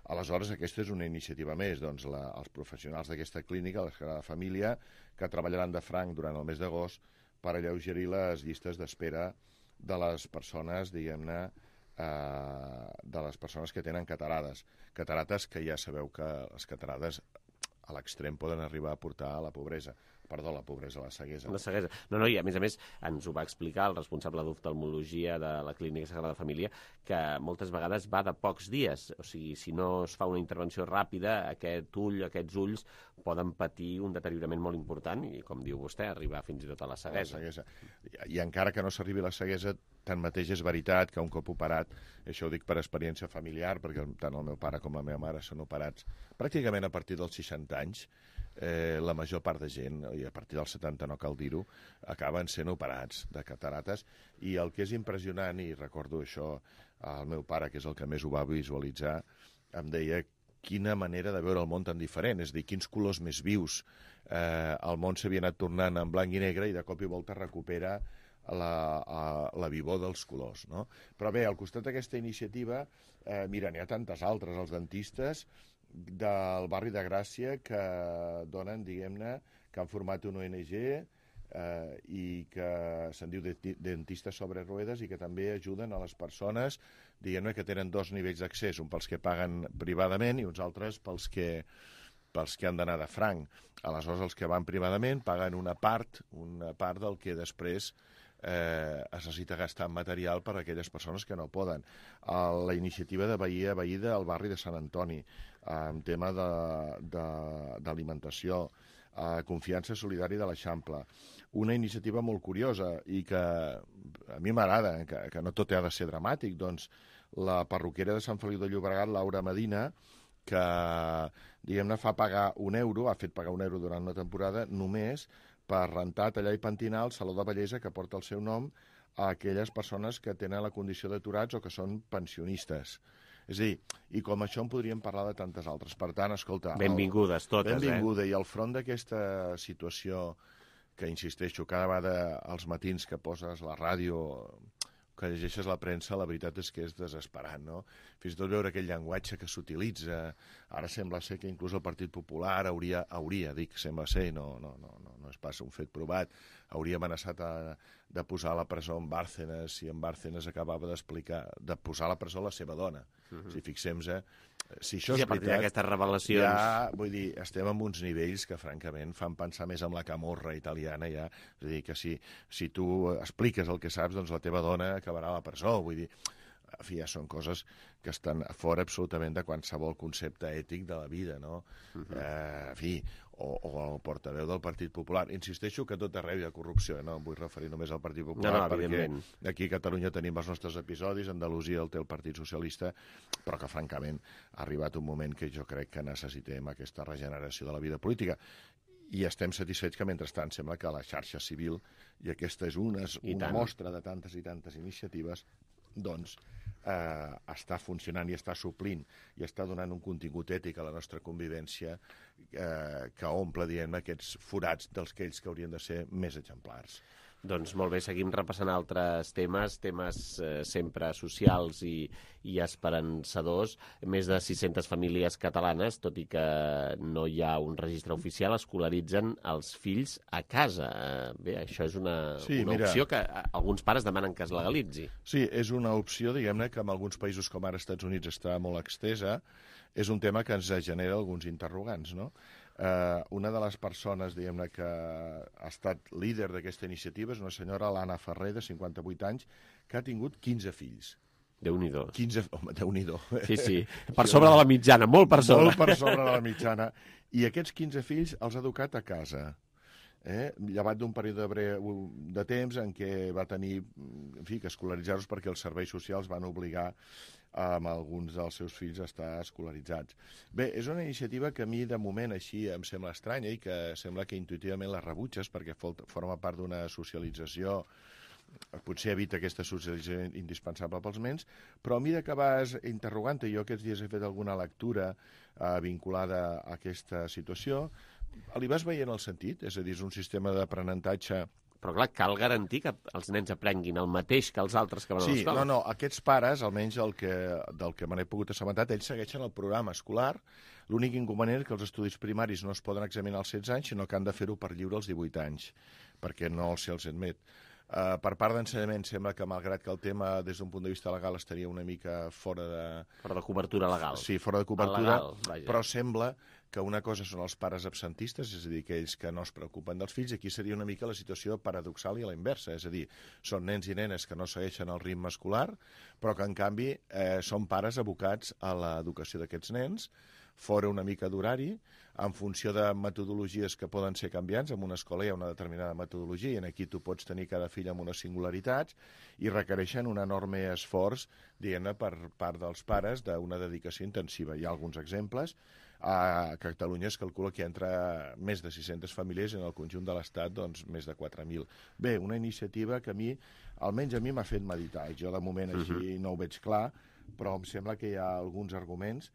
Aleshores, aquesta és una iniciativa més. Doncs la, els professionals d'aquesta clínica, la Sagrada Família, que treballaran de franc durant el mes d'agost per alleugerir les llistes d'espera de les persones, diguem-ne, eh, de les persones que tenen catarades. Catarates que ja sabeu que les catarades a l'extrem poden arribar a portar a la pobresa. Perdó, la pobresa, la ceguesa. La ceguesa. No, no, i a més a més ens ho va explicar el responsable d'oftalmologia de la Clínica Sagrada Família, que moltes vegades va de pocs dies. O sigui, si no es fa una intervenció ràpida, aquest ull, aquests ulls poden patir un deteriorament molt important i, com diu vostè, arribar fins i tot a la ceguesa. La ceguesa. I, I encara que no s'arribi a la ceguesa, tanmateix és veritat que un cop operat, això ho dic per experiència familiar, perquè tant el meu pare com la meva mare són operats pràcticament a partir dels seixanta anys, eh, la major part de gent, i a partir dels setanta no cal dir-ho, acaben sent operats de catarates, i el que és impressionant, i recordo això al meu pare, que és el que més ho va visualitzar, em deia quina manera de veure el món tan diferent, és a dir, quins colors més vius. Eh, el món s'havia anat tornant en blanc i negre i de cop i volta recupera la, a, la vivor dels colors, no? Però bé, al costat d'aquesta iniciativa, eh, mira, n'hi ha tantes altres, els dentistes del barri de Gràcia que donen, diguem-ne, que han format una O N G eh, i que se'n diu Dentistes sobre Ruedes i que també ajuden a les persones, diguem-ne, que tenen dos nivells d'accés, un pels que paguen privadament i uns altres pels que, pels que han d'anar de franc. Aleshores, els que van privadament paguen una part, una part del que després eh, es necessita gastar en material per a aquelles persones que no poden. Uh, la iniciativa de Veí a Veí del barri de Sant Antoni, en tema d'alimentació, uh, Confiança Solidària de l'Eixample. Una iniciativa molt curiosa i que a mi m'agrada, que, que no tot ha de ser dramàtic, doncs la parroquiera de Sant Feliu de Llobregat, Laura Medina, que, diguem-ne, fa pagar un euro, ha fet pagar un euro durant una temporada, només per rentar, tallar i pentinar el saló de bellesa que porta el seu nom a aquelles persones que tenen la condició d'aturats o que són pensionistes. És a dir, i com això en podríem parlar de tantes altres. Per tant, escolta... Benvingudes totes, benvinguda, eh? Benvinguda, i al front d'aquesta situació que, insisteixo, cada vegada als matins que poses la ràdio, que llegeixes la premsa, la veritat és que és desesperant, no? Fins i tot veure aquell llenguatge que s'utilitza. Ara sembla ser que inclús el Partit Popular hauria, hauria dic, sembla ser, no, no, no, no, no és pas un fet provat, hauria amenaçat a, de posar a la presó en Bárcenas, si en Bárcenas acabava d'explicar, de posar a la presó la seva dona. Uh-huh. Si fixem-nos, si això sí, és a partir veritat, d'aquestes revelacions... Ja, vull dir, estem en uns nivells que, francament, fan pensar més en la camorra italiana, ja. És a dir, que si, si tu expliques el que saps, doncs la teva dona acabarà a la presó, vull dir... En fi, ja són coses que estan fora absolutament de qualsevol concepte ètic de la vida, no? Uh-huh. eh, en fi, o, o el portaveu del Partit Popular. Insisteixo que tot arreu hi ha corrupció, no em vull referir només al Partit Popular, no, no, perquè aquí a Catalunya tenim els nostres episodis, Andalusia el té el Partit Socialista, però que, francament, ha arribat un moment que jo crec que necessitem aquesta regeneració de la vida política. I estem satisfets que, mentrestant, sembla que la xarxa civil, i aquesta és una, una mostra de tantes i tantes iniciatives, doncs eh, està funcionant i està suplint i està donant un contingut ètic a la nostra convivència eh, que omple, diguem, aquests forats dels aquells que haurien de ser més exemplars. Doncs molt bé, seguim repassant altres temes, temes eh, sempre socials i, i esperançadors. Més de sis-centes famílies catalanes, tot i que no hi ha un registre oficial, escolaritzen els fills a casa. Eh, bé, això és una, sí, una mira, opció que alguns pares demanen que es legalitzi. Sí, és una opció, diguem-ne, que en alguns països com ara Estats Units està molt extesa és un tema que ens genera alguns interrogants, no? Uh, una de les persones, diguem-ne, que ha estat líder d'aquesta iniciativa és una senyora, l'Anna Ferrer, de cinquanta-vuit anys, que ha tingut quinze fills. Déu-n'hi-do. quinze... Home, Déu-n'hi-do. Sí, sí, per sobre de la mitjana, molt per sobre. Molt per sobre de la mitjana. I aquests quinze fills els ha educat a casa. Eh? Llevat d'un període breu de temps en què va tenir, en fi, que escolaritzar-los perquè els serveis socials van obligar amb alguns dels seus fills a estar escolaritzats. Bé, és una iniciativa que a mi, de moment, així em sembla estranya i que sembla que intuïtivament la rebutges perquè forma part d'una socialització, potser evita aquesta socialització indispensable pels nens, però a mesura que vas interrogant-te, jo aquests dies he fet alguna lectura eh, vinculada a aquesta situació, li vas veient el sentit? És a dir, és un sistema d'aprenentatge... Però clar, cal garantir que els nens aprenguin el mateix que els altres que van sí, a l'escola. Sí, no, no, aquests pares, almenys el que, del que me n'he pogut assabentar, ells segueixen el programa escolar. L'únic inconvenient és que els estudis primaris no es poden examinar als setze anys, sinó que han de fer-ho per lliure als divuit anys, perquè no se'ls admet. Uh, per part d'ensenyament sembla que, malgrat que el tema des d'un punt de vista legal estaria una mica fora de... Fora de cobertura legal. Sí, fora de cobertura, legal, però sembla que una cosa són els pares absentistes, és a dir, aquells que no es preocupen dels fills, i aquí seria una mica la situació paradoxal i a la inversa, és a dir, són nens i nenes que no segueixen el ritme escolar, però que, en canvi, eh, són pares abocats a l'educació d'aquests nens, fora una mica d'horari, en funció de metodologies que poden ser canviants. En una escola hi ha una determinada metodologia i en aquí tu pots tenir cada fill amb unes singularitats i requereixen un enorme esforç, diguem-ne, per part dels pares d'una dedicació intensiva. Hi ha alguns exemples. A Catalunya es calcula que hi entra més de sis-centes famílies i en el conjunt de l'Estat doncs, més de quatre mil. Bé, una iniciativa que a mi, almenys a mi m'ha fet meditar. Jo de moment així uh-huh. no ho veig clar, però em sembla que hi ha alguns arguments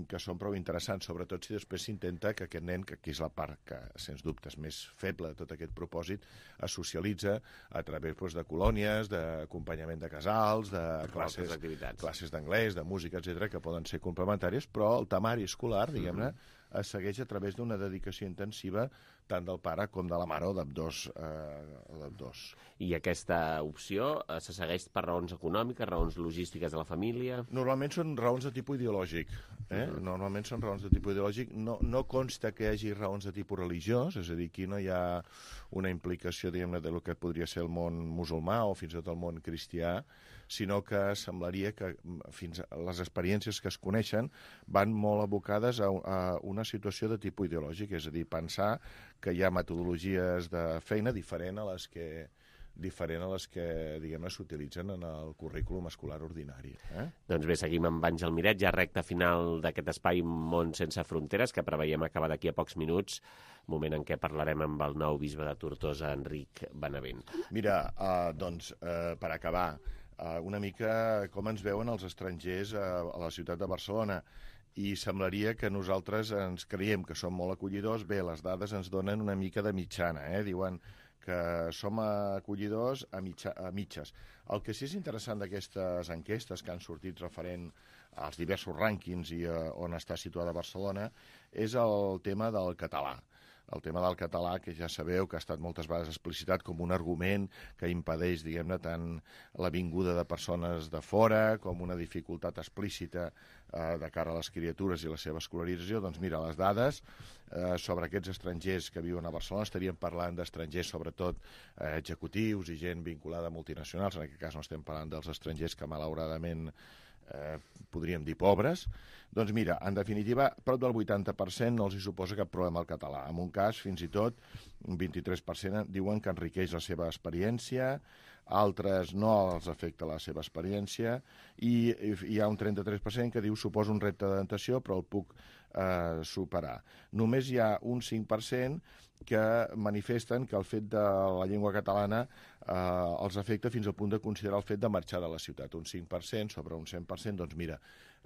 que són prou interessants, sobretot si després s'intenta que aquest nen, que aquí és la part que, sens dubte, és més feble de tot aquest propòsit, es socialitza a través doncs, de colònies, d'acompanyament de casals, de classes, classes d'anglès, de música, etcètera, que poden ser complementàries, però el temari escolar, diguem-ne, es segueix a través d'una dedicació intensiva tant del pare com de la mare o d'ambdós. Eh, I aquesta opció eh, se segueix per raons econòmiques, raons logístiques de la família? Normalment són raons de tipus ideològic. Eh? Uh-huh. Normalment són raons de tipus ideològic. No, no consta que hi hagi raons de tipus religiós, és a dir, aquí no hi ha una implicació, diguem-ne, de lo que podria ser el món musulmà o fins i tot el món cristià, sinó que semblaria que fins a les experiències que es coneixen van molt abocades a, a una situació de tipus ideològic, és a dir, pensar que hi ha metodologies de feina diferent a les que diferent a les que, diguem-ne, s'utilitzen en el currículum escolar ordinari. Eh? Doncs bé, seguim amb Àngel Miret, ja recta final d'aquest espai Món sense fronteres, que preveiem acabar d'aquí a pocs minuts, moment en què parlarem amb el nou bisbe de Tortosa, Enric Benavent. Mira, uh, doncs, uh, per acabar, uh, una mica com ens veuen els estrangers a, a la ciutat de Barcelona, i semblaria que nosaltres ens creiem que som molt acollidors. Bé, les dades ens donen una mica de mitjana, eh? Diuen que som acollidors a, mitja, a mitges. El que sí és interessant d'aquestes enquestes que han sortit referent als diversos rànquings i uh, on està situada Barcelona és el tema del català. El tema del català, que ja sabeu que ha estat moltes vegades explicitat com un argument que impedeix, diguem-ne, tant la vinguda de persones de fora com una dificultat explícita eh, de cara a les criatures i la seva escolarització. Doncs mira, les dades eh, sobre aquests estrangers que viuen a Barcelona, estaríem parlant d'estrangers sobretot eh, executius i gent vinculada a multinacionals, en aquest cas no estem parlant dels estrangers que malauradament Eh, podríem dir pobres, doncs mira, en definitiva, prop del vuitanta per cent no els hi suposa cap problema al català. En un cas, fins i tot, un vint-i-tres per cent diuen que enriqueix la seva experiència, altres no els afecta la seva experiència, i hi ha un trenta-tres per cent que diu suposa un repte d'adaptació, però el puc eh, superar. Només hi ha un cinc per cent que manifesten que el fet de la llengua catalana eh, els afecta fins al punt de considerar el fet de marxar de la ciutat. Un cinc per cent sobre un cent per cent, doncs mira,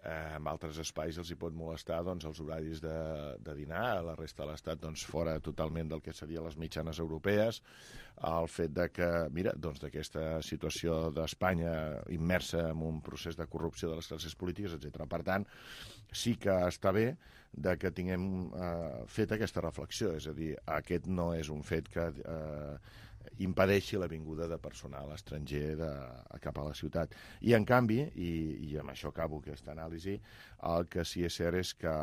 eh, en altres espais els hi pot molestar doncs, els horaris de, de dinar, a la resta de l'Estat doncs, fora totalment del que serien les mitjanes europees, el fet de que, mira, doncs d'aquesta situació d'Espanya immersa en un procés de corrupció de les classes polítiques, etcètera. Per tant, sí que està bé de que tinguem eh, fet aquesta reflexió, és a dir, aquest no és un fet que eh, impedeixi la vinguda de personal estranger de, cap a la ciutat. I, en canvi, i, i amb això acabo aquesta anàlisi, el que sí és cert és que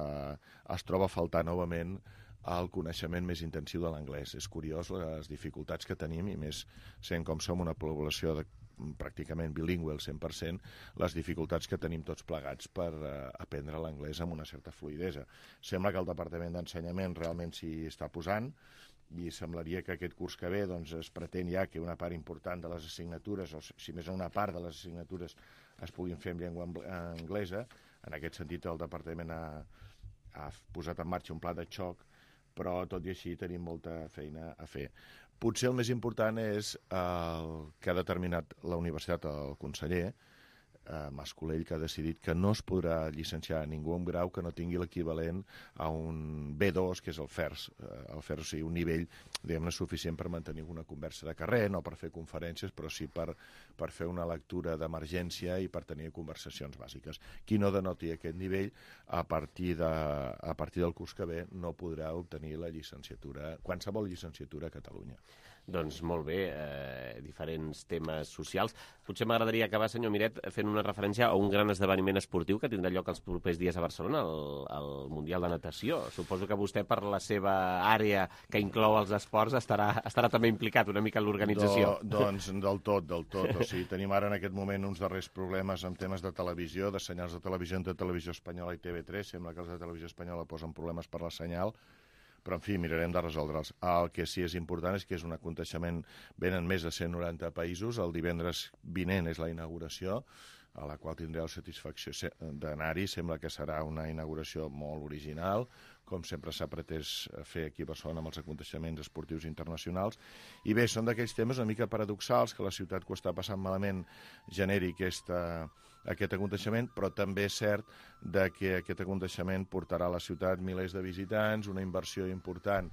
es troba a faltar novament el coneixement més intensiu de l'anglès. És curiós les dificultats que tenim, i més sent com som una població de, pràcticament bilingüe al cent per cent, les dificultats que tenim tots plegats per uh, aprendre l'anglès amb una certa fluïdesa. Sembla que el Departament d'Ensenyament realment s'hi està posant, i semblaria que aquest curs que ve doncs, es pretén ja que una part important de les assignatures, o si més una part de les assignatures es puguin fer en llengua anglesa. En aquest sentit, el Departament ha, ha posat en marxa un pla de xoc, però tot i així tenim molta feina a fer. Potser el més important és el que ha determinat la universitat, el conseller eh, Mas-Colell, que ha decidit que no es podrà llicenciar ningú amb grau que no tingui l'equivalent a un B dos, que és el FERS, eh, el FERS, o sigui, un nivell, diguem-ne, suficient per mantenir una conversa de carrer, no per fer conferències, però sí per, per fer una lectura d'emergència i per tenir conversacions bàsiques. Qui no denoti aquest nivell, a partir, de, a partir del curs que ve, no podrà obtenir la llicenciatura, qualsevol llicenciatura a Catalunya. Doncs molt bé, eh, diferents temes socials. Potser m'agradaria acabar, senyor Miret, fent una referència a un gran esdeveniment esportiu que tindrà lloc els propers dies a Barcelona, el, el Mundial de Natació. Suposo que vostè, per la seva àrea que inclou els esports, estarà, estarà també implicat una mica en l'organització. Do, doncs del tot, del tot. O sigui, tenim ara en aquest moment uns darrers problemes amb temes de televisió, de senyals de televisió entre Televisió Espanyola i T V tres. Sembla que els de Televisió Espanyola posen problemes per la senyal, però, en fi, mirarem de resoldre'ls. El que sí és important és que és un aconteixement, venen més de cent noranta països, el divendres vinent és la inauguració, a la qual tindreu satisfacció d'anar-hi. Sembla que serà una inauguració molt original, com sempre s'ha pretès fer aquí a Barcelona amb els aconteixements esportius internacionals. I bé, són d'aquells temes una mica paradoxals, que la ciutat que ho està passant malament generi aquesta, aquest aconteixement, però també és cert de que aquest aconteixement portarà a la ciutat milers de visitants, una inversió important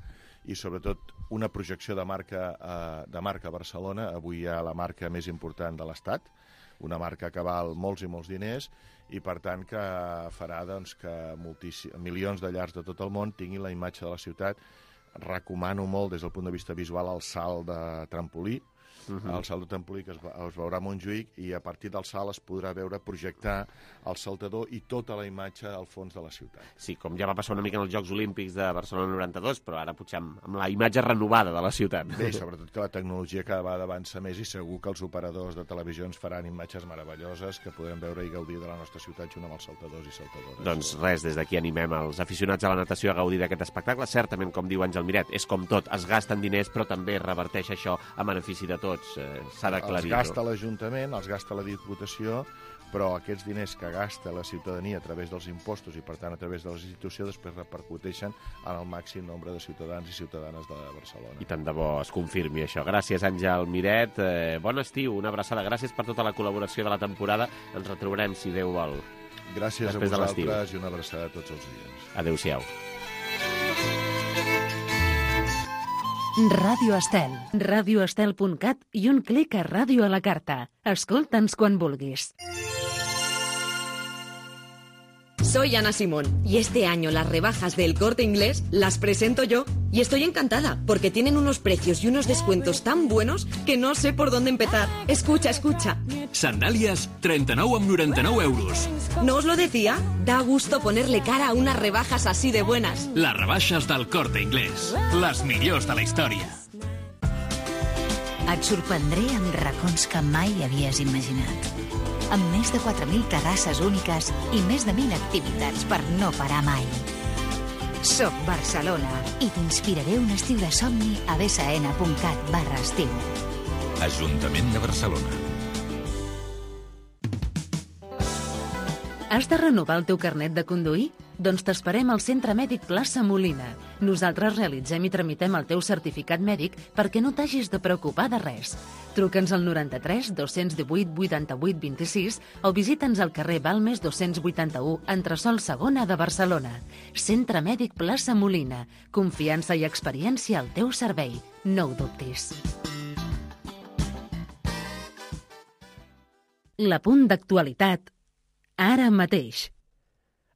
i sobretot una projecció de marca, eh, de marca a Barcelona. Avui hi ha la marca més important de l'Estat, una marca que val molts i molts diners, i per tant que farà doncs, que milions de llars de tot el món tinguin la imatge de la ciutat. Recomano molt des del punt de vista visual el salt de trampolí, Uh-huh. El salt de trampolí que es, es veurà a Montjuïc, i a partir del salt es podrà veure projectar el saltador i tota la imatge al fons de la ciutat. Sí, com ja va passar una mica en els Jocs Olímpics de Barcelona noranta-dos, però ara potser amb, amb la imatge renovada de la ciutat. Bé, sobretot que la tecnologia cada vegada avança més, i segur que els operadors de televisió ens faran imatges meravelloses que podrem veure i gaudir de la nostra ciutat junt amb els saltadors i saltadores. Doncs res, des d'aquí animem els aficionats a la natació a gaudir d'aquest espectacle. Certament, com diu Àngel Miret, és com tot, es gasten diners, però també reverteix això a benefici de tots. Eh, s'ha d'aclarir. Els gasta l'Ajuntament, els gasta la Diputació, però aquests diners que gasta la ciutadania a través dels impostos i, per tant, a través de les institucions, després repercuteixen en el màxim nombre de ciutadans i ciutadanes de Barcelona. I tant de bo es confirmi això. Gràcies, Àngel Miret. Eh, bon estiu, una abraçada. Gràcies per tota la col·laboració de la temporada. Ens retrobarem, si Déu vol. Gràcies a vosaltres i una abraçada a tots els dies. Adéu-siau. Ràdio Estel. radioestel punt cat i un clic a Ràdio a la Carta. Escolta'ns quan vulguis. Soy Ana Simón y este año las rebajas del Corte Inglés las presento yo y estoy encantada porque tienen unos precios y unos descuentos tan buenos que no sé por dónde empezar. Escucha, escucha. Sandàlies, trenta-nou amb noranta-nou euros. ¿No os lo decía? Da gusto ponerle cara a unas rebajas así de buenas. Les rebaixes del Corte Inglés. Les millors de la història. Et sorprendré amb racons que mai havies imaginat. Amb més de quatre mil terrasses úniques i més de mil activitats per no parar mai. Soc Barcelona i t'inspiraré un estiu de somni a bsn punt cat barra estiu. Ajuntament de Barcelona. Has de renovar el teu carnet de conduir? Doncs t'esperem al Centre Mèdic Plaça Molina. Nosaltres realitzem i tramitem el teu certificat mèdic perquè no t'hagis de preocupar de res. Truca'ns al noranta-tres dos-cents divuit vuitanta-vuit vint-i-sis o visita'ns al carrer Balmes dos-cents vuitanta-u, entresòl segona de Barcelona. Centre Mèdic Plaça Molina. Confiança i experiència al teu servei. No ho dubtis. L'apunt d'actualitat ara mateix.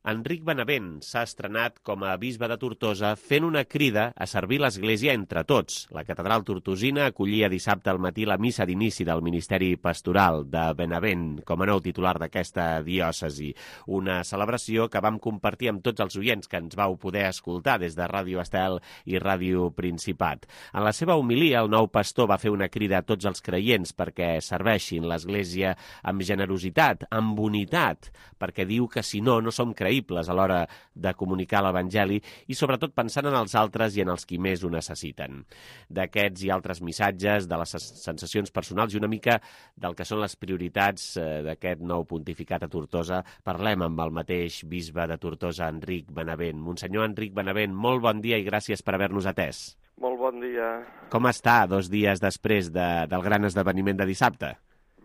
Enric Benavent s'ha estrenat com a bisbe de Tortosa fent una crida a servir l'Església entre tots. La catedral tortosina acollia dissabte al matí la missa d'inici del Ministeri Pastoral de Benavent com a nou titular d'aquesta diòcesi. Una celebració que vam compartir amb tots els oients que ens vau poder escoltar des de Ràdio Estel i Ràdio Principat. En la seva homilia, el nou pastor va fer una crida a tots els creients perquè serveixin l'Església amb generositat, amb unitat, perquè diu que si no, no som creïbles a l'hora de comunicar l'Evangeli i sobretot pensant en els altres i en els qui més ho necessiten. D'aquests i altres missatges, de les sensacions personals i una mica del que són les prioritats d'aquest nou pontificat a Tortosa, parlem amb el mateix bisbe de Tortosa, Enric Benavent. Monsenyor Enric Benavent, molt bon dia i gràcies per haver-nos atès. Molt bon dia. Com està dos dies després de, del gran esdeveniment de dissabte?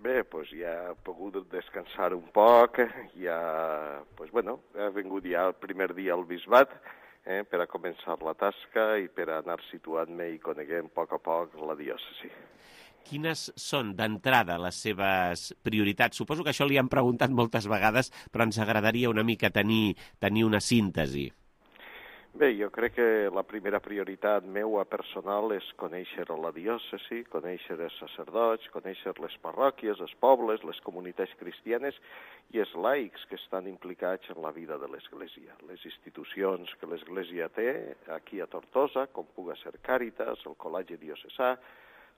Bé, doncs ja he pogut descansar un poc, ja, doncs bueno, ha vingut ja el primer dia al bisbat eh, per a començar la tasca i per a anar situant-me i coneguent a poc a poc la diòcesi. Quines són, d'entrada, les seves prioritats? Suposo que això li han preguntat moltes vegades, però ens agradaria una mica tenir, tenir una síntesi. Bé, jo crec que la primera prioritat meua personal és conèixer la diòcesi, conèixer els sacerdots, conèixer les parròquies, els pobles, les comunitats cristianes i els laics que estan implicats en la vida de l'Església. Les institucions que l'Església té aquí a Tortosa, com puga ser Càritas, el Col·legi Diocesà,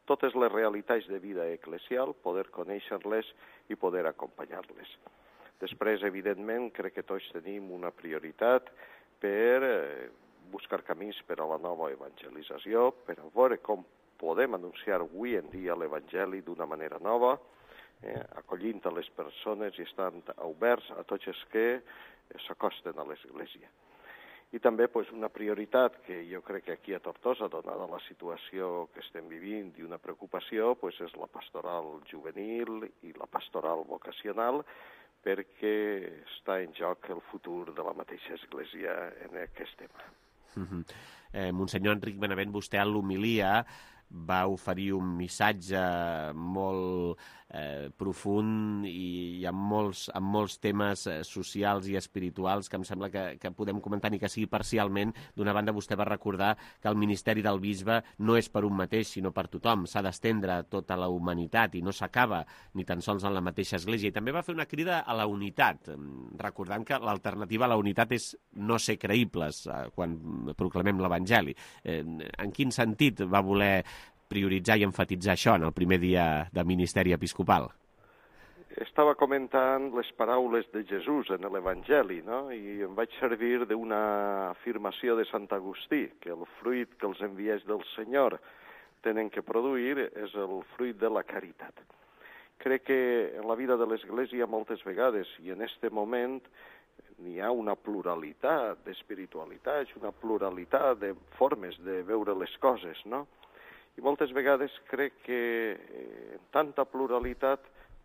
totes les realitats de vida eclesial, poder conèixer-les i poder acompanyar-les. Després, evidentment, crec que tots tenim una prioritat per buscar camins per a la nova evangelització, per a veure com podem anunciar avui en dia l'Evangeli d'una manera nova, eh, acollint a les persones i estant oberts a tots els que s'acosten a l'Església. I també pues, una prioritat que jo crec que aquí a Tortosa, donada la situació que estem vivint i una preocupació, pues, és la pastoral juvenil i la pastoral vocacional, perquè està en joc el futur de la mateixa Església en aquest tema. Uh-huh. eh, Monsenyor Enric Benavent, vostè a l'homilia va oferir un missatge molt eh, profund i, i amb, molts, amb molts temes eh, socials i espirituals que em sembla que, que podem comentar ni que sigui parcialment. D'una banda, vostè va recordar que el ministeri del bisbe no és per un mateix, sinó per tothom. S'ha d'estendre a tota la humanitat i no s'acaba ni tan sols en la mateixa Església. I també va fer una crida a la unitat, recordant que l'alternativa a la unitat és no ser creïbles eh, quan proclamem l'Evangeli. Eh, en quin sentit va voler prioritzar i enfatitzar això en el primer dia de ministeri episcopal? Estava comentant les paraules de Jesús en l'Evangeli, no? I em vaig servir d'una afirmació de Sant Agustí, que el fruit que els enviats del Senyor tenen que produir és el fruit de la caritat. Crec que en la vida de l'Església moltes vegades, i en aquest moment, n'hi ha una pluralitat d'espiritualitats, una pluralitat de formes de veure les coses, no? I moltes vegades crec que en tanta pluralitat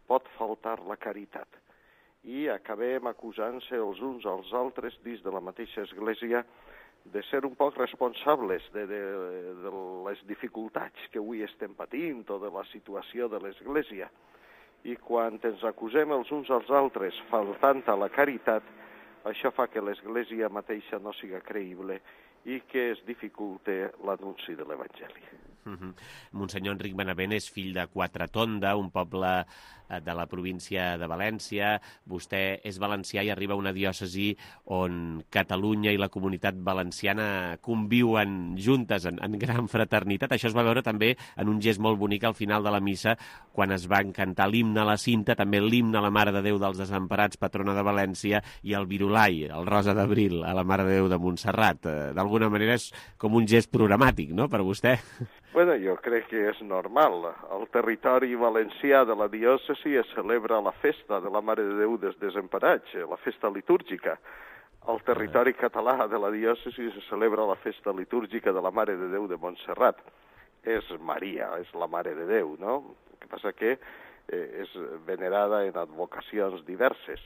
pot faltar la caritat. I acabem acusant-se els uns als altres dins de la mateixa Església de ser un poc responsables de, de, de les dificultats que avui estem patint o de la situació de l'Església. I quan ens acusem els uns als altres faltant a la caritat, això fa que l'Església mateixa no siga creïble i que es dificulte l'anunci de l'Evangeli. Uh-huh. Monsenyor Enric Benavent és fill de Quatretonda, un poble de la província de València. Vostè és valencià i arriba a una diòcesi on Catalunya i la comunitat valenciana conviuen juntes en, en gran fraternitat. Això es va veure també en un gest molt bonic al final de la missa, quan es van cantar l'himne a la cinta, també l'himne a la Mare de Déu dels Desemparats, patrona de València, i el virulai, el Rosa d'Abril, a la Mare de Déu de Montserrat. D'alguna manera és com un gest programàtic, no?, per vostè. Bueno, jo crec que és normal. Al territori valencià de la diòcesi es celebra la festa de la Mare de Déu dels Desemparats, la festa litúrgica. Al territori català de la diòcesi es celebra la festa litúrgica de la Mare de Déu de Montserrat. És Maria, és la Mare de Déu, no? El que passa que eh, és venerada en advocacions diverses.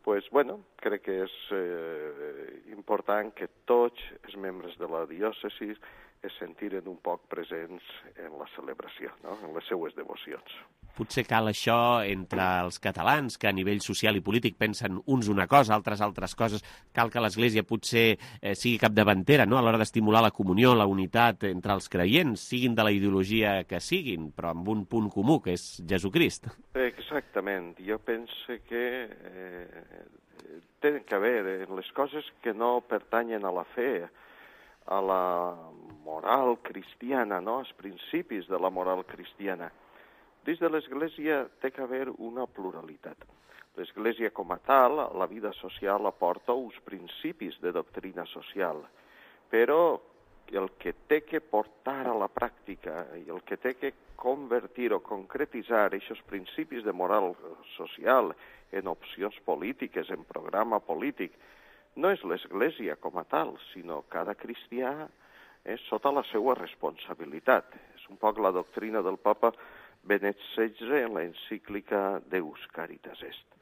Pues, bueno, crec que és eh, important que tots els membres de la diòcesi es sentiren un poc presents en la celebració, no? En les seues devocions. Potser cal això entre els catalans, que a nivell social i polític pensen uns una cosa, altres altres coses. Cal que l'Església potser eh, sigui capdavantera, no?, a l'hora d'estimular la comunió, la unitat entre els creients, siguin de la ideologia que siguin, però amb un punt comú, que és Jesucrist. Exactament. Jo penso que eh, tenen que haver en les coses que no pertanyen a la fe, a la moral cristiana, no?, als principis de la moral cristiana. Dins de l'Església té que haver una pluralitat. L'Església com a tal, la vida social aporta uns principis de doctrina social, però el que té que portar a la pràctica i el que té que convertir o concretitzar aquests principis de moral social en opcions polítiques, en programa polític, no és l'Església com a tal, sinó cada cristià és sota la seva responsabilitat. És un poc la doctrina del papa Benet setze en l'encíclica Deus Caritas Est.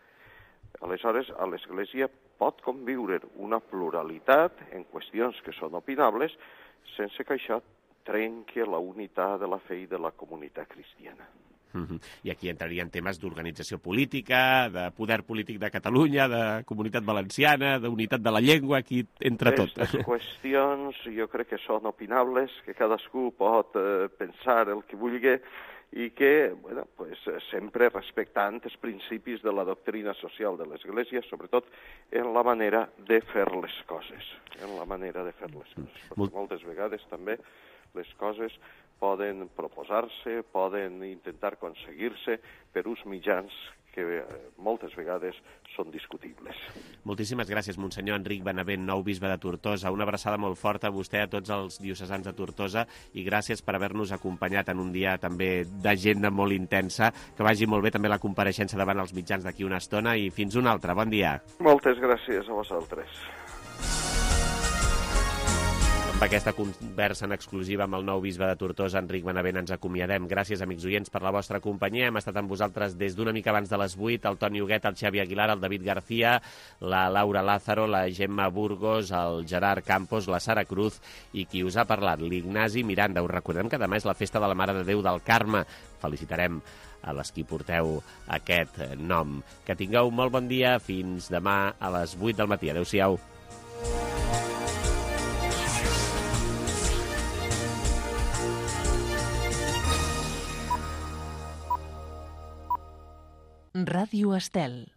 Aleshores, a l'Església pot conviure una pluralitat en qüestions que són opinables sense que això trenqui la unitat de la fe i de la comunitat cristiana. Uh-huh. I aquí entrarien temes d'organització política, de poder polític de Catalunya, de comunitat valenciana, d'unitat de la llengua, aquí entra tot. Aquestes qüestions jo crec que són opinables, que cadascú pot eh, pensar el que vulgui, i que, bueno, pues, sempre respectant els principis de la doctrina social de l'Església, sobretot en la manera de fer les coses, en la manera de fer les coses. Perquè moltes vegades també les coses poden proposar-se, poden intentar aconseguir-se per uns mitjans que moltes vegades són discutibles. Moltíssimes gràcies, Monsenyor Enric Benavent, nou bisbe de Tortosa. Una abraçada molt forta a vostè, a tots els diocesans de Tortosa, i gràcies per haver-nos acompanyat en un dia també d'agenda molt intensa. Que vagi molt bé també la compareixença davant els mitjans d'aquí una estona, i fins una altra. Bon dia. Moltes gràcies a vosaltres. Amb aquesta conversa en exclusiva amb el nou bisbe de Tortosa, Enric Benavent, ens acomiadem. Gràcies, amics oients, per la vostra companyia. Hem estat amb vosaltres des d'una mica abans de les vuit, el Toni Huguet, el Xavi Aguilar, el David García, la Laura Lázaro, la Gemma Burgos, el Gerard Campos, la Sara Cruz i qui us ha parlat, l'Ignasi Miranda. Us recordem que demà és la festa de la Mare de Déu del Carme. Felicitarem a les qui porteu aquest nom. Que tingueu molt bon dia. Fins demà a les vuit del matí. Adéu-siau. Ràdio Estel.